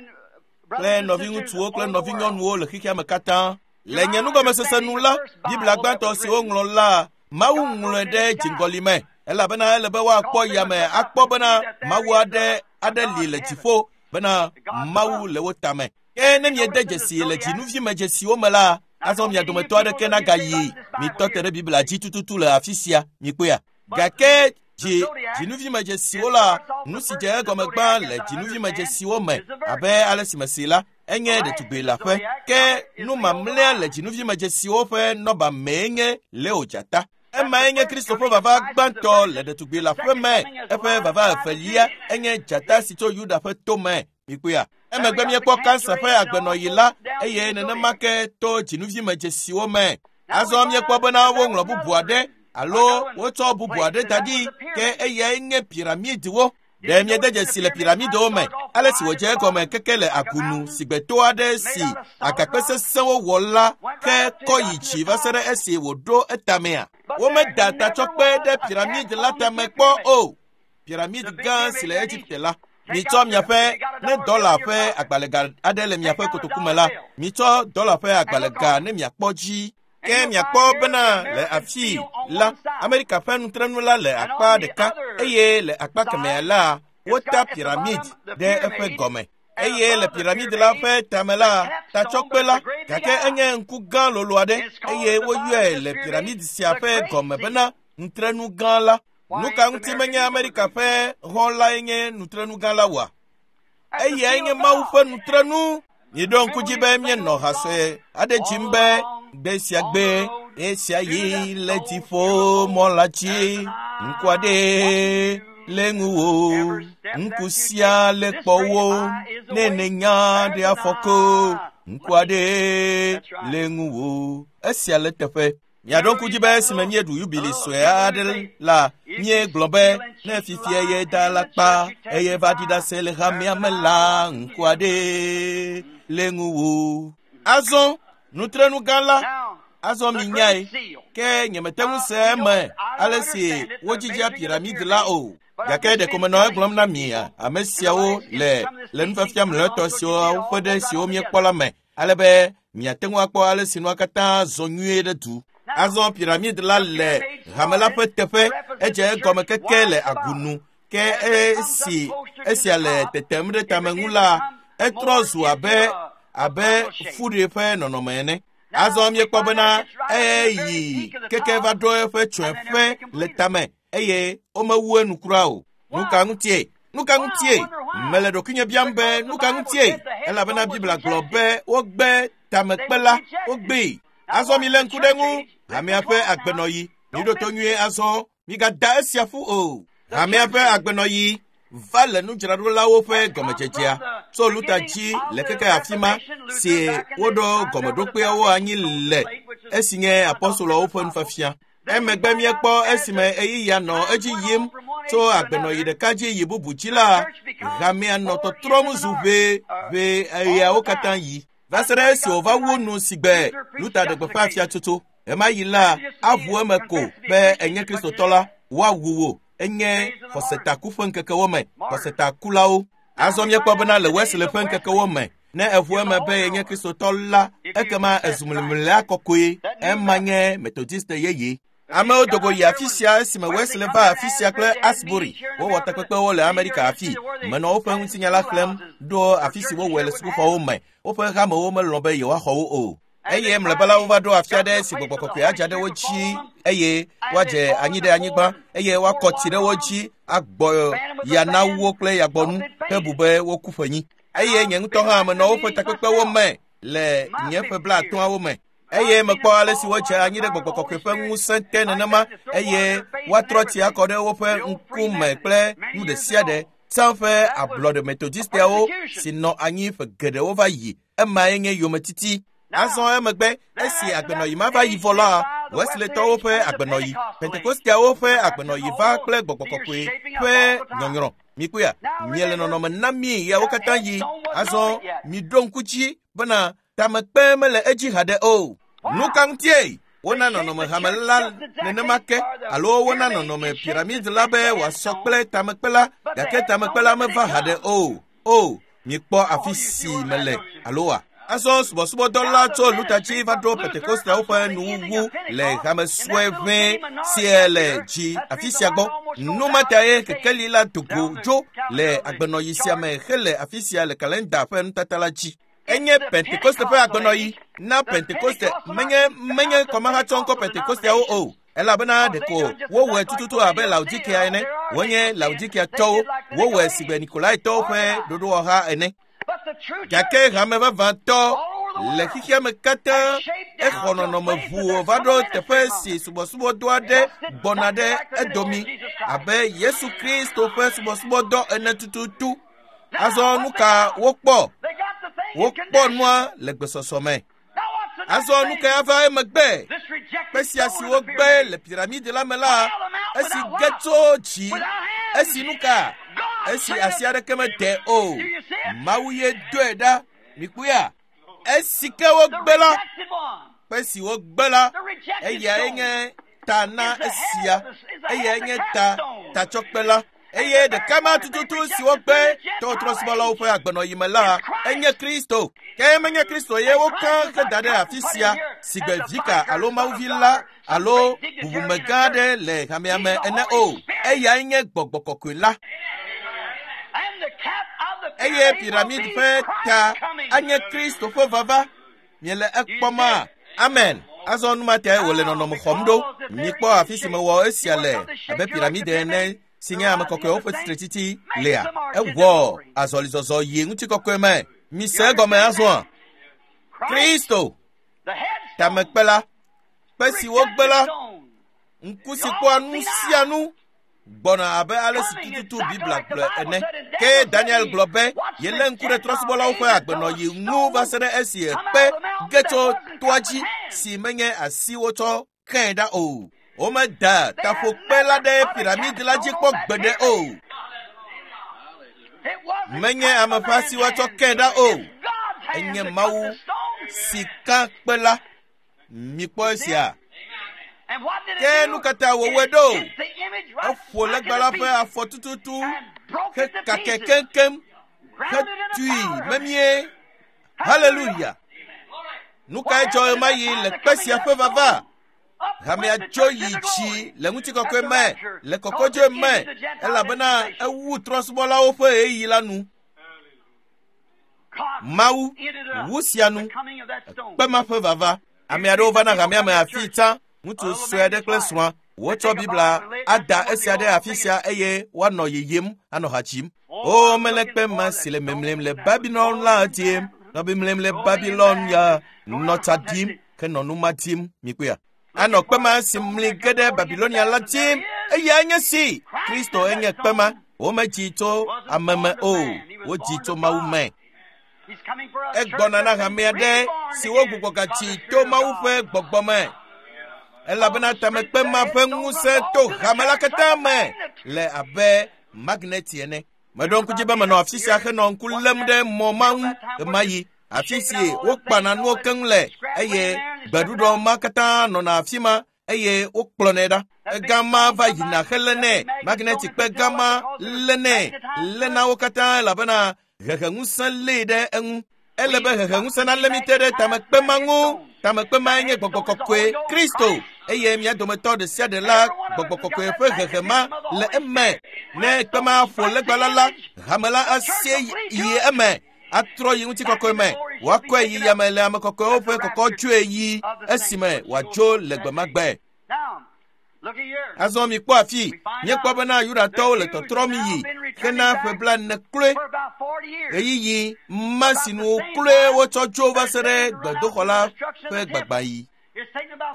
Speaker 1: kple nɔviŋutsuwo kple nɔvinyɔnuwo le xexea me katã. Le nye nugɔmesese nu la, Biblia gbãtɔ si woŋlɔ la, Mawu ŋlɔe ɖe dziŋgɔli me elabena ele be woakpɔ yame akpɔ bena Mawu aɖe aɖe li le dziƒo bena Mawu le wo tame. Ke ne miede dzesi le dzinuvimedzesiwo me la, azɔ mia dometɔ aɖeke nagayi mitɔ te ɖe Biblia dzi tututu le afi sia mikpɔea. Gake dzi dzinuvimedzesiwo la, nu si dze egɔme gbã le dzinuvimedzesiwo me abe ale si mesi la, enye ɖetugbi le aƒe. Ke nu mamlɛa le dzinuvimedzesiwo ƒe nɔba mee nye Leo dzata. Emae nye Kristo ƒe vava gbãtɔ le ɖetugbi le aƒe me. Eƒe vava evelia enye dzata si tso Yuda ƒe to me. Mikpɔea? Emegbe míekpɔ kansa ƒe agbenɔɣi la eye nenema ke to dzinuvimedzesiwo me. Azɔ míekpɔ bena woŋlɔ bubu aɖe alo wotsɔ bubu aɖe da ɖi ke eyae nye piramidiwo. Ɖe miede dzesi le piramidiwo me ale si wòdze egɔme keke le agunu si gbe to aɖe si agakpe sesẽwo wɔ la ke kɔ yi dzi va se ɖe esi wòɖo etamea. Womeda tatsɔkpe ɖe piramidi la tame kpɔ o. Piramidi gã si le Egipte la. Mitsɔ miaƒe ne dɔla ƒe agbalẽga aɖe le miaƒe kotoku me la, mitsɔ dɔla ƒe agbalẽga ne miakpɔ dzi. Ke miakpɔ bena le afi la, Amerika ƒe nutrenu la le akpa ɖeka eye le akpa kemɛa la, wota piramid ɖe eƒe gɔme. Eye le piramid la ƒe tame la, tatsɔkpe la, gake enye ŋku gã lolo aɖe eye woyɔe le piramid sia ƒe gɔme bena nutrenu gã la. Nu ka ŋuti menye Amerika ƒe hɔn lae nye nutrenu gã la oa? Eyae nye Mawu ƒe nutrenu. Miɖo ŋku dzi be míenɔ ha sue aɖe dzim be gbe sia gbe esia yi le dziƒo mɔ la dzi ŋku aɖe le ŋuwò ŋku sia le kpɔwò ne nènya ɖe afɔko ŋku aɖe le ŋuwò. Esia le teƒe. Miaɖo ŋku dzi be esime míeɖu yubili sue aɖe la, míegblɔ be ne fifia ye da la kpa eye va ɖi ɖase le hamea me la, ŋku aɖe le ŋuwò. Azɔ nutrenu gã la, azɔ minyae ke nyemete ŋu se eme ale si wodzidzea piramidi la o. Gake ɖeko menɔ egblɔm na mi ame siawo le le nufiafia mlɔetɔ siwo ƒe ɖe siwo míekpɔ la me ale be miate ŋu akpɔ ale si nua katã zɔ nyuie ɖe du. Azɔ piramidi la le hame la ƒe teƒe edze egɔme keke le agunu ke esi esia le tetem ɖe tame ŋu la, etrɔ zu abe abe fuɖi ƒe nɔnɔme ene. Azɔ míekpɔ bena eyi keke va ɖo eƒe tsɔeƒe le tame eye womewu enu kura o. Nu ka ŋutie? Nu ka ŋutie? Mele ɖokuinye biam be nu ka ŋutie? Elabena Biblia gblɔ be wogbe tamekpe la, wogbee. Azɔ milé ŋku ɖe ŋu. Hamea ƒe agbenɔɣi. Miɖo to nyuie azɔ. Migada esia ƒu o. Hamea ƒe agbenɔɣi va le nudzraɖolawo ƒe gɔmedzedzea tso Luta dzi le keke afi ma si woɖo gɔmeɖokpeawo anyi le esi nye apɔstoloawo ƒe nufiafia. Emegbe míekpɔ esime ɣeyiɣia nɔ edzi yim tso agbenɔɣi ɖeka dzi yi bubu dzi la, hamea nɔ tɔtrɔm zu ʋe ʋe ɣeawo katã yi. Va se ɖe esi wòva wu nu si gbe Luta ɖe gbeƒã fiatsotso. Ɣemaɣi la, aʋu eme ko be enye Kristotɔ la, woawu wò. Enye xɔsetaku ƒe ŋkekewo me, xɔsetakulawo. Azɔ míekpɔ bena le Wesley ƒe ŋkekewo me, ne eʋu eme be yenye Kristotɔ la, ekema ezu mlimlia kɔkɔe. Ema nye Metodiste yeye. Amewo dogo yi afi sia esime Wesley va afi sia kple Asbury. Wowɔ takpekpewo le Amerika afi. Menɔ woƒe ŋutinya la xlẽm ɖo afi si wowɔe le sukuxɔwo me. Woƒe hamewo melɔ̃ be yewoaxɔ wo o. Eye mlɔeba la wova ɖo afi aɖe si gbɔgbɔ kɔkɔe adza ɖe wo dzi eye woadze anyi ɖe anyigba eye woakɔ tsi ɖe wo dzi agbɔ ya na wo kple yagbɔnu hebu be woku ƒenyi. Eye nye ŋutɔ hã menɔ woƒe takpekpewo me le nye ƒe blaatɔ̃awo me. Eye mekpɔ ale si wodze anyi ɖe gbɔgbɔ kɔkɔe ƒe ŋusẽ te nenema eye woatrɔ tsi akɔ ɖe woƒe ŋkume kple nu ɖe sia ɖe. Tsã ƒe ablɔɖe Metodisteawo si nɔ anyi ƒe geɖewo va yi. Emae nye yometiti. Azɔ emegbe esi agbenɔɣi ma va yi vɔ la, Wesleytɔwo ƒe agbenɔɣi, Pentekosteawo ƒe agbenɔɣi va kple gbɔgbɔ kɔkɔe ƒe nyɔnyrɔ. Mikpɔa, miele nɔnɔme na mi yawo katã yi. Azɔ miɖo ŋku dzi bena tamekpe mele edzi haɖe o. Nu ka ŋutie? Wona nɔnɔme hame la nenema ke alo wona nɔnɔme piramid la be wòasɔ kple tamekpe la, gake tamekpe la meva haɖe o. O, mikpɔ afi si mele alo wa. Azɔ subɔsubɔdɔ la tso Luther dzi va ɖo Pentekosteawo ƒe nuwuwu le hame sue ʋɛ sie le dzi afi sia gbɔ. Nu ma tae kekeli la do go dzo le agbenɔyi sia me hele afi sia le kalenda ƒe nutata la dzi. Enye Pentekoste ƒe agbenɔyi na Pentekoste menye menye kɔmahatsɔŋkɔ Pentekosteawo o. Elabena ɖeko wowɔe tututu abe Laodikea ene. Wonye Laodikeatɔwo, wowɔe sigbe Nikolaitɔwo ƒe ɖoɖowɔha ene. Gake hame vavãtɔ le xexea me katã exɔ nɔnɔme ʋuwo va ɖo teƒe si subɔsubɔdɔ aɖe gbɔna ɖe edomi abe Yesu Kristo ƒe subɔsubɔdɔ ene tututu. Azɔ nu ka wokpɔ? Wokpɔ nua le gbesɔsɔ me. Azɔ nu ka ava emegbe? Kpe sia si wogbe le piramidi la me la, esi ge tso dzi, esi nu ka? Esi asi aɖeke mede o. Mawu ye doe ɖa. Mikpɔea? Esi ke wogbe la, kpe si wogbe la, eyae nye ta na esia. Eyae nye ta tatsɔkpe la. Eye ɖeka ma tututu si wogbe tɔtrɔsubɔlawo ƒe agbenɔyi me la, enye Kristo. Ke menye Kristo ye woka heda ɖe afi sia sigbe vika alo mawuvi la alo bubumegã aɖe le hamea me ene o. Eyae nye gbɔgbɔ kɔkɔe la. Eye piramid ƒe ta anye Kristo ƒe vava. Miele ekpɔma? Amen. Azɔ nu ma tae wòle nɔnɔme xɔm ɖo. Mikpɔ afi si mewɔ esia le abe piramid ene si nye ame kɔkɔewo ƒe tsitretsitsi lea. Ewɔ azɔlizɔzɔ yi ŋutikɔkɔe me. Mise egɔme azɔa? Kristo, tamekpe la, kpe si wogbe la, ŋku si kpɔa nu sia nu gbɔna abe ale si tututu Biblia gblɔe ene. Ke Daniel gblɔ be yelé ŋku ɖe trɔ̃subɔlawo ƒe agbenɔyi ŋu va se ɖe esi kpe ge tso toa dzi si menye asi wotsɔ xɛe ɖa o. Womeda taƒokpe la ɖe piramidi la dzi kpɔ gbeɖe o. Menye ame ƒe asi woatsɔ kɛe ɖa o. Enye Mawu si ka kpe la. Mikpɔ esia. Ke nu ka ta wòwɔe ɖo? Eƒo legba la ƒe afɔ tututu hekakɛ keŋkeŋ hetui memie. Haleluya! Nu kae dzɔ ɣemaɣi le kpe sia ƒe vava? Hamea dzo yi dzi le ŋutikɔkɔe me, le kɔkɔdzoe me, elabena ewu trɔ̃subɔlawo ƒe ɣeyiɣi la nu. Mawu wu sia nu, kpe ma ƒe vava. Ame aɖewo vana hamea me afii tsã, ŋutsu sue aɖe kple srɔ̃a. Wotsɔ Biblia ada esia ɖe afi sia eye woanɔ yiyim anɔ ha dzim. O, mele kpe ma si le memlem le Babilon la dim, nɔ memlem le Babilon ya, nɔ tsa dim, ke nɔ nu ma dim. Mikpɔea? Anɔ kpe ma si mli ge ɖe Babilonia la dim. Eyae nye si. Kristo enye kpe ma. Womedzi tso ame me o, wodzi tso Mawu me. Egbɔna na hame aɖe si wogbugbɔ gadzi to Mawu ƒe gbɔgbɔ me. Elabena tamekpe ma ƒe ŋusẽ to hame la katã me le abe magneti ene. Meɖo ŋku dzi be menɔ afi sia henɔ ŋku lém ɖe mɔ ma ŋu ɣemaɣi, afi si wokpana nuwo keŋ le eye gbeɖuɖɔ ma katã nɔna afi ma eye wokplɔnɛ ɖa. Egama va yina helénɛ, magneti kpe gama lénɛ, léna wo katã elabena heheŋusẽ lée ɖe eŋu. Ele be heheŋusẽ nalé mi te ɖe tamekpe ma ŋu. Tamekpe mae nye gbɔgbɔ kɔkɔe Kristo eye mia dometɔ ɖe sia ɖe la gbɔgbɔ kɔkɔe ƒe hehe ma le eme. Ne kpe ma ƒo legba la la, hame la asie yi eme, atrɔ yi ŋutikɔkɔe me, wòakɔe yi yame le ame kɔkɔewo ƒe kɔkɔdzoe yi esime wòadzo le gbemagbe. Azɔ mikpɔ afi, míekpɔ bena Yudatɔwo le tɔtrɔm yi hena ƒe blaene kloe. Ɣeyiɣi ma si nu kloe wotsɔ dzo va se ɖe gbedoxɔ la ƒe gbagbãɣi.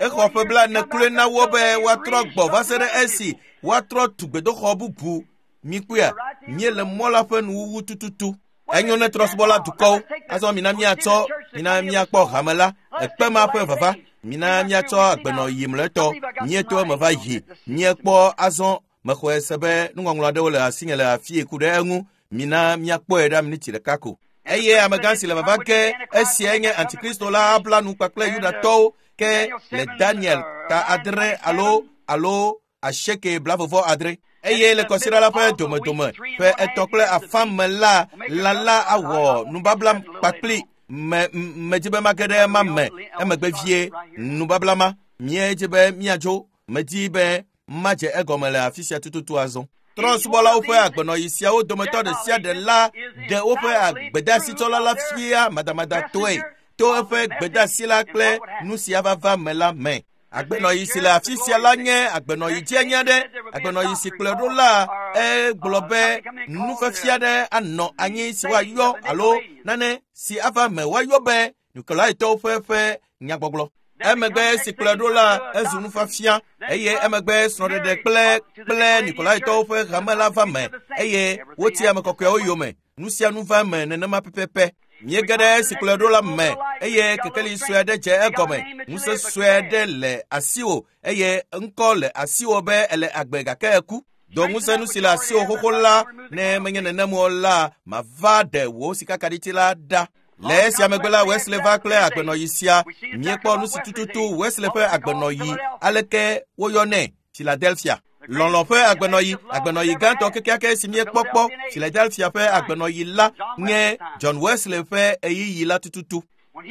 Speaker 1: Exɔ ƒe blaene kloe na wo be woatrɔ gbɔ va se ɖe esi woatrɔ tu gbedoxɔ bubu. Mikpɔea, míele mɔ la ƒe nuwuwu tututu. Enyo ne trɔ̃subɔla dukɔwo. Azɔ mina míatsɔ, mina míakpɔ hame la, ekpe ma ƒe vava. Mina míatsɔ agbenɔyi mlɔetɔ. Míeto eme va yi. Míekpɔ azɔ Mexɔe se be nuŋɔŋlɔ aɖewo le asinye le afii ku ɖe eŋu. Mina míakpɔe ɖa miniti ɖeka ko. Eye amegã si le vava ge, esiae nye Antikristo la abla nu kpakple Yudatɔwo ke le Daniel ta adre alo alo asieke blavevɔ adre. Eye le kɔsiɖa la ƒe domedome ƒe etɔ̃ kple afã me la, lã la awɔ nubabla kpakpli me medzi be mage ɖe ema me emegbe vie nubabla ma. Míedzi be míadzo, medi be madze egɔme le afi sia tututu azɔ. Trɔ̃subɔlawo ƒe agbenɔɣi siawo dometɔ ɖe sia ɖe la ɖe woƒe agbedasitsɔla la fia madamadatɔe to eƒe gbedasi la kple nu sia vava me la me. Agbenɔɣi si le afi sia la nye agbenɔɣi dzianya aɖe. Agbenɔɣi si kplɔe ɖo la egblɔ be nufiafia aɖe anɔ anyi si woayɔ alo nane si ava me woayɔ be Nikolaitɔwo ƒe ƒe nyagbɔgblɔ. Emegbe si kplɔe ɖo la ezu nufiafia eye emegbe srɔ̃ɖeɖe kple kple Nikolaitɔwo ƒe hame la va me eye woti ame kɔkɔewo yome. Nu sia nu va me nenema pɛpɛpɛ. Míege ɖe si kplɔe ɖo la me eye kekeli sue aɖe dze egɔme. Ŋusẽ sue aɖe le asiwò eye ŋkɔ le asiwò be ele agbe gake eku. Do ŋusẽ nu si le asiwò xoxo la, ne menye nenem o la, mava ɖe wò sikakaɖiti la ɖa. Le esia megbe la, Wesley va kple agbenɔɣi sia. Míekpɔ nu si tututu Wesley ƒe agbenɔɣi aleke woyɔnɛ Philadelphia. Lɔlɔ̃ ƒe agbenɔɣi, agbenɔɣi gãtɔ kekeake si míekpɔ kpɔ Philadelphia ƒe agbenɔɣi la nye John Wesley ƒe ɣeyiɣi la tututu.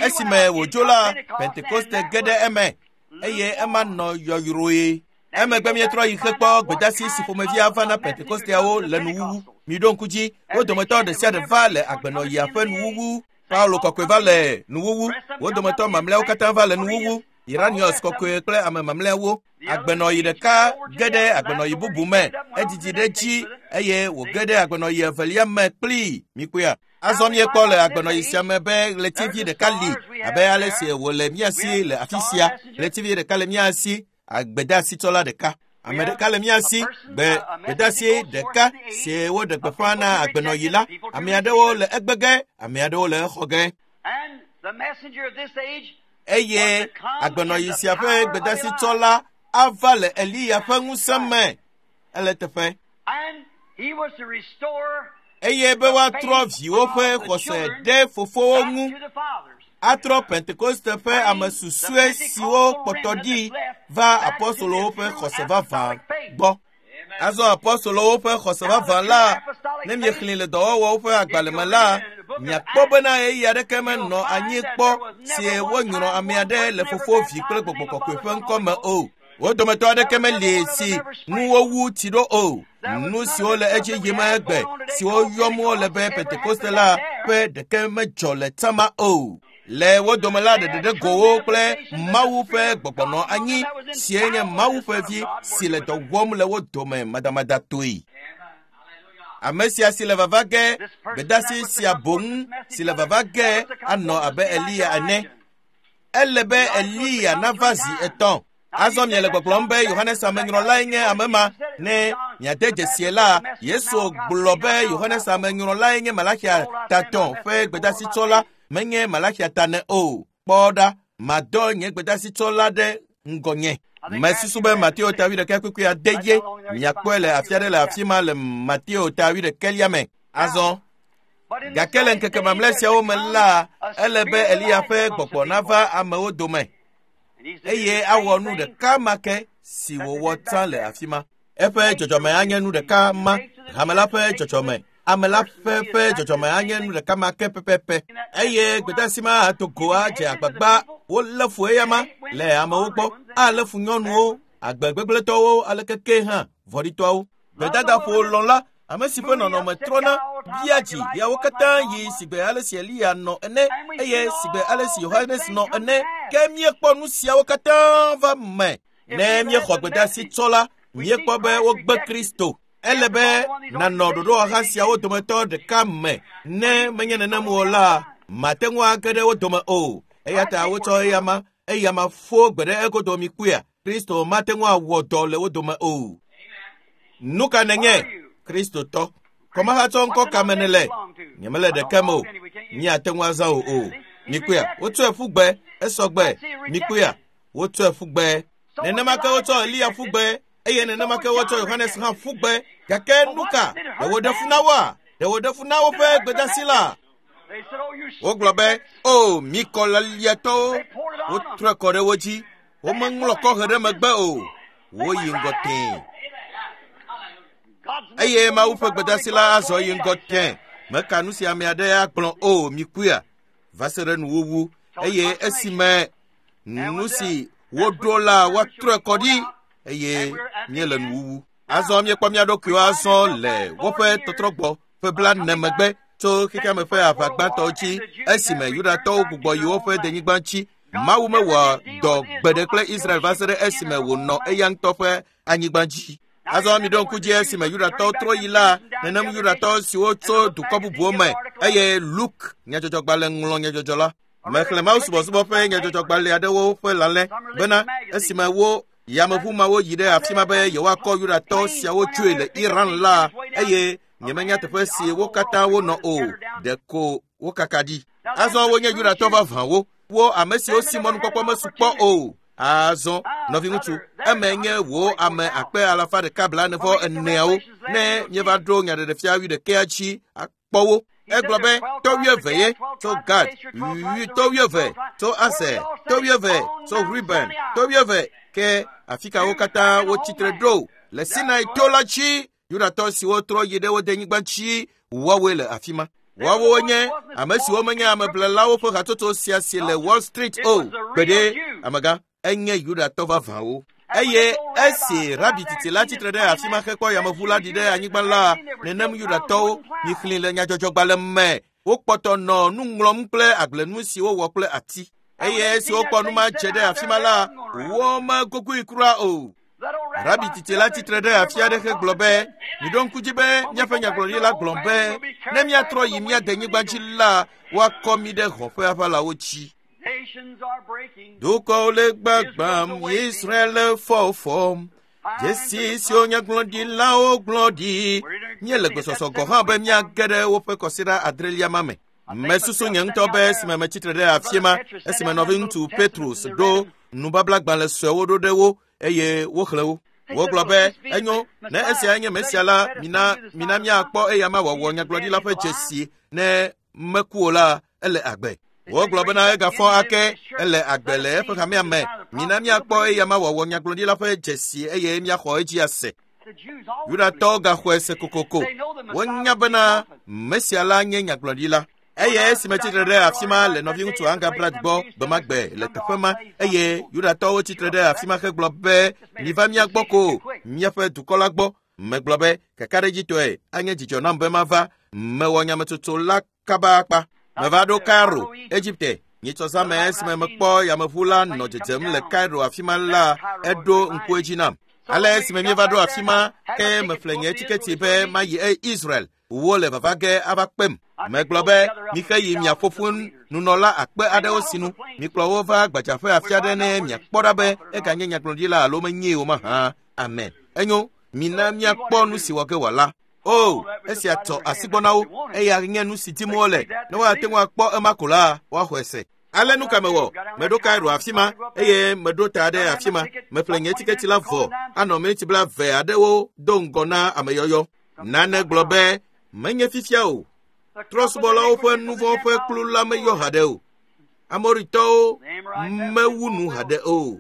Speaker 1: Esime wòdzo la, Pentekoste ge ɖe eme eye ema nɔ yɔyrɔe. Emegbe míetrɔ yi xekpɔ gbedasi si ƒomevi ava na Pentekosteawo le nuwuwu. Miɖo ŋku dzi, wo dometɔ ɖe sia ɖe va le agbenɔɣia ƒe nuwuwu. Paulo kɔkɔe va le nuwuwu, wo dometɔ mamlɛawo katã va le nuwuwu. Iranius kɔkɔe kple ame mamlɛawo. Agbenɔɣi ɖeka ge ɖe agbenɔɣi bubu me, edidi ɖe dzi eye wòge ɖe agbenɔɣi evelia me kplii. Mikpɔea? Azɔ míekpɔ le agbenɔɣi sia me be ɣletivi ɖeka li abe ale si wòle mía si le afi sia. Ɣletivi ɖeka le mía si, agbedasitsɔla ɖeka. Ame ɖeka le mía si, gbe gbedasi ɖeka si woɖe gbeƒã na agbenɔɣi la. Ame aɖewo le egbe ge, ame aɖewo le exɔ ge. Eye agbenɔɣi sia ƒe gbedasitsɔla ava le Eliya ƒe ŋusẽ me. Ele teƒe. Eye be woatrɔ viwo ƒe xɔse ɖe fofowo ŋu, atrɔ Pentekoste ƒe ame susɔe siwo kpɔtɔ ɖi va apostolowo ƒe xɔse vavã gbɔ. Azɔ apostolowo ƒe xɔse vavã la, ne miexlẽ le dɔwɔwɔwo ƒe agbalẽ me la, miakpɔ bena ɣeyiɣi aɖeke menɔ anyi kpɔ si wonyrɔ ame aɖe le fofo, vi kple gbɔgbɔ kɔkɔe ƒe ŋkɔ me o. Wo dometɔ aɖeke meli si ŋu wowu tsi ɖo o. Nu siwo le edzi yim egbe siwo yɔm wole be Pentekoste la ƒe ɖeke medzɔ le tsama o. Le wo dome la ɖeɖeɖe gowo kple Mawu ƒe gbɔgbɔ nɔ anyi sie nye Mawu ƒe vi si le dɔ wɔm le wo dome madamadatɔe. Ame sia si le vava ge, gbedasi sia boŋ si le vava ge anɔ abe Eliya ene. Ele be Eliya nava zi etɔ̃. Azɔ miele gbɔgblɔm be Yohanes Amenyrɔlae nye ame ma. Ne miade dzesie la, Yesu gblɔ be Yohanes Amenyrɔlae nye Malaxia tatɔ̃ ƒe gbedasitsɔla, menye Malaxia ta ne o. Kpɔ ɖa, madɔ nye gbedasitsɔla ɖe ŋgɔnye. Mesusu be Mateo ta wuiɖekɛ kpukpui ade ye. Miakpɔe le afi aɖe le afi ma le Mateo ta wuiɖekɛlia me. Azɔ gake le ŋkeke mamlɛ siawo me la, ele be Eliya ƒe gbɔgbɔ nava amewo dome eye awɔ nu ɖeka ma ke si wòwɔ tsã le afi ma. Eƒe dzɔdzɔme anye nu ɖeka ma, hame la ƒe dzɔdzɔme, ame la ƒe ƒe dzɔdzɔme anye nu ɖeka ma ke pɛpɛpɛ. Eye gbedasi ma ato go adze agbagba wolé fu eyama le amewo gbɔ, alé fu nyɔnuwo, agbegbegblẽtɔwo alekeke hã vɔ̃ɖitɔawo. Gbedadaƒo lɔ̃la, ame si ƒe nɔnɔme trɔna, bia dzi yawo katã yi sigbe ale si Eliya nɔ ene eye sigbe ale si Yohanes nɔ ene. Ke míekpɔ nu siawo katã va me. Ne míexɔ gbedasi tsɔ la, míekpɔ be wogbe Kristo. Ele be nanɔ ɖoɖowɔha siawo dometɔ ɖeka me. Ne menye nenem o la, mate ŋu age ɖe wo dome o. Eya ta wotsɔ eyama, eyama fo gbe ɖe egodo mi kpuia. Kristo mate ŋu awɔ dɔ le wo dome o. Nu ka nenye Kristotɔ? Kɔmahatsɔ ŋkɔ ka me nele? Nyemele ɖeke me o. Míate ŋu azã o o. Mikpɔea, wotsɔe ƒu gbe, esɔ gbe. Mikpɔea, wotsɔe ƒu gbe. Nenema ke wotsɔ Eliya ƒu gbe. Eye nenema ke wotsɔ Yohanes hã ƒu gbe. Gake nu ka? Ɖe wòɖe fu na woa? Ɖe wòɖe fu na woƒe gbedeasi la? Wogblɔ be, o, mi kɔlaliatɔwo, wotrɔe kɔ ɖe wo dzi. Womeŋlɔ kɔhe ɖe megbe o. Woyi ŋgɔ tẽe. Eye Mawu ƒe gbedeasi la azɔ yi ŋgɔ tẽe. Meka nu si ame aɖe agblɔ o, mi kuia, va se ɖe nuwuwu. Eye esime nu si woɖo la woatrɔe kɔ ɖi eye míele nuwuwu. Azɔ míekpɔ mía ɖokuiwo azɔ le woƒe tɔtrɔgbɔ ƒe blaene megbe tso xexeame ƒe aʋa gbãtɔ dzi esime Yudatɔwo gbugbɔ yi woƒe denyigba dzi. Mawu mewɔ dɔ gbe ɖe kple Israel va se ɖe esime wònɔ eya ŋutɔ ƒe anyigba dzi. Azɔ miɖo ŋku dzi esime Yudatɔwo trɔ yi la, nenem Yudatɔ siwo tso dukɔ bubuwo me eye Luke nyadzɔdzɔgbalẽ ŋlɔ nyadzɔdzɔ la. Mexlẽ Mawu subɔsubɔ ƒe nyadzɔdzɔgbalẽ aɖewo ƒe lalẽ bena esime wo yameʋu mawo yi ɖe afi ma be yewoakɔ Yudatɔ siawo tsoe le Iran la, eye nyemenya teƒe si wo katã wonɔ o, ɖeko wokaka ɖi. Azɔ wonye Yudatɔ vavãwo, wo ame siwo si mɔnukpɔkpɔ mesu kpɔ o. Azɔ nɔviŋutsu, eme nye wo ame akpe alafa ɖeka blaene vɔ eneawo ne míeva ɖo nyaɖeɖefia wuiɖekɛa dzi akpɔ wo. Egblɔ be tɔ wuieve ye tso Gad, tɔ wuieve tso Aser, tɔ wuieve tso Ruben, tɔ wuieve ke afi ka wo katã wotsitre ɖo le Sinai to la dzi. Yudatɔ siwo trɔ yi ɖe wo denyigba dzi woawoe le afi ma. Woawo nye ame siwo menye ameblelawo ƒe hatsotso sia si le Wall Street o. Gbeɖe, amegã, enye Yudatɔ vavãwo. Eye esi rabi titi la tsitre ɖe afi ma hekpɔ yameʋu la ɖi ɖe anyigba la, nenem Yudatɔwo mixlẽ le nyadzɔdzɔgbalẽ me. Wokpɔtɔ nɔ nu ŋlɔm kple agblenu si wowɔ kple ati. Eye esi wokpɔ nu ma dze ɖe afi ma la, womegogoe kura o. Rabi titi la tsitre ɖe afi aɖe hegblɔ be, miɖo ŋku dzi be míaƒe nyagblɔɖila gblɔ be ne míatrɔ yi mía denyigba dzi la, woakɔ mí ɖe hɔ̃ ƒe aʋalawo dzi. Dukɔwo le gbagbam, Israel le fɔfɔm. Dzesi siwo nyagblɔɖilawo gblɔ ɖi. Míele gbesɔsɔ gɔ̃ hã be míage ɖe woƒe kɔsiɖa adrelia ma me. Mesusu nye ŋutɔ be esime metsitre ɖe afi ma, esime nɔviŋutsu Petrus ɖo nubablagbalẽ suewo ɖo ɖe wo eye woxlẽ wo. Wogblɔ be, enyo, ne esia nye Mesia la, mina mina míakpɔ eya ma wòawɔ nyagblɔɖila ƒe dzesi ne meku o la, ele agbe. Wogblɔ bena egafɔ ake, ele agbe le eƒe hamea me. Mina míakpɔ eya ma wòawɔ nyagblɔɖila ƒe dzesi eye míaxɔ edzi ase. Yudatɔwo gaxɔe se kokoko. Wonya bena Mesia la nye nyagblɔɖila. Eye esime tsitre ɖe afi ma le nɔviŋutsu Angabrat gbɔ gbemagbe le teƒe ma, eye Yudatɔwo tsitre ɖe afi ma hegblɔ be, miva mía gbɔ ko, míaƒe dukɔ la gbɔ. Megblɔ be, kakaɖedzitɔe anye dzidzɔ nam be mava. Mewɔ nyametsotso la kaba akpa. Meva ɖo Cairo, Egipte. Nyitsɔ zãme esime mekpɔ yameʋu la nɔ dzedzem le Cairo afi ma la, eɖo ŋku edzi nam. Ale esime míeva ɖo afi ma, ke meƒle nye tiketi be mayi Israel. Wole vava ge ava kpem. Megblɔ be, mixe yi miaƒo ƒu nunɔla akpe aɖewo sinu. Mikplɔ wo va gbadzaƒe afi aɖe ne miakpɔ ɖa be eganye nyagblɔɖila alo menyee o mahã. Amen. Enyo, mina míakpɔ nu si wɔ ge wòala. O, esia tɔ asi gbɔ na wo. Eya nye nu si dim wole. Ne woate ŋu akpɔ ema ko la, woaxɔe se. Ale nu ka mewɔ? Meɖo Cairo afi ma eye meɖo ta ɖe afi ma. Meƒle nye tiketi la vɔ anɔ miniti blaeve aɖewo do ŋgɔ na ameyɔyɔ. Nane gblɔ be, menye fifia o. Trɔ̃subɔlawo ƒe nu vɔ̃ ƒe kplu la meyɔ haɖe o. Amoritɔwo mewu nu haɖe o.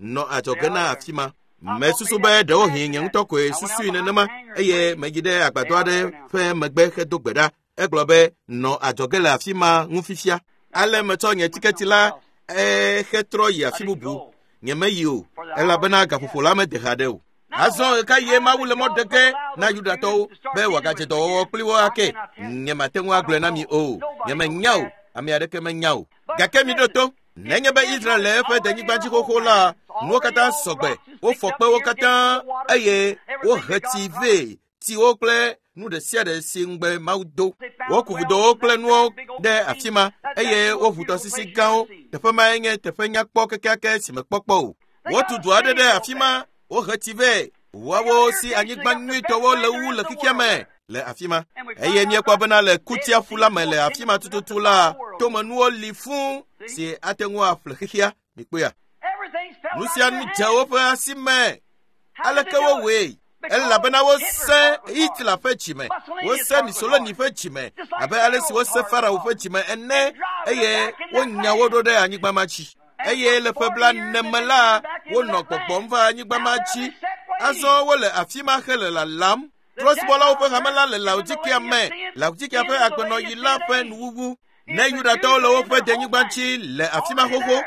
Speaker 1: Nɔ adzɔge na afi ma. Mesusu be ɖewohĩ nye ŋutɔ koe susui nenema eye meyi ɖe agbadɔ aɖe ƒe megbe hedo gbe ɖa. Egblɔ be, nɔ adzɔge le afi ma ŋu fifia. Ale metsɔ nye tiketi la hetrɔ yi afi bubu. Nyemeyi o, elabena gaƒoƒo la mede haɖe o. Azɔ ɣekaɣie Mawu le mɔ ɖe ge na Yudatɔwo be wòagadze dɔwɔwɔ kpli wo ake? Nyemate ŋu agblɔe na mi o. Nyemenya o. Ame aɖeke menya o. Gake miɖo to. Nenye be Israel le eƒe denyigba dzi xoxo la, nuwo katã sɔgbe. Wofɔ kpewo katã eye wohe tsi vɛ, tsiwo kple nu ɖe sia ɖe si ŋugbe Mawu do. Woku vudowo kple nuwo ɖe afi ma eye woʋu tɔsisi gãwo. Teƒe mae nye teƒe nyakpɔ kekeake si mekpɔ kpɔ o. Wotu du aɖe ɖe afi ma, wohe tsi vɛ. Woawo si anyigba nyuitɔwo le wu le xexea me le afi ma. Eye míekpɔ bena le Kutiaƒu la me le afi ma tututu la, tomenuwo li fũu si ate ŋu aƒle xexea. Mikpɔea? Nu sia nu dze woƒe asi me. Aleke wowɔe? Elabena wose Hitler ƒe dzime, wose Mussolini ƒe dzime, abe ale si wose Farao ƒe dzime ene, eye wonya wo ɖo ɖe anyigba ma dzi. Eye le ƒe blaene me la, wonɔ gbɔgbɔm va anyigba ma dzi. Azɔ wole afi ma hele lalam. Trɔ̃subɔlawo ƒe hame la le Laodikea me, Laodikea ƒe agbenɔɣi la ƒe nuwuwu. Ne Yudatɔwo le woƒe denyigba dzi le afi ma xoxo,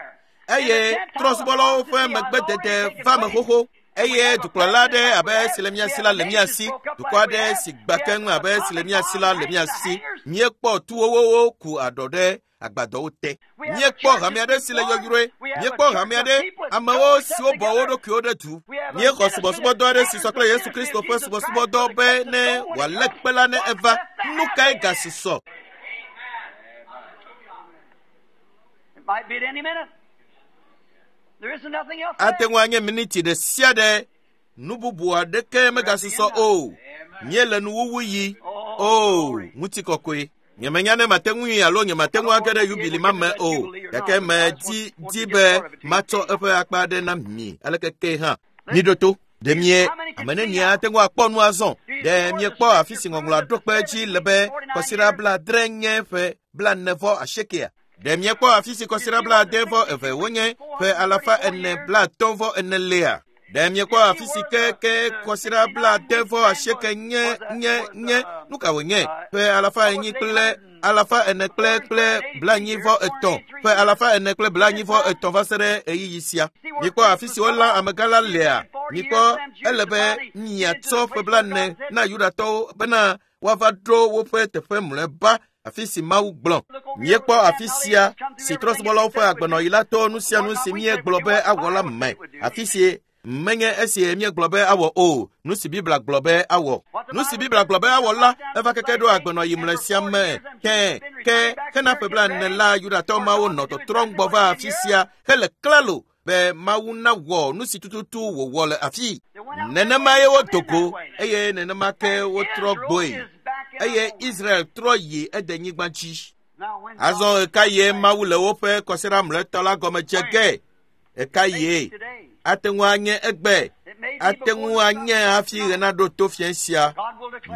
Speaker 1: eye trɔ̃subɔlawo ƒe megbedede va me xoxo. Eye dukplɔla aɖe abe si le mía si la le mía si, dukɔ aɖe si gbã keŋ abe si le mía si la le mía si. Míekpɔ tuwowowo ku aɖɔ ɖe agbadɔwo te. Míekpɔ hame aɖe si le yɔyrɔe. Míekpɔ hame aɖe amewo siwo bɔ wo ɖokuiwo ɖe du. Míexɔ subɔsubɔdɔ aɖe si sɔ kple Yesu Kristo ƒe subɔsubɔdɔ be ne wòalé kpe la ne eva. Nu kae gasusɔ?
Speaker 2: It might be at any minute. There isn't nothing else.
Speaker 1: Ate ŋu anye miniti ɖe sia ɖe. Nu bubu aɖeke megasusɔ o. Míele nuwuwu yi. O, ŋutikɔkɔe. Nyemenya ne mate ŋui alo nyemate ŋu age ɖe yubili ma me o. Gake medi di be matsɔ eƒe akpa aɖe na mi aleke ke hã. Miɖo to. Ɖe mie ame nenie ate ŋu akpɔ nu azɔ? Ɖe miekpɔ afi si ŋɔŋlɔa ɖo kpe dzi le be kɔsiɖa blaadre nye ƒe blaene vɔ asiekea? Ɖe miekpɔ afi si kɔsiɖa blaade vɔ eve wonye ƒe alafa ene blaatɔ̃ vɔ ene lea? Ɖe miekpɔ afi si ke ke kɔsiɖa blaade vɔ asieke nye nye nye nu ka wònye? Ƒe alafa enyi kple alafa ene kple kple blaenyi vɔ etɔ̃ ƒe alafa ene kple blaenyi vɔ etɔ̃ va se ɖe ɣeyiɣi sia. Mikpɔ afi si wolã amegã la lea? Mikpɔ ele be miatsɔ ƒe blaene na Yudatɔwo bena woava ɖo woƒe teƒe mlɔeba afi si Mawu gblɔ. Míekpɔ afi sia si trɔ̃subɔlawo ƒe agbenɔɣi la to nu sia nu si míegblɔ be awɔ la me. Afi si menye esi míegblɔ be awɔ o, nu si Biblia gblɔ be awɔ. Nu si Biblia gblɔ be awɔ la, eva keke ɖo agbenɔɣi mlɔe sia me. Ke ke hena ƒe blaene la, Yudatɔ mawo nɔ tɔtrɔm gbɔ va afi sia hele klalo be Mawu nawɔ nu si tututu wòwɔ le afi. Nenema ye wodo go eye nenema ke wotrɔ gbɔe. Eye Israel trɔ yi edenyigba dzi. Azɔ ɣekaɣie Mawu le woƒe kɔsiɖa mlɔetɔ la gɔme dze ge? Ɣekaɣie? Ate ŋu anye egbe. Ate ŋu anye hafi ɣe naɖo to fiẽ sia.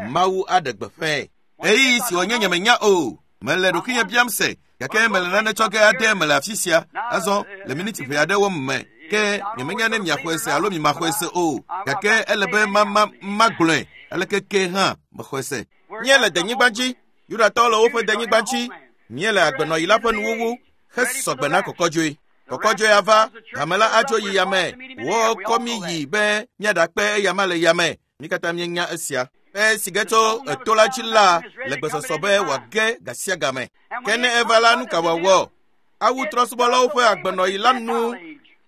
Speaker 1: Mawu aɖe gbeƒãe. Ɣeyiɣi si wònye nyemenya o. Mele ɖokuinye biam se, gake mele nane tsɔ ge ade mele afi sia. Azɔ le miniti ʋɛ aɖewo me ke nyemenya ne miaxɔe se alo mimaxɔe se o. Gake ele be ma ma magblɔe aleke ke hã mexɔe se. Míele denyigba dzi. Yudatɔwo le woƒe denyigba dzi. Míele agbenɔɣi la ƒe nuwuwu hesɔgbe na kɔkɔdzoe. Kɔkɔdzoe ava, hame la adzo yi yame. Wokɔ mí yi be míaɖakpe eyama le yame. Mí katã míenya esia. Esi ge tso eto la dzi la le gbesɔsɔ be wòage gasiagame. Ke ne eva la, nu ka wòawɔ? Awu trɔ̃subɔlawo ƒe agbenɔɣi la nu.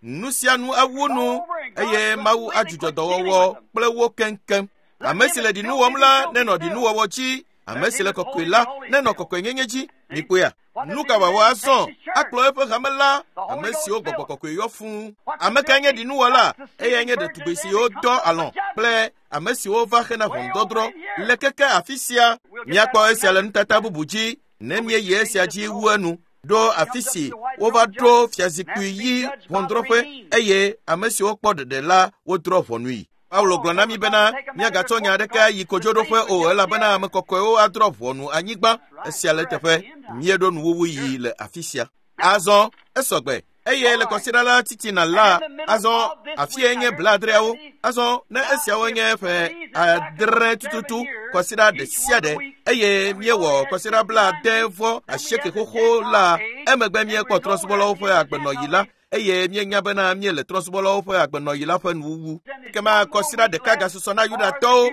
Speaker 1: Nu sia nu awu nu eye Mawu adzudzɔ dɔwɔwɔ kple wo keŋkeŋ. Ame si le ɖinu wɔm la nenɔ ɖinuwɔwɔ dzi. Ame si le kɔkɔe la nenɔ kɔkɔenyenye dzi. Mikpɔea? Nu ka wòawɔ azɔ? Akplɔ eƒe hame la, ame siwo gbɔgbɔ kɔkɔe yɔ fũu. Ame kae nye ɖinuwɔla? Eyae nye ɖetugbi siwo dɔ alɔ̃ kple ame siwo va hena ʋɔnudɔdrɔ̃ le keke afi sia. Míakpɔ esia le nutata bubu dzi ne míeyi esia dzi wu enu. Ɖo afi si wova ɖo fiazikpui yi ʋɔnudrɔ̃ƒe eye ame siwo kpɔ ɖeɖe la wodrɔ̃ ʋɔnui. Paulo gblɔ na mí bena míagatsɔ nya aɖeke ayi kodzoɖoƒe o elabena ame kɔkɔewo adrɔ̃ ʋɔnu anyigba. Esia le teƒe. Míeɖo nuwuwu yi le afi sia. Azɔ esɔgbe eye le kɔsiɖa la titina la, azɔ afie nye blaadreawo. Azɔ ne esiawo nye ƒe adre tututu kɔsiɖa ɖe sia ɖe eye míewɔ kɔsiɖa blaade vɔ asieke xoxo la, emegbe míekpɔ trɔ̃subɔlawo ƒe agbenɔɣi la eye míenya bena míele trɔ̃subɔlawo ƒe agbenɔɣi la ƒe nuwuwu. Ekema kɔsiɖa ɖeka gasusɔ na Yudatɔwo.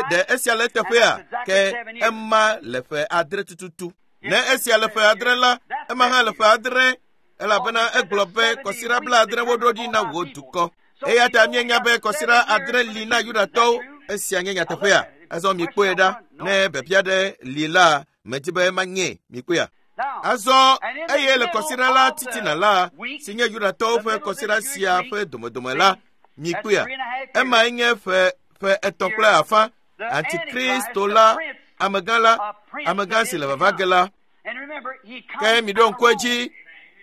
Speaker 1: Ɖe esia le eteƒea? Ke ema le ƒe adre tututu. Ne esia le ƒe adre la, ema hã le ƒe adre elabena egblɔ be kɔsiɖa blaadre woɖo ɖi na wò dukɔ. Eya ta míenya be kɔsiɖa adre li na Yudatɔwo. Esia nye nyateƒea. Azɔ mikpɔe ɖa. Ne biabia ɖe li la, medi be manye. Mikpɔea? Azɔ eye le kɔsiɖa la titina la, si nye Yudatɔwo ƒe kɔsiɖa sia ƒe domedome la, mikpɔea? Emae nye ƒe ƒe etɔ̃ kple afã. Antikristo la, amegã la, amegã si le vava ge la. Ke miɖo ŋku edzi,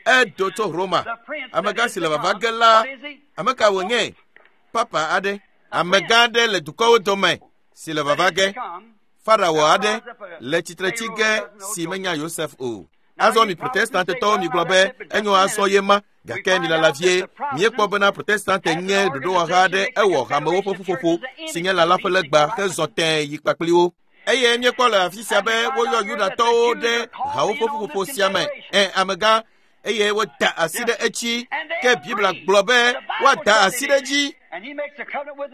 Speaker 1: edo tso Roma. Amegã si le vava ge la, ame ka wònye? Papa aɖe. Amegã aɖe le dukɔwo dome si le vava ge. Farao aɖe le tsitre tsi ge si menya Yosef o. Azɔ mi Protestantetɔwo mi gblɔ be enyo azɔ ye ma gake mi lala vie miekpɔ bena Protestante nye ɖoɖowɔha aɖe ewɔ hamewo ƒe ƒuƒoƒo si nye lala ƒe legba hezɔ tẽe yi kpakpli wo. Eye míekpɔ le afi sia be woyɔ Yudatɔwo ɖe hawo ƒe ƒuƒoƒo sia me. Ɛ amegã eye woda asi ɖe edzi ke Biblia gblɔ be woada asi ɖe edzi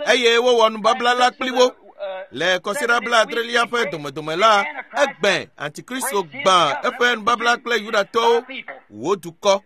Speaker 1: eye wowɔ nubabla la kpli wo. Le kɔsiɖa blaadrelia ƒe domedome la, egbe Antikristo gbã eƒe nubabla kple Yudatɔwo wo dukɔ.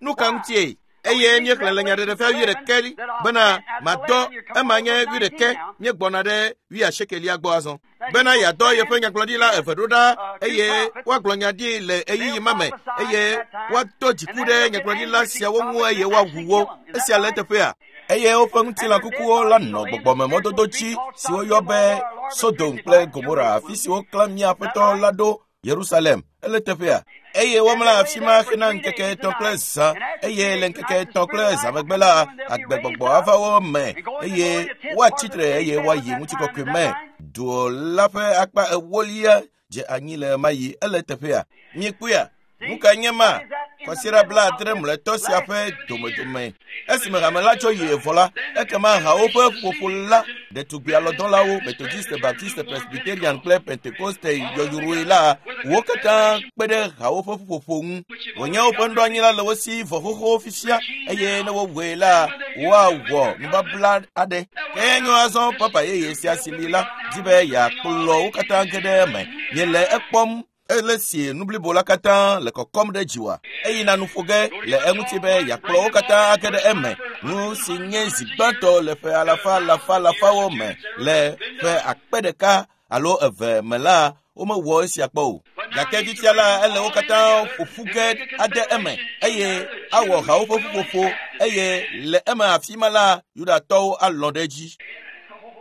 Speaker 1: Nu ka ŋutie? Eye míexlẽ le nyaɖeɖefia wuiɖekɛ bena madɔ ema nye wuiɖekɛ míegbɔna ɖe wuiasiekelia gbɔ azɔ. Bena yeadɔ yeƒe nyagblɔɖila eve ɖo ɖa eye woagblɔ nya ɖi le ɣeyiɣi ma me eye woado dziku ɖe nyagblɔɖila siawo ŋu eye woawu wo. Esia le eteƒea. Eye woƒe ŋutilã kukuwo la nɔ gbɔgbɔmemɔdodo dzi si woyɔ be Sodom kple Gomora, afi si woklã mía Aƒetɔ la ɖo Yerusalem. Ele teƒea. Eye womlɔ afi ma hena ŋkeke etɔ̃ kple zã eye le ŋkeke etɔ̃ kple zã megbe la agbegbɔgbɔ ava wo me eye woatsi tre eye woayi ŋutikɔkɔe me. Du la ƒe akpa ewolia dze anyi le ɣemaɣi. Ele teƒea. Miekpɔea? Nu ka nye ma? Kɔsiɖa blaadre mlɔetɔ sia ƒe domedome. Esime hame la tso yi evɔ la, ekema hawo ƒe ƒuƒoƒo la, ɖetugbi alɔdɔlawo, Methodiste, Baptiste, Presbyterian kple Pentekoste yɔyrɔe la, wo katã kpe ɖe hawo ƒe ƒuƒoƒo ŋu. Wònye woƒe nuɖoanyi la le wo si vɔ xoxo fifia eye ne wowɔe la, woawɔ nubabla aɖe. Ke enyo azɔ papa yeye sia si li la di be yeakplɔ wo katã ge ɖe eme. Miele ekpɔm. Ele si nu blibo la katã le kɔkɔm ɖe dziwòa. Eyina nu ƒo ge le eŋuti be yeakplɔ wo katã age ɖe eme. Nu si nye zi gbãtɔ le ƒe alafa alafa alafawo me le ƒe akpe ɖeka alo eve me la, womewɔ esia kpɔ o. Gake fifia la, ele wo katã ƒo ƒu ge ade eme eye awɔ hawo ƒe ƒuƒoƒo eye le eme afi ma la, Yudatɔwo alɔ̃ ɖe edzi.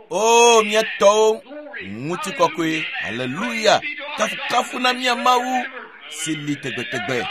Speaker 1: O mía tɔwo, ŋutikɔkɔe, aleluya, kafukafu na mía Mawu si li tegbetegbe.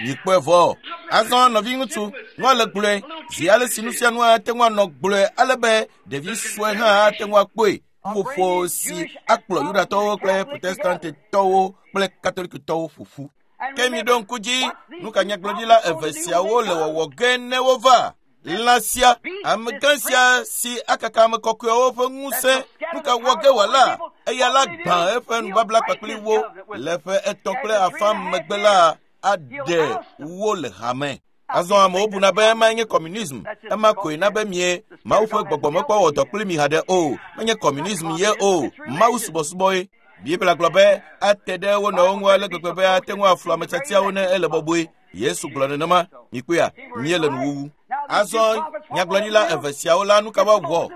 Speaker 1: Mikpɔe vɔ. Azɔ nɔviŋutsu, nua le gblɔe zi ale si nu sia nu ate ŋu anɔ gblɔe ale be ɖevi sue hã ate ŋu akpɔe. Ƒuƒoƒo si akplɔ Yudatɔwo kple Protestantetɔwo kple Katolikitɔwo ƒo ƒu. Ke mi ɖo ŋku dzi, nu ka nyagblɔɖila eve siawo le wɔwɔ ge ne wova? Lã sia, amegã sia si akaka ame kɔkɔewo ƒe ŋusẽ, nu ka wɔ ge wòala? Eya la gbã eƒe nubabla kpakple wo le ƒe etɔ̃ kple afã megbe la aɖe wo le hame. Azɔ amewo buna be ema nye communism, ema koe na be mie Mawu ƒe gbɔgbɔ mekpɔ wɔ dɔ kpli mi haɖe o. Menye communism ye o, Mawu subɔsubɔe. Biblia gblɔ be ate ɖe wo nɔewo ŋu ale gbegbe be ate ŋu aflu ame tiatiawo ne ele bɔbɔe. Yesu gblɔ nenema. Mikpɔea, míele nuwuwu. Azɔ nyagblɔɖila eve siawo la nu ka woawɔ?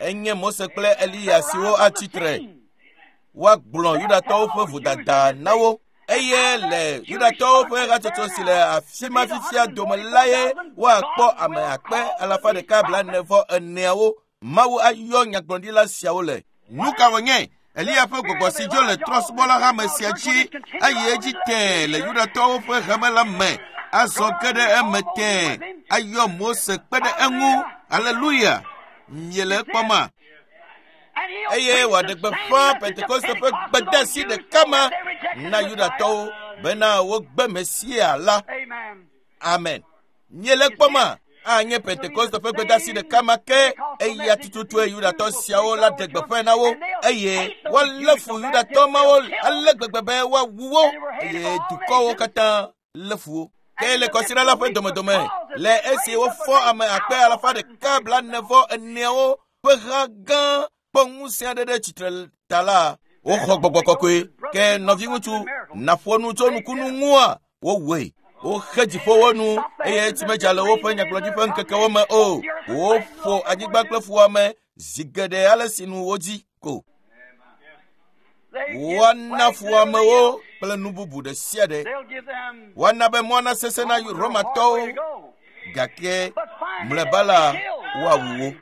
Speaker 1: Enye Mose kple Eliya siwo atsi tre. Woagblɔ Yudatɔwo ƒe vodada na wo. Eye le Yudatɔwo ƒe hatsotso si le afi ma fifia dome la ye woakpɔ ame akpe alafa ɖeka blaene vɔ eneawo. Mawu ayɔ nyagblɔɖila siawo le. Nu ka wònye? Eliya ƒe gbɔgbɔ si dzo le trɔ̃subɔla hame sia dzi ayi edzi tẽe le Yudatɔwo ƒe hame la me. Azɔ ge ɖe eme tẽe ayɔ Mose kpe ɖe eŋu. Aleluya! Miele ekpɔma? Eye wòaɖe gbeƒã Pentekoste ƒe gbedeasi ɖeka ma na Yudatɔwo bena wogbe Mesia la. Amen. Miele ekpɔma? Anye Pentekoste ƒe gbedeasi ɖeka ma ke eya tututue Yudatɔ siawo la ɖe gbeƒãe na wo eye woalé fu Yudatɔ mawo ale gbegbe be woawu wo eye dukɔwo katã lé fu wo. Ke le kɔsiɖa la ƒe domedome le esi wofɔ ame akpe alafa ɖeka blaene vɔ eneawo ƒe ha gã kpɔ ŋusẽ aɖe ɖe tsitre ta la, woxɔ gbɔgbɔ kɔkɔe. Ke nɔviŋutsu naƒo nu tso nukunu ŋua, wowɔe. Woxe dziƒowo nu eye tsi medza le woƒe nyagblɔɖi ƒe ŋkekewo me o. Woƒo anyigba kple fuwɔame zi geɖe ale si nu wodzi ko. Woana fuwɔamewo kple nu bubu ɖe sia ɖe. Woana be mɔ nasesẽ na Romatɔwo gake mlɔeba la woawu wo.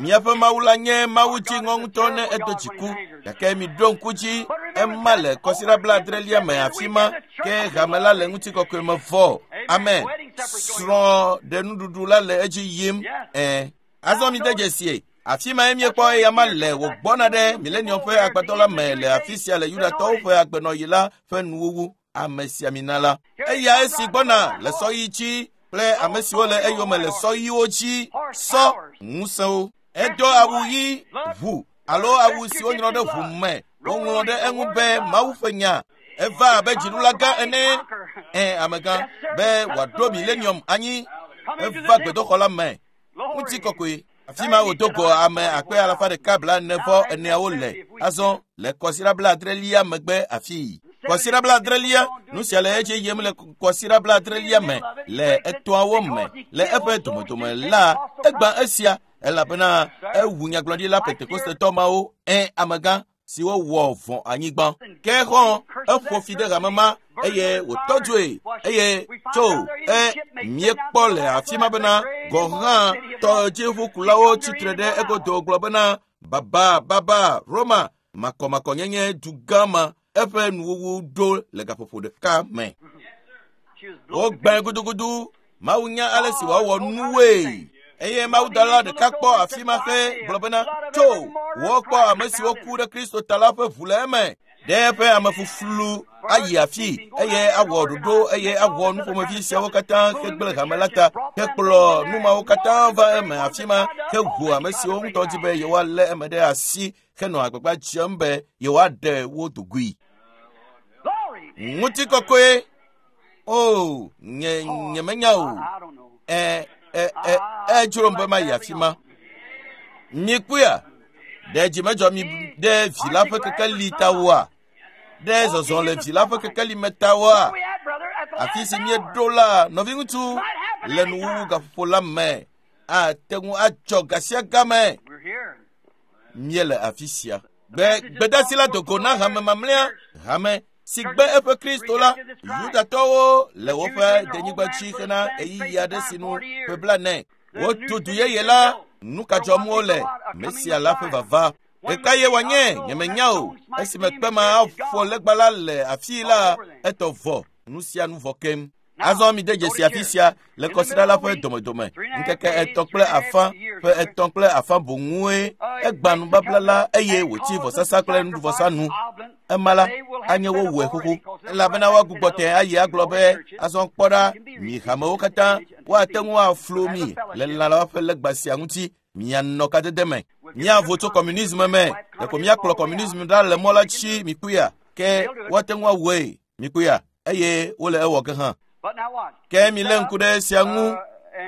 Speaker 1: Míaƒe Mawu la nye Mawu dziŋɔ ŋutɔ ne edo dziku gake miɖo ŋku dzi ema le kɔsiɖa blaadrelia me afi ma ke hame la le ŋutikɔkɔe me vɔ. Amen. Srɔ̃ ɖe nuɖuɖu la le edzi yim. Ɛ. Azɔ mi de dzesie. Afi ma ye míekpɔ eya ma le wògbɔna ɖe milenium ƒe agbadɔ la me le afi sia le Yudatɔwo ƒe agbenɔɣi la ƒe nuwuwu. Amesiamina la. Eya esi gbɔna le sɔɣi dzi kple ame siwo le eyome le sɔɣiwo dzi sɔ ŋusẽwo. Edo awu ɣi ʋu alo awu si wonyrɔ ɖe ʋu me. Woŋlɔ ɖe eŋu be Mawu ƒe nya. Eva abe dziɖula gã ene. Ɛ amegã be wòaɖo milenium anyi. Eva gbedoxɔ la me. Ŋutikɔkɔe. Afi ma wòdo go ame akpe alafa ɖeka blaene vɔ eneawo le. Azɔ le kɔsiɖa blaadrelia megbe afii. Kɔsiɖa blaadrelia, nu sia le edzi yim le kɔsiɖa blaadrelia me le etɔ̃awo me le eƒe domedome la egbã esia elabena ewu nyagblɔɖila Pentekostetɔ mawo ɛ amegã siwo wɔ vɔ̃ anyigba. Ke xɔ eƒo fi ɖe hame ma eye wòtɔ dzoe eye tso e míekpɔ le afi ma bena gɔ̃ hã tɔdziʋukulawo tsitre ɖe egodo gblɔ bena baba baba Roma makɔmakɔnyenye du gã ma eƒe nuwuwu ɖo le gaƒoƒo ɖeka me. Wogbã gudugudu. Mawu nya ale si wòawɔ nuwoe. Eye mawudɔla ɖeka kpɔ afi ma xe gblɔ bena tso wokpɔ ame siwo ku ɖe Kristo ta la ƒe ʋu le eme. Ɖe eƒe amefuflu ayi afi eye awɔ ɖoɖo eye awɔ nuƒomevi siawo katã hegblẽ hame la ta hekplɔ nu mawo katã va eme afi ma heʋu ame siwo ŋutɔ di be yewoalé eme ɖe asi henɔ agbagba dzem be yewoaɖe wo dogoe. Ŋutikɔkɔe. O nye nyemenya o. Ɛ ɛ ɛ edzrom be mayi afi ma. Mikpɔea, ɖe dzi medzɔ mi ɖe vi la ƒe kekeli ta oa? Ɖe zɔzɔ le vi la ƒe kekeli me ta oa? Afi si míeɖo la, nɔviŋutsu, le nuwuwu gaƒoƒo la me ate ŋu adzɔ gasiagame. Míele afi sia. Gbe gbedasi la dogo na hame mamlɛa, hame si gbe eƒe Kristo la. Yudatɔwo le woƒe denyigba dzi hena ɣeyiɣi aɖe si nu ƒe blaene. Wotu du yeye la, nu ka dzɔm wole? Mesia la ƒe vava. Ɖeka ye wòanye, nyemenya o. Esime kpe ma aƒo legba la le afii la, etɔ vɔ, nu sia nu vɔ keŋ. Azɔ mi de dzesi afi sia le kɔsiɖa la ƒe domedome. Ŋkeke etɔ̃ kple afã ƒe etɔ̃ kple afã boŋue egbã nubabla la eye wòtsi vɔsasa kple nuɖuvɔsa nu. Ema la anye wowɔe xoxo elabena woagbugbɔ te ayi agblɔ be azɔ kpɔ ɖa mi hamewo katã woate ŋu aflu mi le lã la ƒe legba sia ŋuti. Mianɔ kadede me. Miavo tso kɔmunisme me. Ɖeko miakplɔ kɔmunisme ɖa le mɔ la dzi mikpɔea. Ke woate ŋu awɔe mikpɔea eye wole ewɔ ge hã. Ke milé ŋku ɖe esia ŋu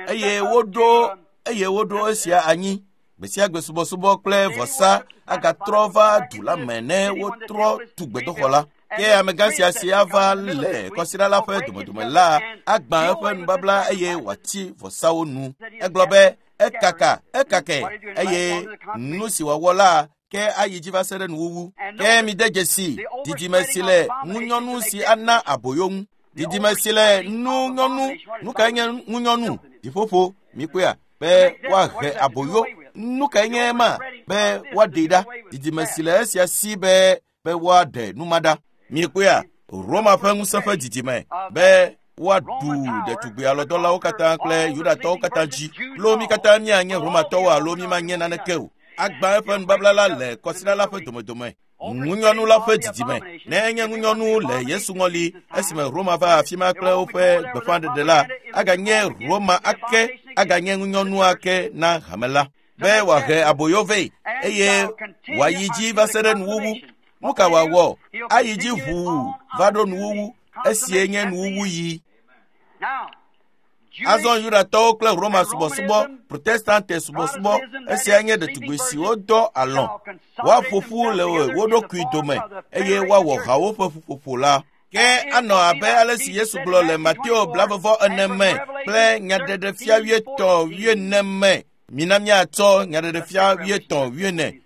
Speaker 1: eye woɖo eye woɖo esia anyi. Gbe sia gbe subɔsubɔ kple vɔsa agatrɔ va du la me ne wotrɔ tu gbedoxɔ la. Ke amegã sia si ava le kɔsiɖa la ƒe domedome la agbã eƒe nubabla eye wòatsi vɔsawo nu. Egblɔ be ekaka ekake eye nu si wòawɔ la ke ayi dzi va se ɖe nuwuwu. Ke mide dzesi didime si le ŋunyɔnu si ana aboyo ŋu. Didime si le ŋunyɔnu. Nu kae nye ŋunyɔnu? Dziƒoƒo mikpɔea be woahe aboyo. Nu kae nye ema? Be woaɖee ɖa. Didime si le esia si be be woaɖe nu ma ɖa. Mikpɔea Roma ƒe ŋusẽ ƒe didime be woaɖu ɖetugbi alɔdɔlawo katã kple Yudatɔwo katã dzi. Lo mi katã míanye Romatɔwo alo mímanye naneke o. Agbã eƒe nubabla la le kɔsiɖa la ƒe domedome. Ŋunyɔnu la ƒe didime. Ne enye ŋunyɔnu le Yesu ŋɔli esime Roma va afi ma kple woƒe gbeƒãɖeɖe la, aganye Roma ake, aganye ŋunyɔnu ake na hame la. Be wòahe aboyo vɛ eye wòayi dzi va se ɖe nuwuwu. Nu ka wòawɔ? Ayi dzi ʋuu va ɖo nuwuwu. Esie nye nuwuwu yi. Azɔ Yudatɔwo kple Roma subɔsubɔ, Protestante subɔsubɔ, esia nye ɖetugbi siwo dɔ alɔ̃. Woaƒo ƒu le wo ɖokui dome eye woawɔ hawo ƒe ƒuƒoƒo la. Ke anɔ abe ale si Yesu gblɔ le Mateo blavevɔ ene me kple nyaɖeɖefia wuietɔ̃ wuiene me. Mina míatsɔ nyaɖeɖefia wuietɔ̃ wuiene.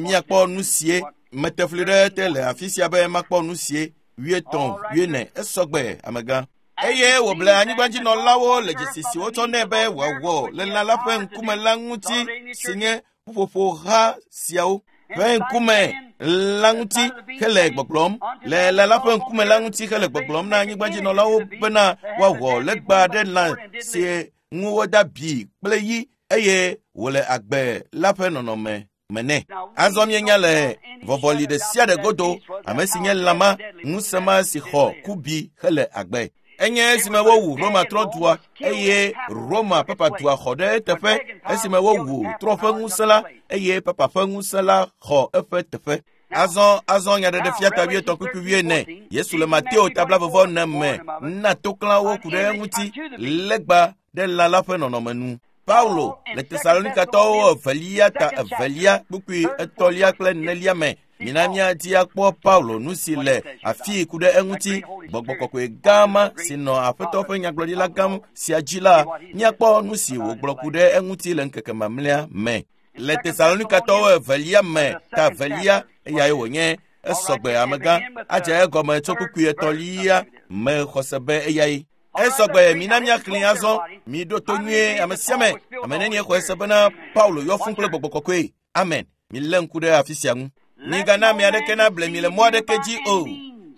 Speaker 1: Míakpɔ nu sie. Mete fli ɖe te le afi sia be makpɔ nu sie wuietɔ̃ wuiene. Esɔgbe amegã. Eye wòble anyigbadzinɔlawo le dzesi si wotsɔ nɛ be wòawɔ le lã la ƒe ŋkume la ŋuti si nye ƒuƒoƒoha siawo ƒe ŋkume la ŋuti hele gbɔgblɔm le lã la ƒe ŋkume la ŋuti hele gbɔgblɔm na anyigbadzinɔlawo bena woawɔ legba ɖe lã si ŋu woda bi kple yi eye wòle agbe la ƒe nɔnɔme me nɛ. Azɔ míenya le vɔvɔli ɖe sia ɖe godo ame si nye lãma ŋusẽ ma si xɔ kubi hele agbe. Enye esime wowu Roma trɔdua eye Roma papadua xɔ ɖe eteƒe esime wowu trɔ ƒe ŋusẽ la eye papa ƒe ŋusẽ la xɔ eƒe teƒe. Azɔ azɔ nyaɖeɖefia ta wuietɔ̃ kpukpui wuiene. Yesu le Mateo tabla vɔvɔ ene me na toklãwo ku ɖe eŋuti legba ɖe lã la ƒe nɔnɔme nu. Paulo le Tesalonikatɔwo evelia ta evelia kpukpui etɔ̃lia kple enelia me. Mina míadi akpɔ Paulo nu si le afii ku ɖe eŋuti gbɔgbɔ kɔkɔe gã ma si nɔ aƒetɔ ƒe nyagblɔɖila gã sia dzi la míakpɔ nu si wògblɔ ku ɖe eŋuti le ŋkeke mamlɛa me. Le Tesalonikatɔwo evelia me ta evelia eyae wònye esɔgbe amegã adze egɔme tso kpukpui etɔ̃lia me xɔse be eyae. Esɔgbe mina míaxlẽ azɔ miɖo to nyuie ame sia ame ame nenie xɔe se bena Paulo yɔ fũ kple gbɔgbɔ kɔkɔe. Amen. Milé ŋku ɖe afi sia ŋu. Migana ame aɖeke nable mi le mɔ aɖeke dzi o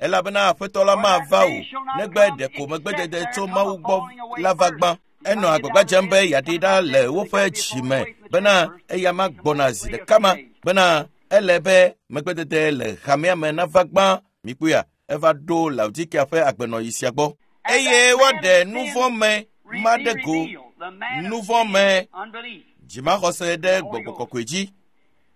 Speaker 1: elabena aƒetɔ la mava o negbe ɖeko megbedede tso Mawu gbɔ la va gbã. Enɔ agbagba dzem be yeaɖi ɖa le woƒe dzi me bena eya ma gbɔna zi ɖeka ma bena ele be megbedede le hamea me nava gbã. Mikpɔea eva ɖo Laodikea ƒe agbenɔɣi sia gbɔ. Eye woaɖe nu vɔ̃ me ma ɖe go nu vɔ̃ me dzimaxɔse ɖe gbɔgbɔ kɔkɔe dzi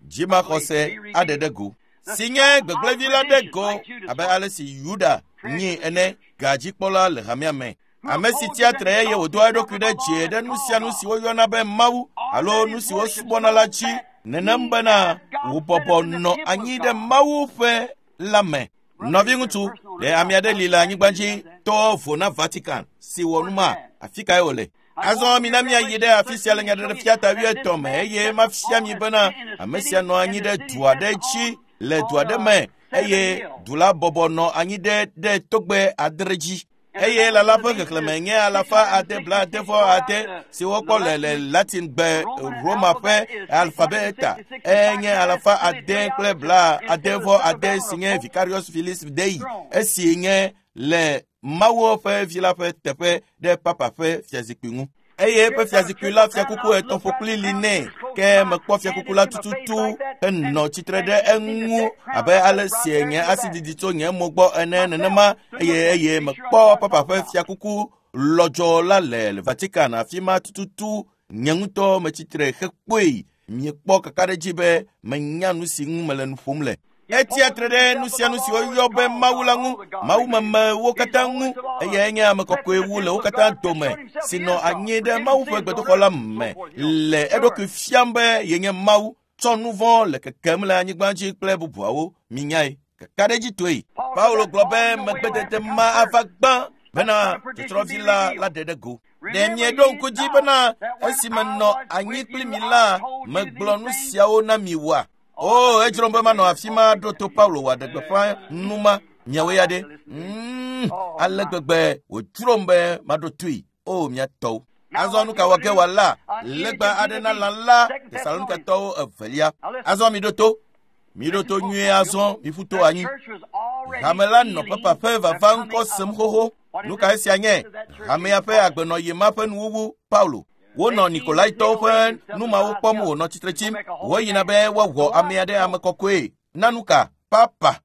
Speaker 1: dzimaxɔse aɖe ɖe go si nye gbegblẽvi la ɖe go abe ale si Yuda nyi ene gadzikpɔla le hamea me. Ame si tsia tre eye wòdoa eɖokui ɖe dzi ɖe nu sia nu si woyɔna be Mawu alo nu si wosubɔna la dzi nenem bena wòbɔbɔ nɔ anyi ɖe Mawu ƒe la me. Nɔviŋutsu ɖe ame aɖe li le anyigba dzi to vo na Vatican si wɔ nu ma afi kae wòle? Azɔ mina míayi ɖe afi sia le nyaɖeɖefia ta wuietɔ̃ me eye mafia mi bena ame sia nɔ anyi ɖe du aɖe dzi le du aɖe me eye du la bɔbɔ nɔ anyi ɖe ɖe togbɛ adre dzi. Eye lala ƒe xexlẽme nye alafa ade bla ade vɔ ade si wokpɔ le le Latin gbe Roma ƒe alfabeta enye alafa ade kple bla ade vɔ ade si nye Vicarius Filii Dei esi nye le Mawu ƒe vi la ƒe teƒe ɖe papa ƒe fiazikpui ŋu. Eye eƒe fiazikpui la fiakuku etɔ̃ ƒokpli li nɛ ke mekpɔ fiakuku la tututu henɔ tsitre ɖe eŋu abe ale si nye asi didi tso nye mo gbɔ ene nenema eye eye mekpɔ papa ƒe fiakuku lɔdzɔ la le Vatican afi ma tututu nye ŋutɔ metsitre hekpɔe. Miekpɔ kakaɖedzi be menya nu si ŋu mele nu ƒom le. Etsia tre ɖe nu sia nu si woyɔ be Mawu la ŋu, mawumemewo katã ŋu eye enye ame kɔkɔe wu le wo katã dome si nɔ anyi ɖe Mawu ƒe gbedoxɔ la me le eɖokui fiam be yenye Mawu tsɔ nu vɔ̃ le kekem le anyigba dzi kple bubuawo. Minyae kakaɖedzitɔe. Paulo gblɔ be megbedede ma ava gbã bena tsɔtsrɔ̃vi la la ɖe ɖe go. Ɖe mieɖo ŋku dzi bena esime nɔ anyi kpli mi la megblɔ nu siawo na mi woa? O, edzrom be manɔ afi ma ɖo to Paulo wòaɖe gbeƒã nu ma miawoe ya ɖe. Mm, ale gbegbe wòdzrom be maɖo toe. O, mia tɔwo. Azɔ nu ka wɔ ge wòala legba aɖe na lã la Tesalonikatɔwo evelia. Azɔ miɖo to. Miɖo to nyuie azɔ miƒu to anyi. Hame la nɔ papa ƒe vava ŋkɔ sem xoxo. Nu ka esia nye? Hamea ƒe agbenɔɣi ma ƒe nuwuwu Paulo. Wonɔ Nikolaitɔwo ƒe numawo kpɔm wònɔ tsitre tsim. Woyina be woawɔ ame aɖe ame kɔkɔe. Na nu ka? Papa.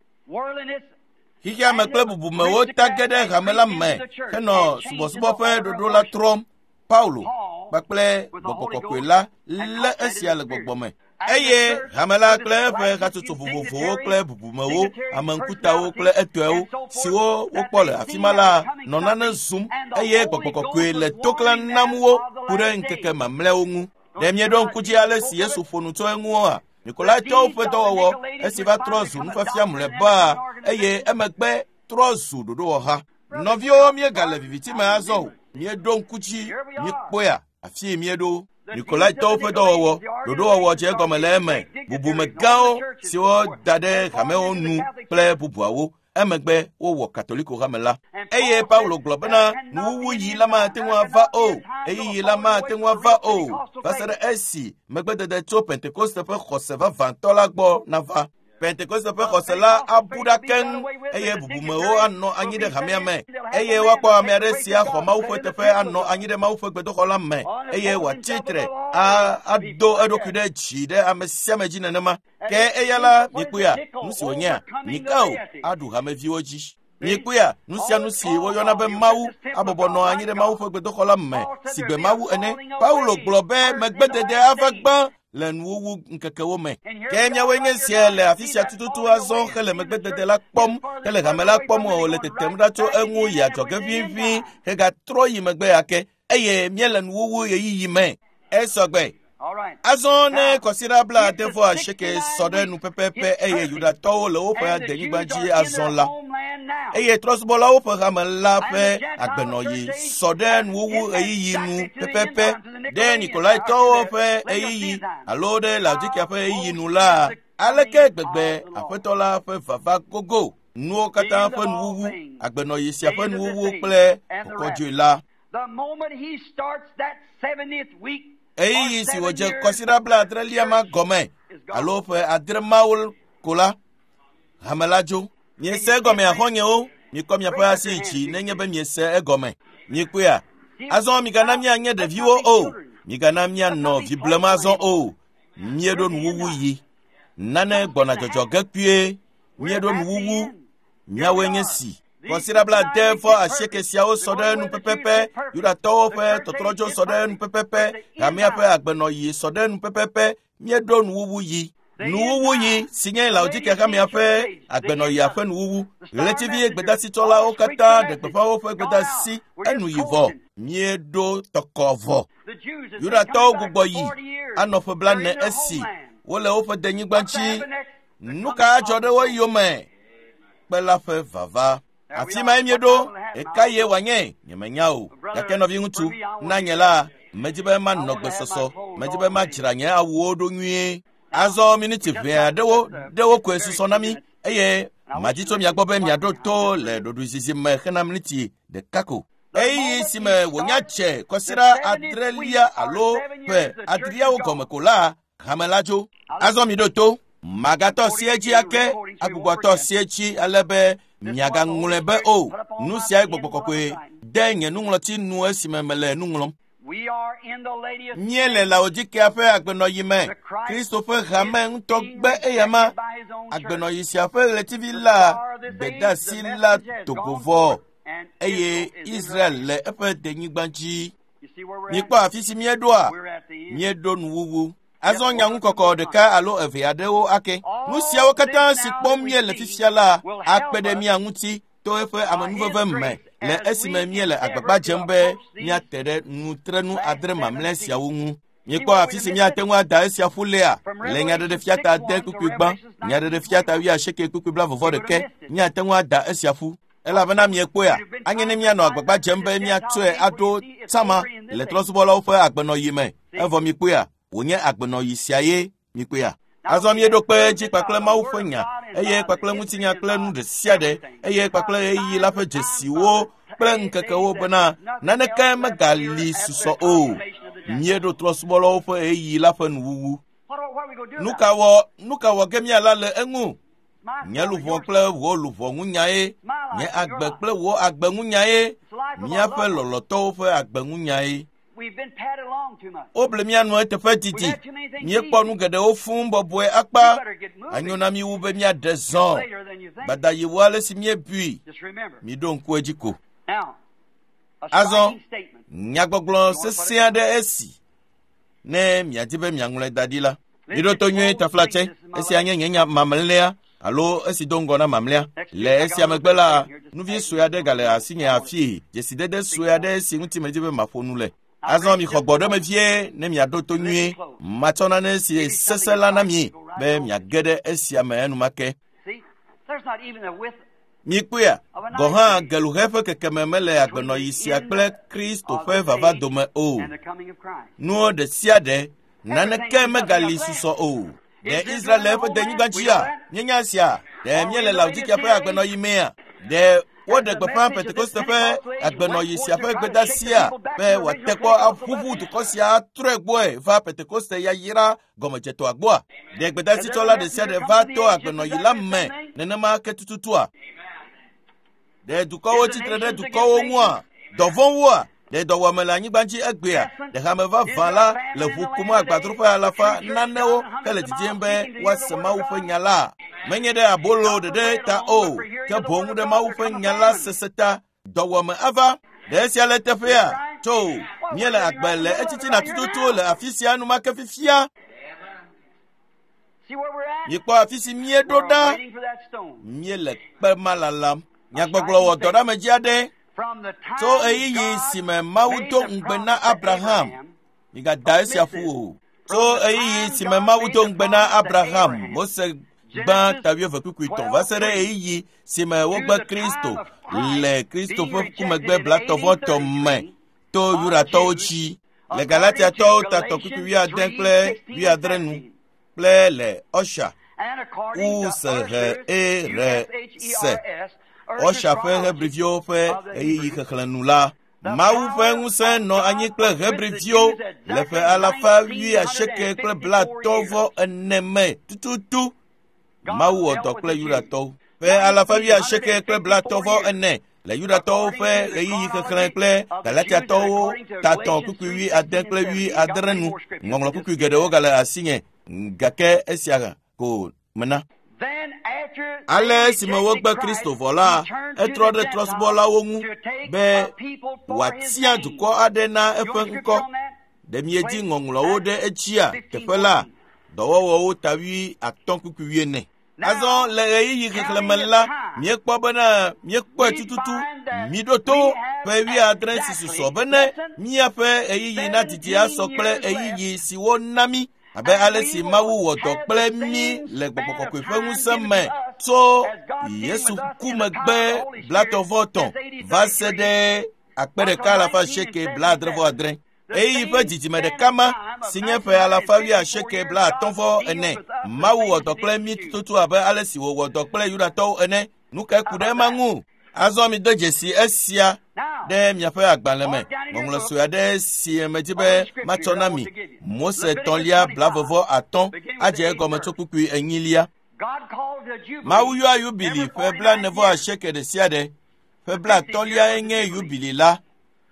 Speaker 1: Xexea me kple bubumewo ta ge ɖe hame la me henɔ subɔsubɔ ƒe ɖoɖo la trɔm. Paulo kpakple gbɔgbɔ kɔkɔe la lé esia le gbɔgbɔ me. Eye hame la kple eƒe hatsotso vovovowo kple bubumewo, ame ŋkutawo kple etɔewo siwo wokpɔ le afi ma la nɔ nane zum eye gbɔgbɔ kɔkɔe le toklã nam wo ku ɖe ŋkeke mamlɛawo ŋu. Ɖe mieɖo ŋku dzi ale si Yesu ƒo nu tso eŋua? Nikolaitɔwo ƒe dɔwɔwɔ esi va trɔ zu nufiafia mlɔeba eye emegbe trɔ zu ɖoɖowɔha. Nɔviwo míegale viviti me azɔ o. Míeɖo ŋku dzi míekpɔea afi míeɖo. Nikolaitɔwo ƒe dɔwɔwɔ ɖoɖowɔwɔ dze egɔme le eme bubumegãwo siwo da ɖe hamewo nu kple bubuawo. Emegbe wowɔ Katoliko hame la. Eye Paulo gblɔ bena nuwuwu yi la mate ŋu ava o, ɣeyiɣi la mate ŋu ava o va se ɖe esi megbedede tso Pentekoste ƒe xɔse vavãtɔ la gbɔ nava. Pentekoste ƒe xɔse la abu ɖa keŋ eye bubumewo anɔ anyi ɖe hamea me eye woakpɔ ame aɖe si axɔ Mawu ƒe teƒe anɔ anyi ɖe Mawu ƒe gbedoxɔ la me eye wòatsi tre ado eɖokui ɖe dzi ɖe ame sia ame dzi nenema. Ke eya la mikpɔea nu si wònyea Mikao aɖu hameviwo dzi. Mikpɔea nu sia nu si woyɔna be Mawu abɔbɔ nɔ anyi ɖe Mawu ƒe gbedoxɔ la me si gbe Mawu ene. Paulo gblɔ be megbedede ava gbã le nuwuwu ŋkekewo me. Ke miawoe nye sia le afi sia tututu azɔ hele megbedede la kpɔm hele hame la kpɔm o le tetem ɖa tso eŋu yi adzɔge ʋĩʋĩ hegatrɔ yi megbe ake eye míele nuwuwu ɣeyiɣi me. Esɔgbe. Azɔ ne kɔsiɖa bla ade vɔ asieke sɔ ɖe nu pɛpɛpɛ eye Yudatɔwo le woƒe adenyigba dzi azɔ la eye trɔsubɔlawo ƒe hame la ƒe agbenɔɣi sɔ ɖe nuwuwu ɣeyiɣi nu pɛpɛpɛ ɖe Nikolaitɔwo ƒe ɣeyiɣi alo ɖe Laodikia ƒe ɣeyiɣi nu la, aleke gbegbe Aƒetɔ la ƒe vava gogo nuwo katã ƒe nuwuwu, agbenɔɣi sia ƒe nuwuwu kple kɔkɔdzoe la. Ɣeyiɣi si wòdze kɔsiɖa bla adrelia ma gɔme alo ƒe adre mawo ko la, hame la dzo. Miese egɔme axɔnyewo, mikɔ miaƒe asi dzi nenye be miese egɔme. Mikpɔea? Azɔ migana mianye ɖeviwo o, migana mianɔ vi blem azɔ o. Míeɖo nuwuwu yi. Nane gbɔna dzɔdzɔ ge kpuie. Míeɖo nuwuwu. Miawoe nye si. Kɔsiɖa bla ade vɔ asieke siawo sɔ ɖe nu pɛpɛpɛ. Yudatɔwo ƒe tɔtrɔdzo sɔ ɖe nu pɛpɛpɛ. Hamea ƒe agbenɔɣi sɔ ɖe nu pɛpɛpɛ. Míeɖo nuwuwu yi. Nuwuwu yi si nye Laodikea hamea ƒe agbenɔɣia ƒe nuwuwu. Ɣletivi gbedasitsɔlawo katã ɖe gbeƒã woƒe gbedasi enu yi vɔ. Míeɖo tɔkɔ vɔ. Yudatɔwo gbugbɔ yi anɔ ƒe blaene esi wole woƒe denyigba dzi. Nu ka adzɔ ɖe wo yome? Kpe la ƒe vava. Afi mae míeɖo. Eka ye wòanye? Nyemenya o. Gake nɔviŋutsu, na nye la, medi be manɔ gbesɔsɔ. Medi be madzra nye awuwo ɖo nyuie. Azɔ miniti ʋɛ aɖewo ɖewo koe susɔ na mí eye madi tso mia gbɔ be miaɖo to le ɖoɖoezizi me hena miniti ɖeka ko. Ɣeyiɣi si me wònya dze kɔsiɖa adrelia alo ƒe adreawo gɔme ko la, hame la dzo. Azɔ miɖo to. Magatɔ si edzi ake agbugbɔtɔ si edzi ale be miagaŋlɔe be o. Nu siae Gbɔgbɔ Kɔkɔe de nye nuŋlɔti nu esime mele nu ŋlɔm. Míele Laodikea ƒe agbenɔɣi me. Kristo ƒe hame ŋutɔ gbe eyama. Agbenɔɣi sia ƒe ɣletivi la gbedeasi la dogo vɔ eye Israel le eƒe denyigba dzi. Mikpɔ afi si míeɖoa? Míeɖo nuwuwu. Azɔ nyaŋukɔkɔ ɖeka alo eve aɖewo ake. Nu siawo katã si kpɔm míele fifia la akpe ɖe mía ŋuti to eƒe amenuveve me le esime míele agbagba dzem be míate ɖe nutrenu adre mamlɛ siawo ŋu. Mikpɔ afi si míate ŋu ada esia ƒu lea le Nyaɖeɖefia ta ade kpukpui gbã, Nyaɖeɖefia ta wuiasieke kpukpui blavɔvɔ ɖeke míate ŋu ada esia ƒu. Elabena miekpɔea, anye ne míanɔ agbagba dzem be míatsɔe aɖo tsama le trɔ̃subɔlawo ƒe agbenɔɣi me. Evɔ mikpɔea, wònye agbenɔɣi sia ye mikpɔea. Azɔ míeɖo kpe edzi kpakple Mawu ƒe nya eye kpakple ŋutinya kple nu ɖe sia ɖe eye kpakple ɣeyiɣi la ƒe dzesiwo kple ŋkekewo bena naneke megali susɔ o. Míeɖo trɔ̃subɔlawo ƒe ɣeyiɣi la ƒe nuwuwu. Nu ka wɔ nu ka wɔ ge míala le eŋu? Nye luʋɔ kple wò luʋɔ ŋu nyae, nye agbe kple wò agbe ŋu nyae, míaƒe lɔlɔ̃tɔwo ƒe agbe ŋu nyae. Woble mía nu eteƒe didi. Míekpɔ nu geɖewo fũu bɔbɔe akpa. Anyo na mí wu be míaɖe zɔ. Gbadayi wu ale si míebui. Miɖo ŋku edzi ko. Azɔ nyagbɔgblɔ sesẽ aɖe esi ne miadi be miaŋlɔe da ɖi la. Miɖo to nyuie taflatse. Esia nye nye nya mamlɛa alo esi do ŋgɔ na mamlɛa. Le esia megbe la, nuvi sue aɖe gale asinye afii. Dzesidede sue aɖe si ŋuti medi be maƒo nu le. Azɔ mixɔ gbɔɖeme vie ne miaɖo to nyuie. Matsɔ nane si sesẽ la na mi be miage ɖe esia me enumake. Mikpɔea, gɔ̃ hã geluhe ƒe kekeme mele agbenɔɣi sia kple Kristo ƒe vava dome o. Nuwo ɖe sia ɖe, naneke megali susɔ o. Ɖe Israel le eƒe denyigba dzia? Míenya esia. Ɖe míele Laodikea ƒe agbenɔɣi mea? Ɖe Woɖe gbeƒã Pentekoste ƒe agbenɔyi sia ƒe gbedeasia be wòate kpɔ aʋuʋu dukɔ sia atrɔe gbɔe va Pentekoste yayra gɔmedzetɔa gbɔa? Ɖe gbedasitsɔla ɖe sia ɖe va to agbenɔyi la me nenema ke tututua? Ɖe dukɔwo tsitre ɖe dukɔwo ŋua? Dɔvɔ̃woa? Ɖe dɔwɔame le anyigba dzi egbea? Ɖe hame vavã la le ʋu kum agbadroƒe alafa nanewo hele didim be woase Mawu ƒe nya la? Menye ɖe abolo ɖeɖe ta o, ke boŋ ɖe Mawu ƒe nya la sese ta. Dɔwɔame ava. Ɖe esia le teƒea? Tso, míele agbe le etsitsina tututu le afi sia enumake fifia. Mikpɔ afi si míeɖo ɖa. Míele kpe ma lalam. Nyagbɔgblɔ wɔ dɔ ɖe ame dzi aɖe. Tso ɣeyiɣi si me Mawu do ŋugbe na Abraham, migada esia ƒu o. Tso ɣeyiɣi si me Mawu do ŋugbe na Abraham, Mose gbã ta wuieve kpukpui etɔ̃ va se ɖe ɣeyiɣi si me wogbe Kristo le Kristo ƒe kumegbe blatɔ̃vɔtɔ̃ me to Yudatɔwo dzi le Galatiatɔwo ta tɔ̃ kpukpui wuiade kple wuiadre nu kple le Ɔsha U S H E R S Ɔsha ƒe Hebriviwo ƒe ɣeyiɣi xexlẽ nu la, Mawu ƒe ŋusẽ nɔ anyi kple Hebriviwo le ƒe alafa wuiasieke kple blatɔ̃ vɔ ene me tututu. Mawu wɔ dɔ kple Yudatɔwo. Ƒe alafa wuiasieke kple blatɔ̃ vɔ ene le Yudatɔwo ƒe ɣeyiɣi xexlẽ kple Galatiatɔwo ta tɔ̃ kpukpui wuiade kple wuiadre nu. Ŋɔŋlɔ kpukpui geɖewo gale asinye gake esia ko mena. Ale esime wogbe Kristo vɔ la, etrɔ ɖe trɔ̃subɔlawo ŋu be wòatia dukɔ aɖe na eƒe ŋkɔ. Ɖe miedi ŋɔŋlɔwo ɖe edzia teƒe la, dɔwɔwɔwo ta wuiatɔ̃ kpukpui wuiene. Azɔ le ɣeyiɣi xexlẽme la, míekpɔ bena míekpɔe tututu. Míɖo to ƒe wuiadre si susɔ bene míaƒe ɣeyiɣi nadidi asɔ kple ɣeyiɣi si wona mí. Abe ale si Mawu wɔ dɔ kple mí le Gbɔgbɔ Kɔkɔe ƒe ŋusẽ me tso Yesu ku megbe blatɔ̃vɔ-etɔ̃ va se ɖe akpe ɖeka alafa asieke blaadre vɔ adre. Ɣeyiɣi ƒe dzidzime ɖeka ma si nye ƒe alafa wuiasieke blaatɔ̃ vɔ ene. Mawu wɔ dɔ kple mí tututu abe ale si wòwɔ dɔ kple Yudatɔwo ene. Nu kae ku ɖe ema ŋu? Azɔ mide dzesi esia ɖe miaƒe agbalẽ me. Ŋɔŋlɔ sue aɖe si medi be matsɔ na mi. Mose tɔ̃lia blavevɔ atɔ̃ adze egɔme tso kpukpui enyilia. Mawu yɔa yubili ƒe blaene vɔ asieke ɖe sia ɖe. Ƒe blatɔ̃liae nye yubili la.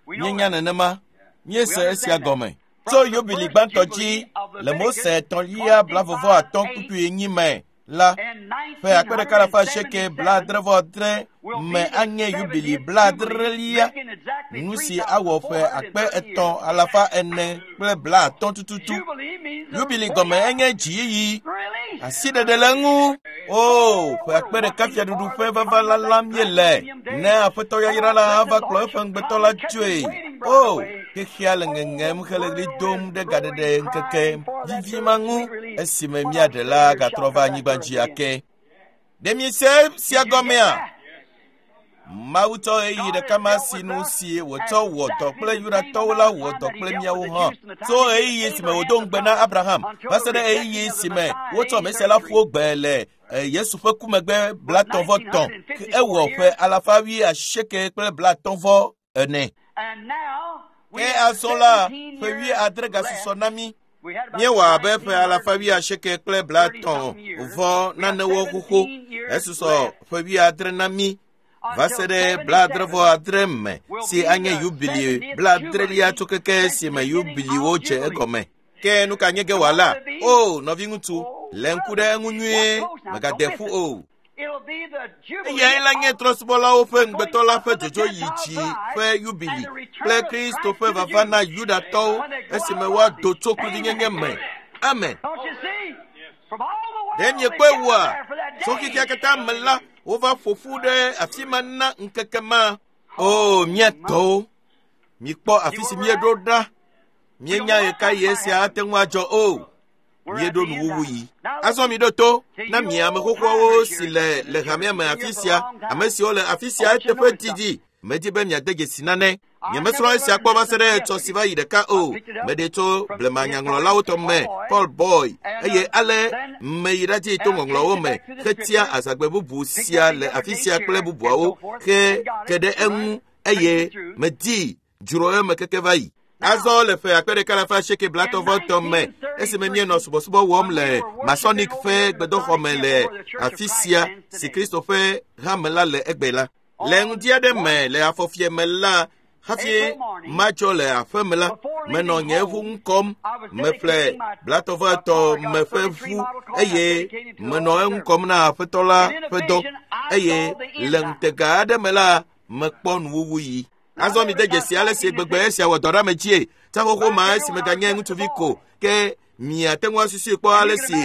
Speaker 1: Míenya nenema. Míese esia gɔme. Tso yubili gbãtɔ dzi le Mose tɔ̃lia blavevɔ atɔ̃ kpukpui enyi me la, ƒe akpe ɖeka alafa asieke blaadre vɔ adre me anye yubili blaadrelia, nu si awɔ ƒe akpe etɔ̃ alafa ene kple blaatɔ̃ tututu. Yubili gɔme enye dziyiyi, asiɖeɖe le eŋu. O, ƒe akpe ɖeka fiaɖuɖu ƒe vava lalam míele ne Aƒetɔ yayra la ava kplɔ eƒe ŋugbetɔ la tsoe. O, xexea le ŋeŋem hele ɣli dom ɖe gaɖeɖe ŋkeke vivi ma ŋu esime míaɖe la gatrɔ va anyigba dzi ake. Ɖe miese sia gɔmea? Mawu tsɔ ɣeyiɣi ɖeka ma si nu si wòtsɔ wɔ dɔ kple Yudatɔwo la wɔ dɔ kple míawo hã. Tso ɣeyiɣi si me wòdo ŋugbe na Abraham va se ɖe ɣeyiɣi si me wotsɔ Mesia la ƒo gbe le Yesu ƒe ku megbe blatɔ̃ vɔ tɔ̃, ewɔ ƒe alafa wuiasieke kple blatɔ̃ vɔ ene. Ke azɔ la, ƒe wuiadre gasusɔ na mí. Míewɔ abe ƒe alafa wuiasieke kple blatɔ̃ vɔ nanewo xoxo. Esusɔ ƒe wuiadre na mí va se ɖe blaadre vɔ adre me si anye yubili blaadrelia tso keke si me yubiliwo dze egɔme. Ke nu ka nye ge wòala? O, nɔviŋutsu, lé ŋku ɖe eŋu nyuie, mègade ƒu o. Eyae la nye trɔ̃subɔlawo ƒe ŋugbetɔ la ƒe dzodzo yi dzi ƒe yubili kple Kristo ƒe vava na Yudatɔwo esime woado tso kluvinyenye me. Amen. Ɖe miekpɔe wua? Tso xexea katã me la, wova ƒo ƒu ɖe afi ma na ŋkeke ma. O, mía tɔwo, mikpɔ afi si míeɖo ɖa. Míenya ɣekaɣi esia ate ŋu adzɔ o. Míeɖo nuwuwu yi. Azɔ miɖo to na mi ame xoxoawo si le le hamea me afi sia, ame siwo le afi sia eteƒe didi. Medi be miade dzesi nane. Nyemesrɔ̃ esia kpɔ va se ɖe etsɔ si va yi ɖeka o. Meɖe tso blemanyaŋlɔlawo tɔ me, Paul Boy, eye ale meyi ɖadzi to ŋɔŋlɔwo me hetia azãgbe bubu sia le afi sia kple bubuawo he ke ɖe eŋu eye medi dzro eme keke va yi. Azɔ le ƒe akpe ɖeka alafa asieke blaetɔ̃ vɔ me esime míenɔ subɔsubɔ wɔm le Masonic ƒe gbedoxɔ me le afi sia si Kristo ƒe hame la le egbe la. Le ŋdi aɖe me le afɔfie me la, hafi matsɔ le aƒe me la, menɔ nye ʋu ŋu kɔm, meƒle blaetɔ̃ vɔ etɔ̃ me ƒe ʋu eye menɔ eŋu kɔm na aƒetɔ la ƒe dɔ eye le ŋutega aɖe me la, mekpɔ nuwuwu yi. Azɔ mi de dzesi ale si gbegbe esia wɔ dɔ ɖe ame dzie. Tsaxoxo ma esi meganye ŋutsuvi ko ke miate ŋu asusui kpɔ ale si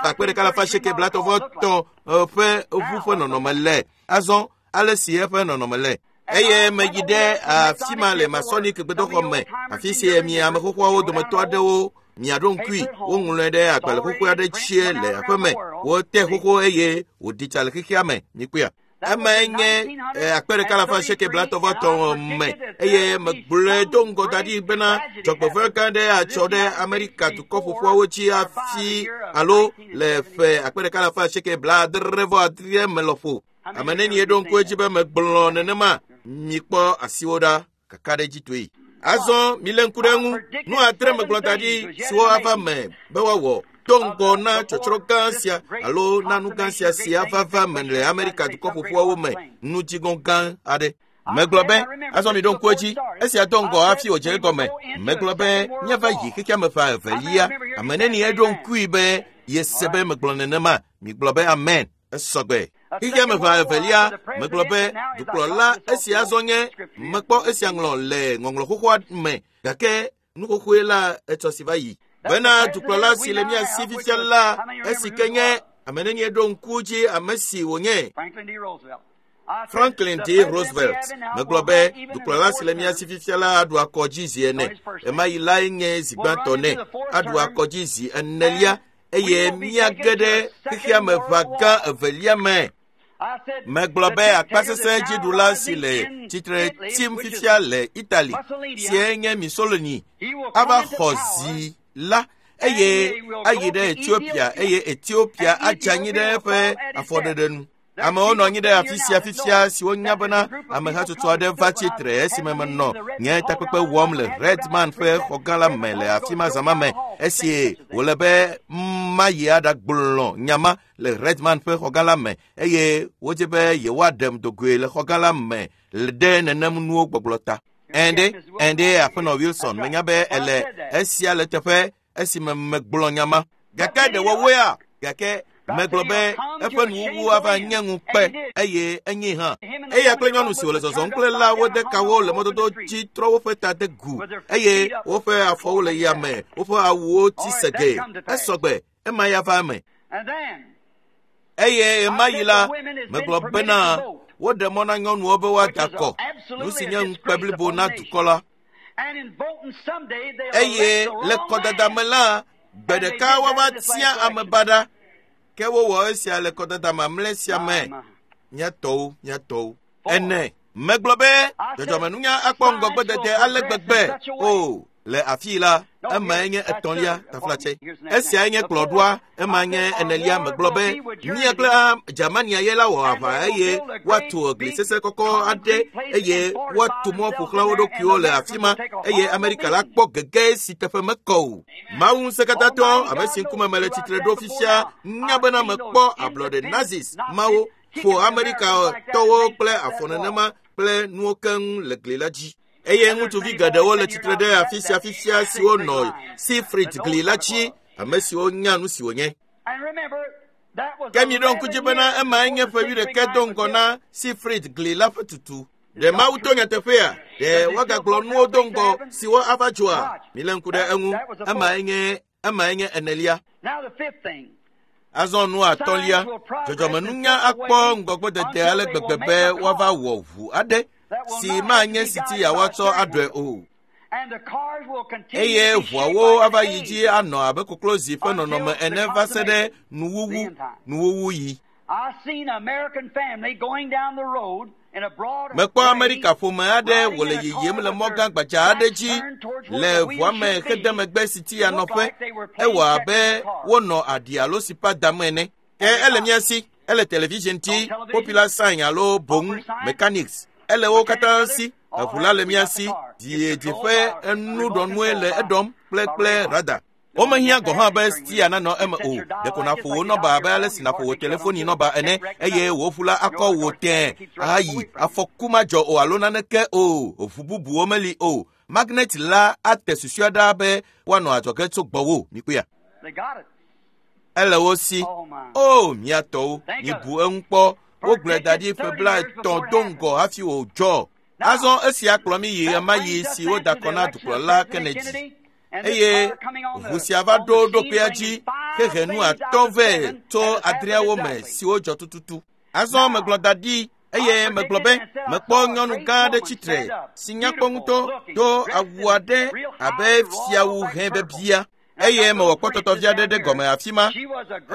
Speaker 1: akpe ɖeka alafa asieke blaetɔ̃ vɔ etɔ̃ ƒe ʋu ƒe nɔnɔme le. Azɔ ale si eƒe nɔnɔme le. Eye meyi ɖe afi ma le Masonic gbedoxɔ me, afi si mi ame xoxoawo dometɔ aɖewo miaɖo ŋkui, woŋlɔe ɖe agbalẽ xoxo aɖe tsie le aƒe me. Wote xoxo eye wòɖi tsa le xexea me. Mikpɔea? Emae nye akpe ɖeka alafa asieke blaetɔ̃ vɔ etɔ̃ me eye megblɔe do ŋgɔ da ɖi bena dzɔgbevɔ̃e gã aɖe atsɔ ɖe Amerika dukɔ ƒoƒuawo dzi hafi alo le ƒe akpe ɖeka alafa asieke blaadre vɔ adre me lɔƒo. Ame nenie ɖo ŋku edzi be megblɔ nenema? Mikpɔ asiwo ɖa kakaɖedzitɔe. Azɔ milé ŋku ɖe eŋu. Nu adre megblɔ da ɖi siwo ava me be woawɔ do ŋgɔ na tsɔtsrɔ̃ gã sia alo na nu gã sia si ava va me le Amerika dukɔ ƒoƒuawo me nudziŋɔ gã aɖe. Megblɔ be azɔ mi ɖo ŋku edzi esia do ŋgɔ hafi wòdze egɔme. Megblɔ be míava yi xexea me ƒe evelia. Ame nenie ɖo ŋkui be yese be megblɔ nenema? Migblɔ be amen. Esɔgbe. Xexea me ƒe evelia megblɔ be dukplɔla esia azɔ nye mekpɔ esia ŋlɔ le ŋɔŋlɔ xoxoa me gake nu xoxoe la etsɔ si va yi. Bena dukplɔla si le mía si fifia la esi ke nye ame nenie ɖo ŋku dzi ame si wònye. Franklin D. Roosevelt. Megblɔ be dukplɔla si le mía si fifia la aɖu akɔdzi zi ene. Ema yi lae nye zi gbãtɔ nɛ. Aɖu akɔdzi zi enelia eye míage ɖe xexea me ʋa gã evelia me. Megblɔ be akpasesẽ dziɖula si le tsitre tsim fifia le Italy sie nye Mussolini ava xɔ zi la eye ayi ɖe Ethiopia eye Ethiopia adze anyi ɖe eƒe afɔɖeɖe nu. Amewo nɔ anyi ɖe afi sia fifia siwo nya bena amehatsotso aɖe va tsitre esime menɔ nye takpekpe wɔm le Redman ƒe xɔgã la me le afi ma zã ma me esi wòle be mayi aɖagblɔ nya ma le Redman ƒe xɔgã la me eye wodzi be yewoaɖem dogoe le xɔgã la me ɖe nenem nuwo gbɔgblɔ ta. Ɛnde, ɛnde aƒenɔ Wilson menya be ele esia le teƒe esime megblɔ nya ma. Gake ɖe wɔwoea? Gake megblɔ be eƒe nuwuwu ava nye ŋukpe eye enye hã. Eya kple nyɔnu si wòle zɔzɔm kple la wode kawo le mɔdodo dzi trɔ woƒe ta de gu eye woƒe afɔwo le yame, woƒe awuwo tsi sege. Esɔgbe, ema ya va eme. Eye ema yi la, megblɔ bena woɖe mɔ na nyɔnuwo be woada akɔ, nu si nye ŋukpe blibo na dukɔ la. Eye le kɔdada me la, gbe ɖeka woava tia ame baɖa. Ke wowɔ esia le kɔdada mamlɛ sia me. Mía tɔwo, mía tɔwo. Ene. Megblɔ be dzɔdzɔmenunya akpɔ ŋgɔgbedede ale gbegbe o le afii la, emae nye etɔ̃lia taflatse. Esiae nye kplɔɖoa, ema nye enelia. Megblɔ be mía kple Germania ye la wɔ aʋa eye woatu gli sesẽ kɔkɔ aɖe eye woatu mɔ ƒo xlã wo ɖokuiwo le afi ma eye Amerika la kpɔ gege si teƒe mekɔ o. Mawu ŋusẽkatãtɔ ame si ŋkume mele tsitre ɖo fifia nya bena mekpɔ ablɔɖe Nazis mawo ƒo Amerikatɔwo kple afɔ nenema kple nuwo keŋ le gli la dzi. Eye ŋutsuvi geɖewo le tsitre ɖe afi sia fifia siwo nɔ Siegfried gli la dzi, ame siwo nya nu si wònye. Ke miɖo ŋku dzi bena emae nye ƒe wuiɖekɛ do ŋgɔ na Siegfried gli la ƒe tutu. Ɖe Mawu to nyateƒea? Ɖe woagagblɔ nuwo do ŋgɔ siwo ava dzɔa? Milé ŋku ɖe eŋu. Emae nye emae nye enelia. Azɔ nu atɔ̃lia, dzɔdzɔmenunya akpɔ ŋgɔgbedede ale gbegbe be woava wɔ ʋu aɖe si manye si ti yeawoatsɔ aɖɔe o. Eye ʋuawo ava yi dzi anɔ abe koklozi ƒe nɔnɔme ene va se ɖe nuwuwu nuwuwu yi. Mekpɔ Amerika ƒome aɖe wòle yiyim le mɔ gã gbadza aɖe dzi le ʋua me hede megbe si ti yanɔƒe. Ewɔ abe wonɔ aɖi alo sipa dam ene. Ke ele mía si, ele television dzi, popular sign alo boŋ mechanics. Ele wo katã si, eʋu la le mía si, dziedzi ƒe enuɖɔnue le eɖɔm kple kple radar. Womehiã gɔ̃ hã be stia nanɔ eme o. Ɖeko nàƒo wò nɔba abe ale si nàƒo wò telefoni nɔba ene eye wò ʋu la akɔ wò tẽe ahayi. Afɔku madzɔ o alo naneke o. Ʋu bubuwo meli o. Magnet la ate susua ɖa be woanɔ adzɔge tso gbɔwò. Mikpɔea? Ele wo si. O, mía tɔwo, mibu eŋu kpɔ. Wogblɔe da ɖi ƒe blaetɔ̃ do ŋgɔ hafi wòdzɔ. Azɔ esia kplɔ mí yi ɣemaɣi si woda kɔ na dukplɔla Kennedy. Eye ʋu sia va ɖo ɖokuia dzi hehe nu atɔ̃ vɛ tso adreawo me siwo dzɔ tututu. Azɔ megblɔ da ɖi eye megblɔ be mekpɔ nyɔnu gã aɖe tsitre si nyakpɔ ŋutɔ do awu aɖe abe fiawu hẽ bebia eye mewɔ kpɔtɔtɔvi aɖe ɖe gɔme afi ma.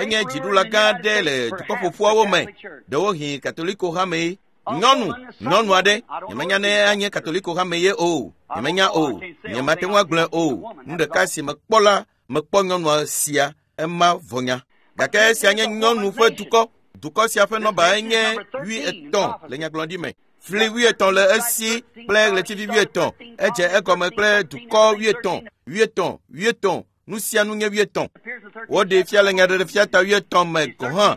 Speaker 1: Enye dziɖula gã aɖe le dukɔƒoƒuawo me, ɖewohĩ Katoliko hame. Nyɔnu, nyɔnu aɖe, nyemenya ne anye Katoliko hame ye o, nyemenya o, nyemate ŋu agblɔe o. Nu ɖeka si mekpɔ la, mekpɔ nyɔnua sia, ema vɔnya. Gake esia nye nyɔnu ƒe dukɔ. Dukɔ sia ƒe nɔba nye wuietɔ̃ le nyagblɔɖi me. Fli wuietɔ̃ le esi kple ɣletivi wuietɔ̃. Edze egɔme kple dukɔ wuietɔ̃, wuietɔ̃, wuietɔ̃. Nu sia nu nye wuietɔ̃. Woɖee fia le nyaɖeɖefia ta wuietɔ̃ me gɔ̃ hã.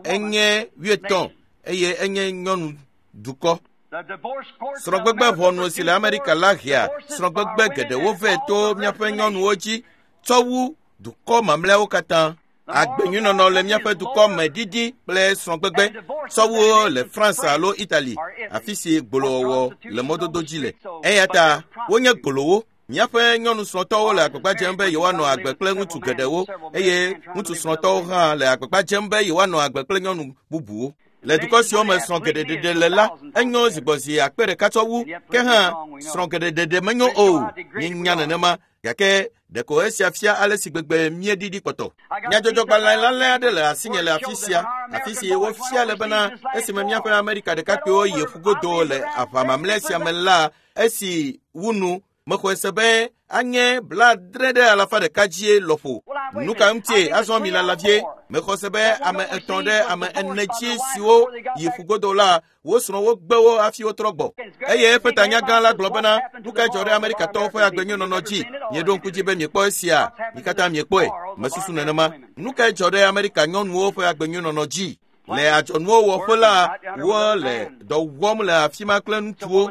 Speaker 1: Enye wuietɔ̃ eye enye nyɔnu dukɔ. Srɔ̃gbegbe ʋɔnu si le Amerika la hea srɔ̃gbegbe geɖewo vɛ to míaƒe nyɔnuwo dzi tsɔ wu dukɔ mamlɛawo katã. Agbenyuinɔnɔ le míaƒe dukɔ me ɖiɖi kple srɔ̃gbegbe tsɔ wu le France alo Italy, afi si gbolowɔwɔ le mɔdodo dzi le. Eya ta wonye gbolowo. Míaƒe nyɔnu srɔ̃tɔwo le agbagba dzem be yewoanɔ agbe kple ŋutsu geɖewo eye ŋutsu srɔ̃tɔwo hã le agbagba dzem be yewoanɔ agbe kple nyɔnu bubuwo. Le dukɔ siwo me srɔ̃ geɖeɖeɖe le la, enyo zigbɔzi akpe ɖeka tsɔ wu. Ke hã srɔ̃ geɖeɖeɖe menyo o. Míenya nenema. Gake ɖeko esia fia ale si gbegbe míeɖiɖi kpɔtɔ. Nyadzɔdzɔgbalẽ lalẽ aɖe le asinye le afi sia, afi si wofia le bena esime míaƒe Amerika ɖekakpuiwo yi ƒugodo le aʋa mamlɛ sia me la, esi wu nu, mexɔe se be anye blaadre ɖe alafa ɖeka dzie lɔƒo. Nu ka ŋutie azɔ mi lala vie? Mexɔ se be ame etɔ̃ ɖe ame ene dzi siwo yi ƒugodo la, wo srɔ̃wo gbe wo hafi wotrɔ gbɔ. Eye eƒe tanyagã la gblɔ bena, nu kae dzɔ ɖe Amerikatɔwo ƒe agbenyuinɔnɔ dzi? Mieɖo ŋku dzi be miekpɔ esia, mi katã miekpɔe. Mesusu nenema. Nu kae dzɔ ɖe Amerika nyɔnuwo ƒe agbenyuinɔnɔ dzi? Le adzɔnuwo wɔƒe la, wole dɔ wɔm le afi ma kple ŋutsuwo.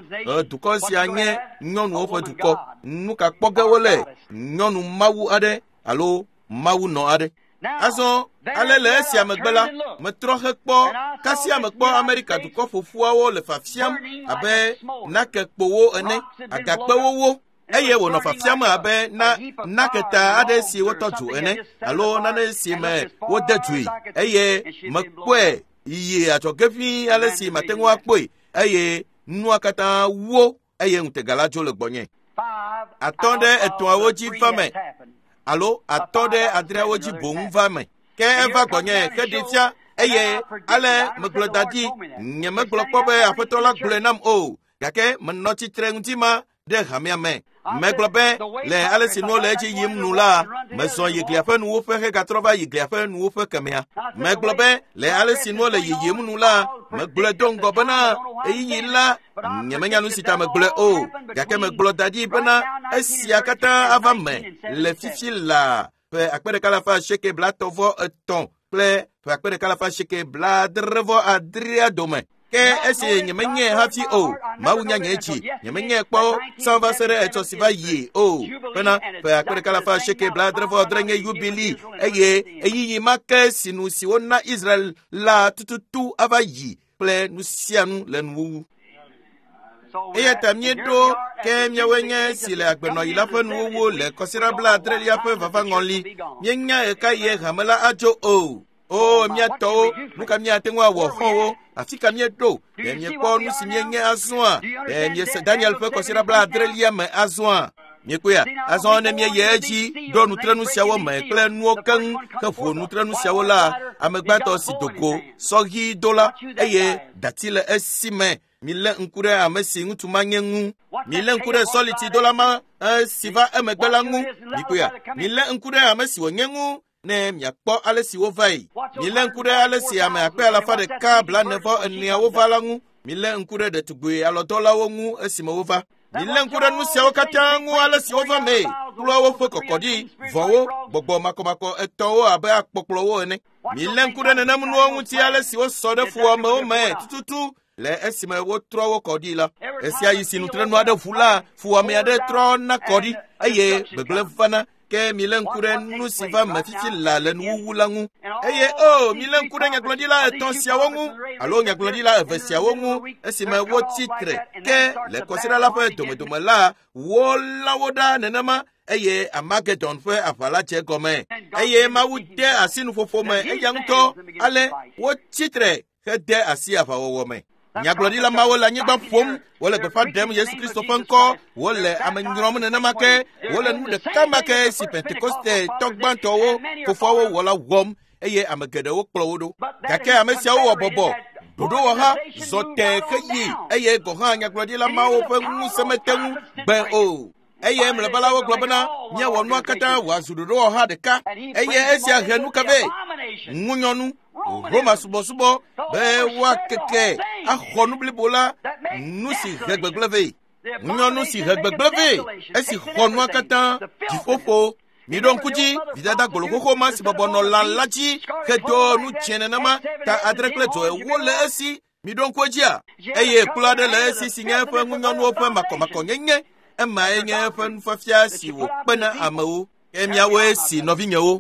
Speaker 1: Dukɔ sia nye nyɔnuwo ƒe dukɔ. Nu ka kpɔ ge wole? Nyɔnu mawu aɖe alo mawunɔ aɖe. Azɔ ale le esia megbe la, metrɔ hekpɔ kasia mekpɔ Amerika dukɔ ƒoƒuawo le fafiam abe nakekpowo ene, agakpewo wo. Eye wònɔ fafiam abe na naketa aɖe si wotɔ dzo ene alo nane si me wode dzoe. Eye mekpɔe yi adzɔge ʋĩi ale si mate ŋu akpɔe eye nua katã wo eye ŋutega la dzo le gbɔnye. Atɔ̃ ɖe etɔ̃awo dzi va me alo atɔ̃ ɖe adreawo dzi boŋ va me. Ke eva gbɔnye heɖee fia eye ale megblɔ da ɖi. Nyemegblɔ kpɔ be aƒetɔ la gblɔe nam o. Gake menɔ tsitre ŋuti ma ɖe hamea me. Megblɔ be le ale si nuwo le edzi yim nu la, mezɔ yi glia ƒe nuwuƒe hegatrɔ va yi glia ƒe nuwuƒe kemea. Megblɔ be le ale si nuwo le yiyim nu la, megblɔe do ŋgɔ bena ɣeyiɣi la, nyemenya nu si ta megblɔe o. Gake megblɔ da ɖi bena esia katã ava me le fifi la ƒe akpe ɖeka alafa asieke blaetɔ̃ vɔ etɔ̃ kple ƒe akpe ɖeka alafa asieke blaadre vɔ adrea dome. Ke esi nyemenyae hafi o, Mawu nya nye dzi, nyemenyae kpɔ tsã va se ɖe etsɔ si va yi o. Bena ƒe akpe ɖeka alafa asieke blaadre vɔ adre nye yubili eye ɣeyiɣi ma ke si nu si wona Israel la tututu ava yi kple nu sia nu le nuwuwu. Eya ta míeɖo ke míawoe nye si le agbenɔɣi la ƒe nuwuwu le kɔsiɖa blaadrelia ƒe vavaŋɔli. Míenya ɣekaɣie hame la adzo o. O mía tɔwo, nu ka míate ŋu awɔ xɔ̃wo? Afi ka míeɖo? Ɖe miekpɔ nu si míenye azɔa? Ɖe miese Daniel ƒe kɔsiɖa blaadrelia me azɔa? Miekpɔea? Azɔ ne míeyi edzi ɖo nutrenu siawo me kple nuwo keŋ heƒo nutrenu siawo la, ame gbãtɔ si do go sɔɣi do la eye dati le esi me. Milé ŋku ɖe ame si ŋutsu ma nye ŋu. Milé ŋku ɖe sɔlitidola ma si va emegbe la ŋu. Mikpɔea? Milé ŋku ɖe ame si wònye ŋu ne miakpɔ ale si wova yi. Milé ŋku ɖe ale si ame akpe alafa ɖeka blaene vɔ eneawo va la ŋu. Milé ŋku ɖe ɖetugbi alɔdɔlawo ŋu esime wova. Milé ŋku ɖe nu siawo katã ŋu ale si wova mee. Kplɔawo ƒe kɔkɔɖi, vɔ̃wo, gbɔgbɔ makɔmakɔ etɔwo abe akpɔkplɔwo ene. Milé ŋku ɖe nenem nuwo ŋuti ale si wosɔ ɖe fuwɔamewo me tututu le esime wotrɔ wo kɔ ɖi la. Esia yi si nutrenu aɖe ʋu la, fuwɔame aɖe trɔ na kɔ ɖi eye gbegblẽ vana. Ke milé ŋku ɖe nu si va me fifi la le nuwuwu la ŋu. Eye o, milé ŋku ɖe nyagblɔɖila etɔ̃ siawo ŋu alo nyagblɔɖila eve siawo ŋu esime wotsi tre. Ke le kɔsiɖa la ƒe domedome la, wolã wo ɖa nenema eye Armageddon ƒe aʋa la dze gɔme. Eye Mawu de asi nuƒoƒo me eya ŋutɔ ale wotsi tre hede asi aʋawɔwɔ me. Nyagblɔɖila mawo le anyigba ƒom, wole gbeƒã ɖem Yesu Kristo ƒe ŋkɔ, wole ame nyrɔm nenema ke, wole nu ɖeka ma ke si Pentekoste tɔ gbãtɔwo fofoawo wɔ la wɔm eye ame geɖewo kplɔ wo ɖo. Gake ame siawo wɔ bɔbɔ, ɖoɖowɔha zɔ tẽ heyi eye gɔ̃ hã nyagblɔɖila mawo ƒe ŋusẽ mete ŋu gbe o. Eye mlɔeba la wogblɔ bena míawɔ nua katã wòazu ɖoɖowɔha ɖeka. Eye esia he nu ka vɛ? Ŋunyɔnu. Roma subɔsubɔ be woakeke axɔ nu blibo la, nu si he gbegblẽ vɛ. Ŋunyɔnu si he gbegblẽ vɛ, esi xɔ nua katã, dziƒoƒo. Miɖo ŋku dzi, vidada goloxoxo ma si bɔbɔ nɔ lã la dzi hedo nu dzẽ nenema, ta adre kple dzo ewo le esi. Miɖo ŋku edzia? Eye kplu aɖe le esi si nye eƒe ŋunyɔnuwo ƒe makɔmakɔnyenye. Emae nye eƒe nufiafia si wòkpe na amewo. Ke miawoe si nɔvinyewo,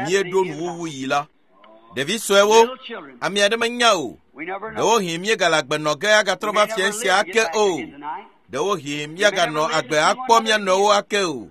Speaker 1: míeɖo nuwuwu yi la. Ɖevi suewo, ame aɖe menya o. Ɖewohĩ míegale agbe nɔ ge agatrɔ va fia sia ake o. Ɖewohĩ míaganɔ agbe akpɔ mía nɔewo ake o.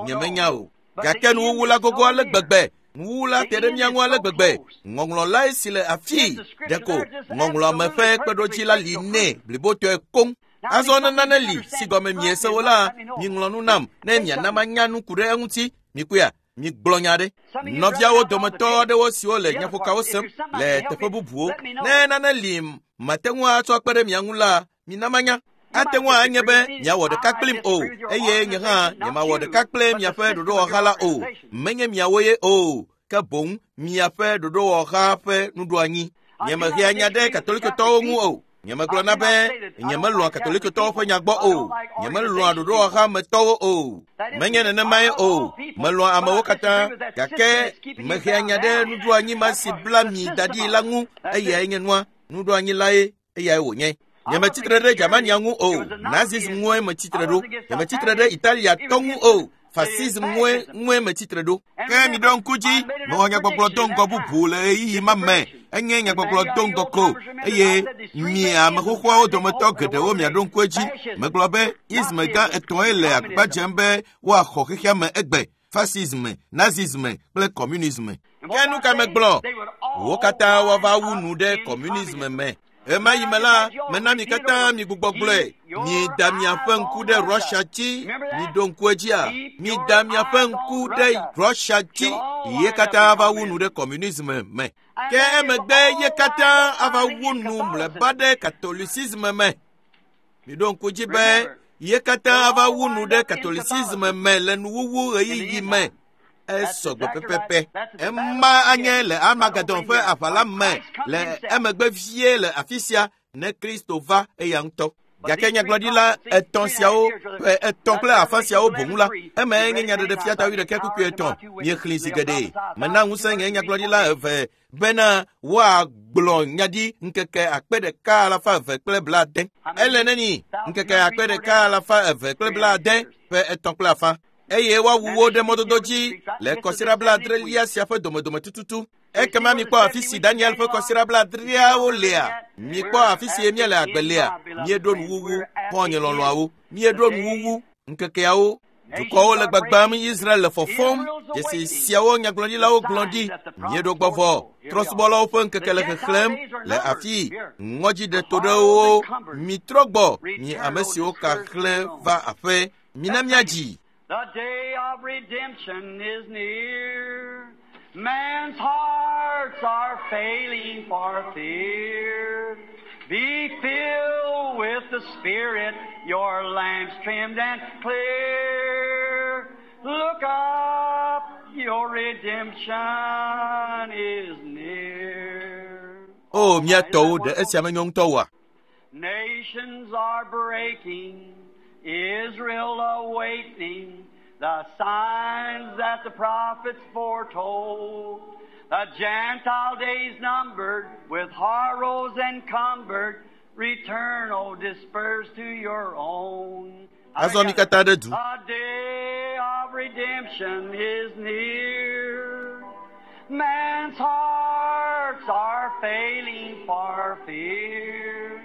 Speaker 1: Nyemenya o. Gake nuwuwu la gogo ale gbegbe. Nuwuwu la te ɖe mía ŋu ale gbegbe. Ŋɔŋlɔ lae si le afii. Ɖeko ŋɔŋlɔame ƒe kpeɖodzi la li nɛ blibotɔe koŋ. Azɔ ne nane li si gɔme miese wo la, miŋlɔ nu nam ne miana manya nu ku ɖe eŋuti. Mikpɔea? Migblɔ nya ɖe. Nɔviawo dometɔ aɖewo siwo le nyaƒokawo sem le teƒe bubuwo, ne nane li mate ŋu atsɔ akpe ɖe mia ŋu la, mina manya. Ate ŋu anye be miawɔ ɖeka kplim o, eye nye hã nyemawɔ ɖeka kple miaƒe ɖoɖowɔha la o. Menye miawo ye o, ke boŋ miaƒe ɖoɖowɔha ƒe nuɖoanyi. Nyemehea nya ɖe Katolikotɔwo ŋu o. Nyemegblɔna be nyemelɔ̃a Katolikotɔwo ƒe nya gbɔ o. Nyemelɔ̃a ɖoɖowɔha me tɔwo o. Menye nenemae o. Melɔ̃a amewo katã, gake mehea nya ɖe nuɖoanyi ma si bla mi da ɖi la ŋu. Eyae nye nua. Nuɖoanyi lae eyae wònye. Nyemetsitre ɖe Germania ŋu o. Nazism ŋue metsitre ɖo. Nyemetsitre ɖe Italiatɔ ŋu o. Fasism ŋue ŋue metsitre ɖo. Ke miɖo ŋku dzi, mewɔ nyagbɔgblɔ do ŋgɔ bubu le ɣeyiɣi ma me. Enye nyagbɔgblɔ do ŋgɔ ko. Eye mi ame xoxoawo dometɔ geɖewo miaɖo ŋku edzi. Megblɔ be ism gã etɔ̃e le agbagba dzem be woaxɔ xexea me egbe. Fasism, nazism kple communism. Ke nu ka megblɔ? Wo katã woava wu nu ɖe communism me. Ema yi me la, mena mi katã mi gbugbɔ gblɔe. Mida miaƒe ŋku ɖe Russia dzi. Miɖo ŋku edzia? Mida miaƒe ŋku ɖe Russia dzi. Ye katã ava wu nu ɖe communism me. Ke emegbe ye katã ava wu nu mlɔeba ɖe Catholicism me. Miɖo ŋku dzi be ye katã ava wu nu ɖe Catholicism me le nuwuwu ɣeyiɣi me. Esɔ gbe pɛpɛpɛ. Ema anye le Armageddon ƒe aʋa la me le emegbe vie le afi sia ne Kristo va eya ŋutɔ. Gake nyagblɔɖila etɔ̃ siawo ƒe etɔ̃ kple afã siawo boŋ la, emae nye nyaɖeɖefia ta wuiɖekɛ kpukpui etɔ̃. Miexlẽ zi geɖe. Mena ŋusẽ nye nyagblɔɖila eve bena woagblɔ nya ɖi ŋkeke akpe ɖeka alafa eve kple blaade. Ele neni ŋkeke akpe ɖeka alafa eve kple blaade ƒe etɔ̃ kple afã. Eye woawu wo ɖe mɔdodo dzi le kɔsiɖa blaadrelia sia ƒe domedome tututu. Ekema mikpɔ afi si Daniel ƒe kɔsiɖa blaadreawo lea. Mikpɔ afi si míele agbe lea. Míeɖo nuwuwu, xɔ̃nye lɔlɔ̃awo. Míeɖo nuwuwu ŋkekeawo. Dukɔwo le gbagbam, Israel le fɔfɔm. Dzesi siawo nyagblɔɖilawo gblɔ ɖi. Míeɖo gbɔ vɔ. Trɔ̃subɔlawo ƒe ŋkeke le xexlẽm le afii. Ŋɔdzi ɖe to ɖe wo. Mitrɔ gbɔ, mi ame siwo ka xlẽ va aƒe. Mina míadzi.
Speaker 2: The day of redemption is near. Man's hearts are failing for fear. Be filled with the Spirit, your lamps trimmed and clear. Look up, your redemption is near.
Speaker 1: O mía tɔwo ɖe esia menyo ŋutɔ oa?
Speaker 2: Nations are breaking, Israel awaiting the signs that the prophets foretold. The Gentile days numbered, with horrors encumbered, return, O dispersed to your own.
Speaker 1: Azɔ mi katã ɖe du.
Speaker 2: The day of redemption is near. Man's hearts are failing for fear.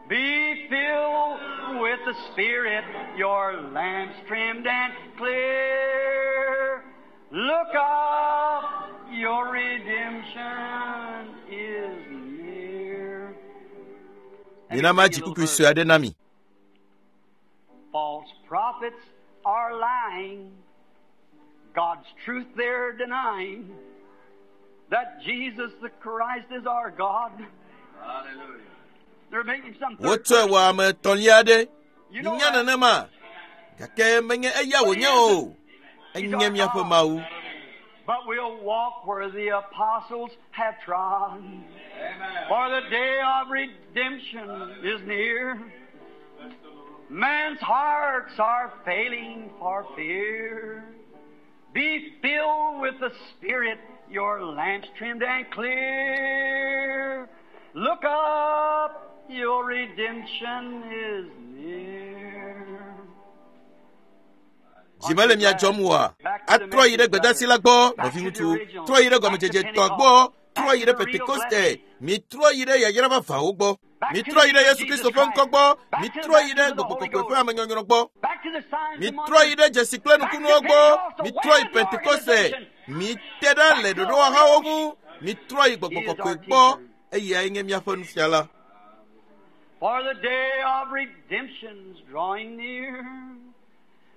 Speaker 2: Be filled with the Spirit, your lamps trimmed and clear. Look up, your redemption is near.
Speaker 1: Mina madzi kpukpui sue aɖe na mi.
Speaker 2: False prophets are lying. God's truth they're denying. That Jesus the Christ is our God.
Speaker 3: Hallelujah.
Speaker 2: They're making some third
Speaker 1: Wotsɔe wɔ ame etɔ̃lia aɖe.
Speaker 2: You know
Speaker 1: Minya
Speaker 2: that.
Speaker 1: nenema. Gake menye eya wònye o. Enye míaƒe Mawu.
Speaker 2: But we'll walk where the apostles have trod.
Speaker 3: Amen.
Speaker 2: For the day of redemption is near. Man's hearts are failing for fear. Be filled with the Spirit, your lamps trimmed and clear. Look up, your redemption is near.
Speaker 1: Dzi mele mia dzɔm oa? Atrɔ yi ɖe gbedasi la gbɔ, nɔviŋutsu. Trɔ yi ɖe gɔmedzedzetɔ gbɔ. Trɔ yi ɖe Pentekoste. Mitrɔ yi ɖe yayra vavãwo gbɔ. Mitrɔ yi ɖe Yesu Kristo ƒe ŋkɔ gbɔ. Mitrɔ yi ɖe Gbɔgbɔ Kɔkɔe ƒe amenyɔnyrɔ gbɔ.
Speaker 2: Back to the signs and
Speaker 1: Mitrɔ yi ɖe dzesi kple nukunuwo gbɔ. Mitrɔ yi Pentekoste. Mite ɖa le ɖoɖowɔhawo ŋu. Mitrɔ yi Gbɔgbɔ Kɔkɔe gbɔ. Eyae nye míaƒe nufiala.
Speaker 2: For the day of redemption's drawing near.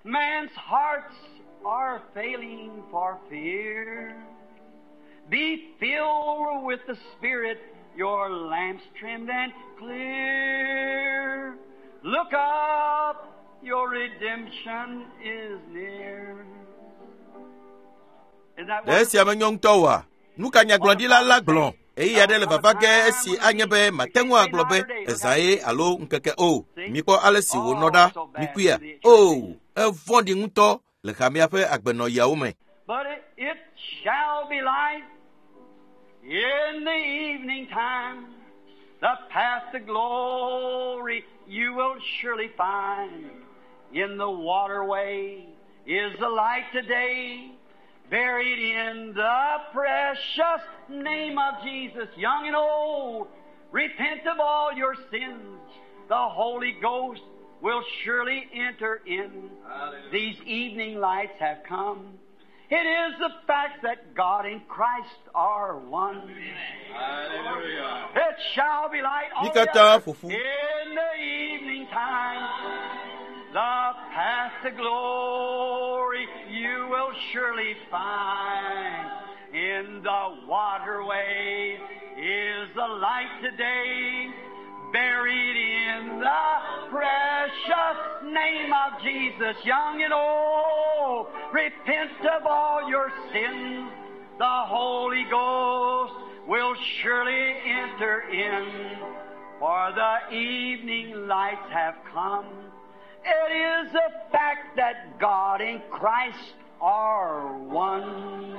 Speaker 2: Man's hearts are failing for fear. Be filled with the Spirit, your lamps trimmed and clear. Look up, your redemption is near. Isn't that
Speaker 1: Ɖe esia menyo ŋutɔ oa? Nu ka nyagblɔɖila la gblɔ? Ɣeyiɣi aɖe le vava ge esi anye be mate ŋu agblɔ be ezã ye alo ŋkeke o. Mikpɔ ale si wònɔ ɖa. Mikuia. O, evɔ̃ɖi ŋutɔ le hamea ƒe agbenɔɣiawo me.
Speaker 2: But it, it shall be light in the evening time. The path to glory you will surely find. In the waterway is the light today, buried in the precious name of Jesus. Young and old, repent of all your sins. The Holy Ghost will surely enter in.
Speaker 3: Hallelujah.
Speaker 2: These evening lights have come. It is the fact that God and Christ are one.
Speaker 3: Hallelujah.
Speaker 2: It shall be light
Speaker 1: Mi
Speaker 2: all
Speaker 1: katã
Speaker 2: the
Speaker 1: ƒo ƒu.
Speaker 2: in the evening time. The path to glory you will surely find. In the waterway is the light today, buried in the precious name of Jesus, young and old. Repent of all your sins. The Holy Ghost will surely enter in, for the evening lights have come. It is a fact that God and Christ are one.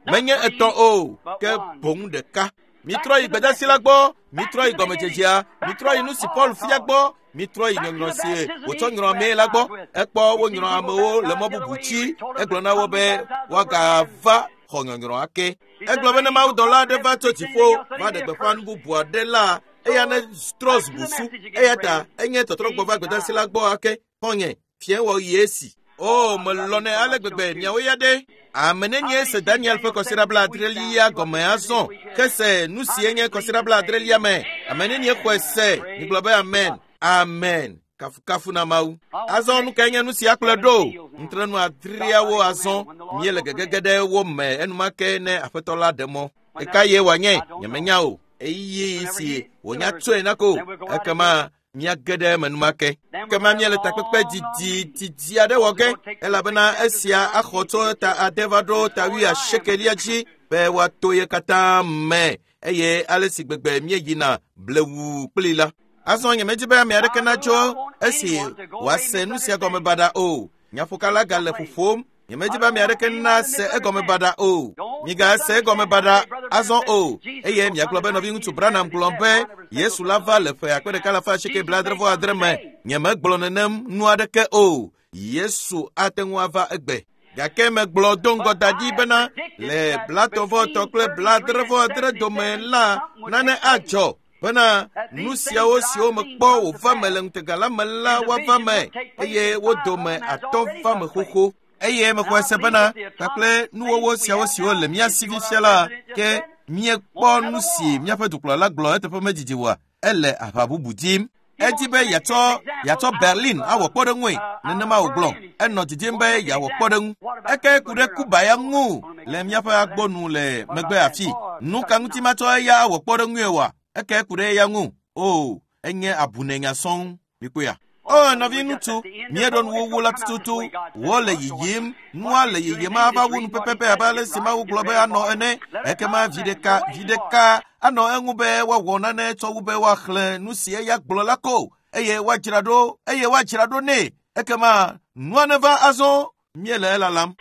Speaker 1: Menye etɔ̃ o, ke boŋ ɖeka. Mitrɔ yi gbedasi la gbɔ, mitrɔ yi gɔmedzedzea, mitrɔ yi nu si Paul fia gbɔ, mitrɔ yi nyɔnyrɔ si wòtsɔ nyrɔ amee la gbɔ. Ekpɔ wonyrɔ amewo le mɔ bubu dzi. Egblɔ na wo be woagava xɔ nyɔnyrɔ ake. Egblɔ be ne mawudɔla aɖe va tso dziƒo va ɖe gbeƒã nu bubu aɖe la, eya ne trɔ zu busu. Eya ta enye tɔtrɔgbɔ va gbedasi la gbɔ ake. Xɔ̃nye, fiẽ wɔɣi esi. O, melɔ̃nɛ ale gbegbe miawo ya ɖe. Ame nenie se Daniel ƒe kɔsiɖa blaadrelia gɔme azɔ ke se nu si enye kɔsiɖa blaadrelia me. Ame nenie xɔe se migblɔ be amen. Amen. Kafukafu na Mawu. Azɔ nu kae nye nu sia kplɔe ɖo? Ŋutrenu adreawo azɔ míele gegege ɖe wo me enumake ne aƒetɔ la ɖe mɔ. Ɣeka ye wòanye? Nyemenya o. Eye si wònya tsɔe na ko ekema míage ɖe eme enumake. Ekema míele takpekpe didi didi aɖe wɔ ge elabena esia axɔ tso ta ade va ɖo ta wuiasiekelia dzi be woato ye katã me eye ale si gbegbe míeyina blewu kpli la. Azɔ nyemedi be ame aɖeke natso esi wòase nu sia gɔme baɖa o. Nyaƒokala gale ƒoƒom. Nyemedi be ame aɖeke nase egɔme baɖa o. Migase egɔme baɖa azɔ o. Eye miagblɔ be nɔviŋutsu Branham gblɔ be Yesu la va le ƒe akpe ɖeka alafa asieke blaadre vɔ adre me. Nyemegblɔ nenem nu aɖeke o. Yesu ate ŋu ava egbe. Gake megblɔ do ŋgɔ da ɖi bena le blatɔ̃ vɔ etɔ̃ kple blaadre vɔ adre dome la nane adzɔ bena nu siawo siwo mekpɔ wòva me le ŋutega la me la woava me eye wo dome atɔ̃ va me xoxo. Eye mexɔe se bena kpakple nuwɔwɔ siawo siwo le mía si fifia la ke míekpɔ nu si míaƒe dukplɔla gblɔ eteƒe medidi oa ele aʋa bubu dim. Edi be yeatsɔ yeatsɔ Berlin awɔ kpɔɖeŋue nenema wògblɔ. Enɔ didim be yeawɔ kpɔɖeŋu. Eke ku ɖe Kuba ya ŋu le míaƒe agbɔnu le megbe afi. Nu ka ŋuti matsɔ eya awɔ kpɔɖeŋue oa? Eke ku ɖe eya ŋu. O, enye abunenya sɔŋ. Mikpɔea? O, nɔviŋutsu, míeɖo nuwuwu la tututu. Wole yiyim, nua le yiyim ava wu nu pɛpɛpɛ abe ale si Mawu gblɔ be anɔ ene. Ekema vi ɖeka, vi ɖeka anɔ eŋu be woawɔ nane tsɔ wu be woaxlẽ nu si eya gblɔ la ko eye woadzra ɖo eye woadzra ɖo nɛ. Ekema nua neva azɔ míele elalam.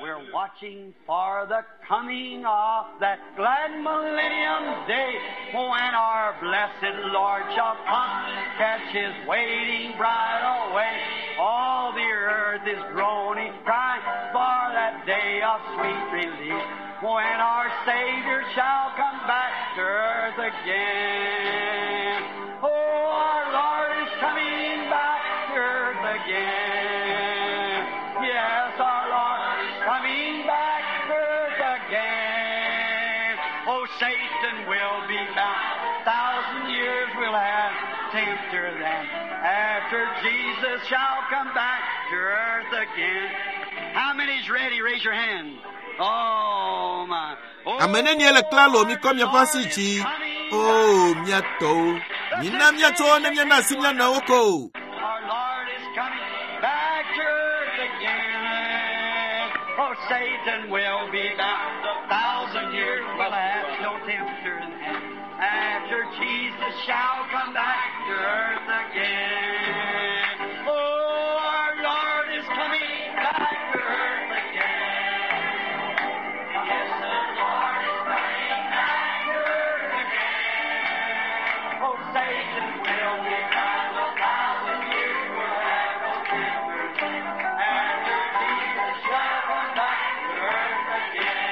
Speaker 2: We're watching for the coming of that glad millennium day when our blessed Lord shall come, catch his waiting bride away. All the earth is groaning, crying for that day of sweet release when our Savior shall come back to earth again. Oh, our Lord is coming back to earth again. Yes, our Lord is coming back to earth again. Oh, Satan will be bound. Thousand years we'll have tempter then. After Jesus shall come back to earth again. How many's ready? Raise your hand. Oh, my. Oh,
Speaker 1: Ame nenie le klalo mikɔ miaƒe asi dzi. O, mía tɔwo. Mina míatsɔ ne míana asi mía nɔewo ko.
Speaker 2: Our Lord is coming back to earth again. Oh, Satan will be bound. A thousand years will have no tempter then. After Jesus shall come back to earth again. Oh, our Lord is coming back to earth again. Yes, the Lord is coming back to earth again. Oh, Satan will be bound. A thousand years will have no tempter then. After Jesus shall come back to earth again.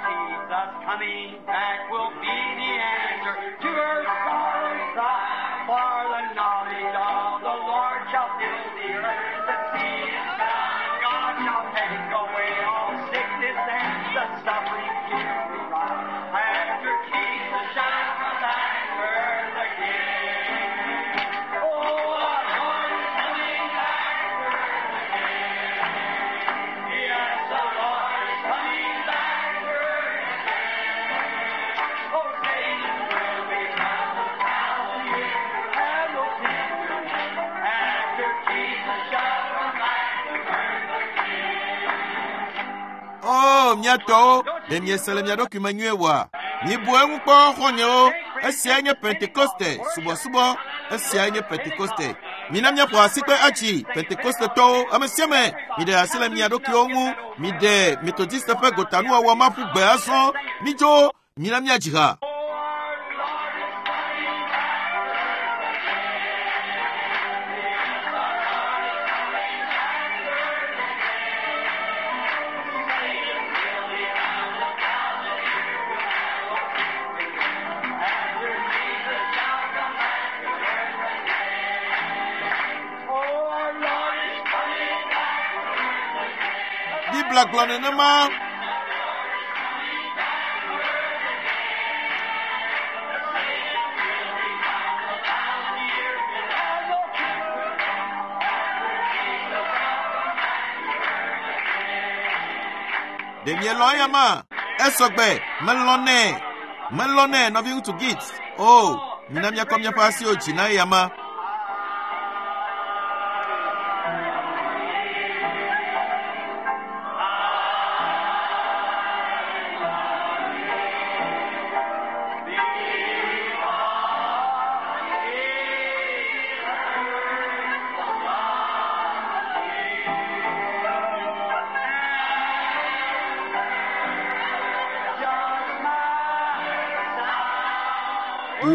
Speaker 2: Jesus coming back will be the answer to earth's sorrowing cry. For the knowledge of the Lord shall fill the earth, the sea is bound. God shall take away all sickness and the suffering here we cry. After Jesus shall come back to earth again. Oh, our Lord is coming back to earth again. Yes, the Lord is coming back to earth again. Oh, Satan will be bound a thousand years and no tempter after Jesus shall come back to earth again.
Speaker 1: O, mía tɔwo, ɖe miese le mia ɖokui me nyuie oa? Mibu eŋu kpɔ xɔ̃nyewo. Esiae nye Pentekoste subɔsubɔ. Esiae nye Pentekoste. Mina míaƒo asikpe atsi Pentekostetɔwo ame sia ame. Miɖe asi le mia ɖokuiwo ŋu. Miɖe Metodiste ƒe gotanuwɔwɔ ma ƒu gbe azɔ. Midzo, mina míadzi ha.
Speaker 2: Oh, our Lord is coming back to earth again. Yes, our Lord is coming back to earth again. Satan will be bound a thousand years will have no tempter after Jesus shall come back to earth again. Oh, our Lord is coming back to earth again.
Speaker 1: Biblia gblɔ nenema. Ɖe mielɔ̃ eya ma? Esɔgbe, melɔ̃nɛ. Melɔnɛ nɔviŋutsu Gibbs. O, mina míakɔ míaƒe asiwo dzi na eyama.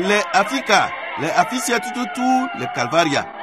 Speaker 1: Le afi ka? Le afi sia tututu le Kalvaria.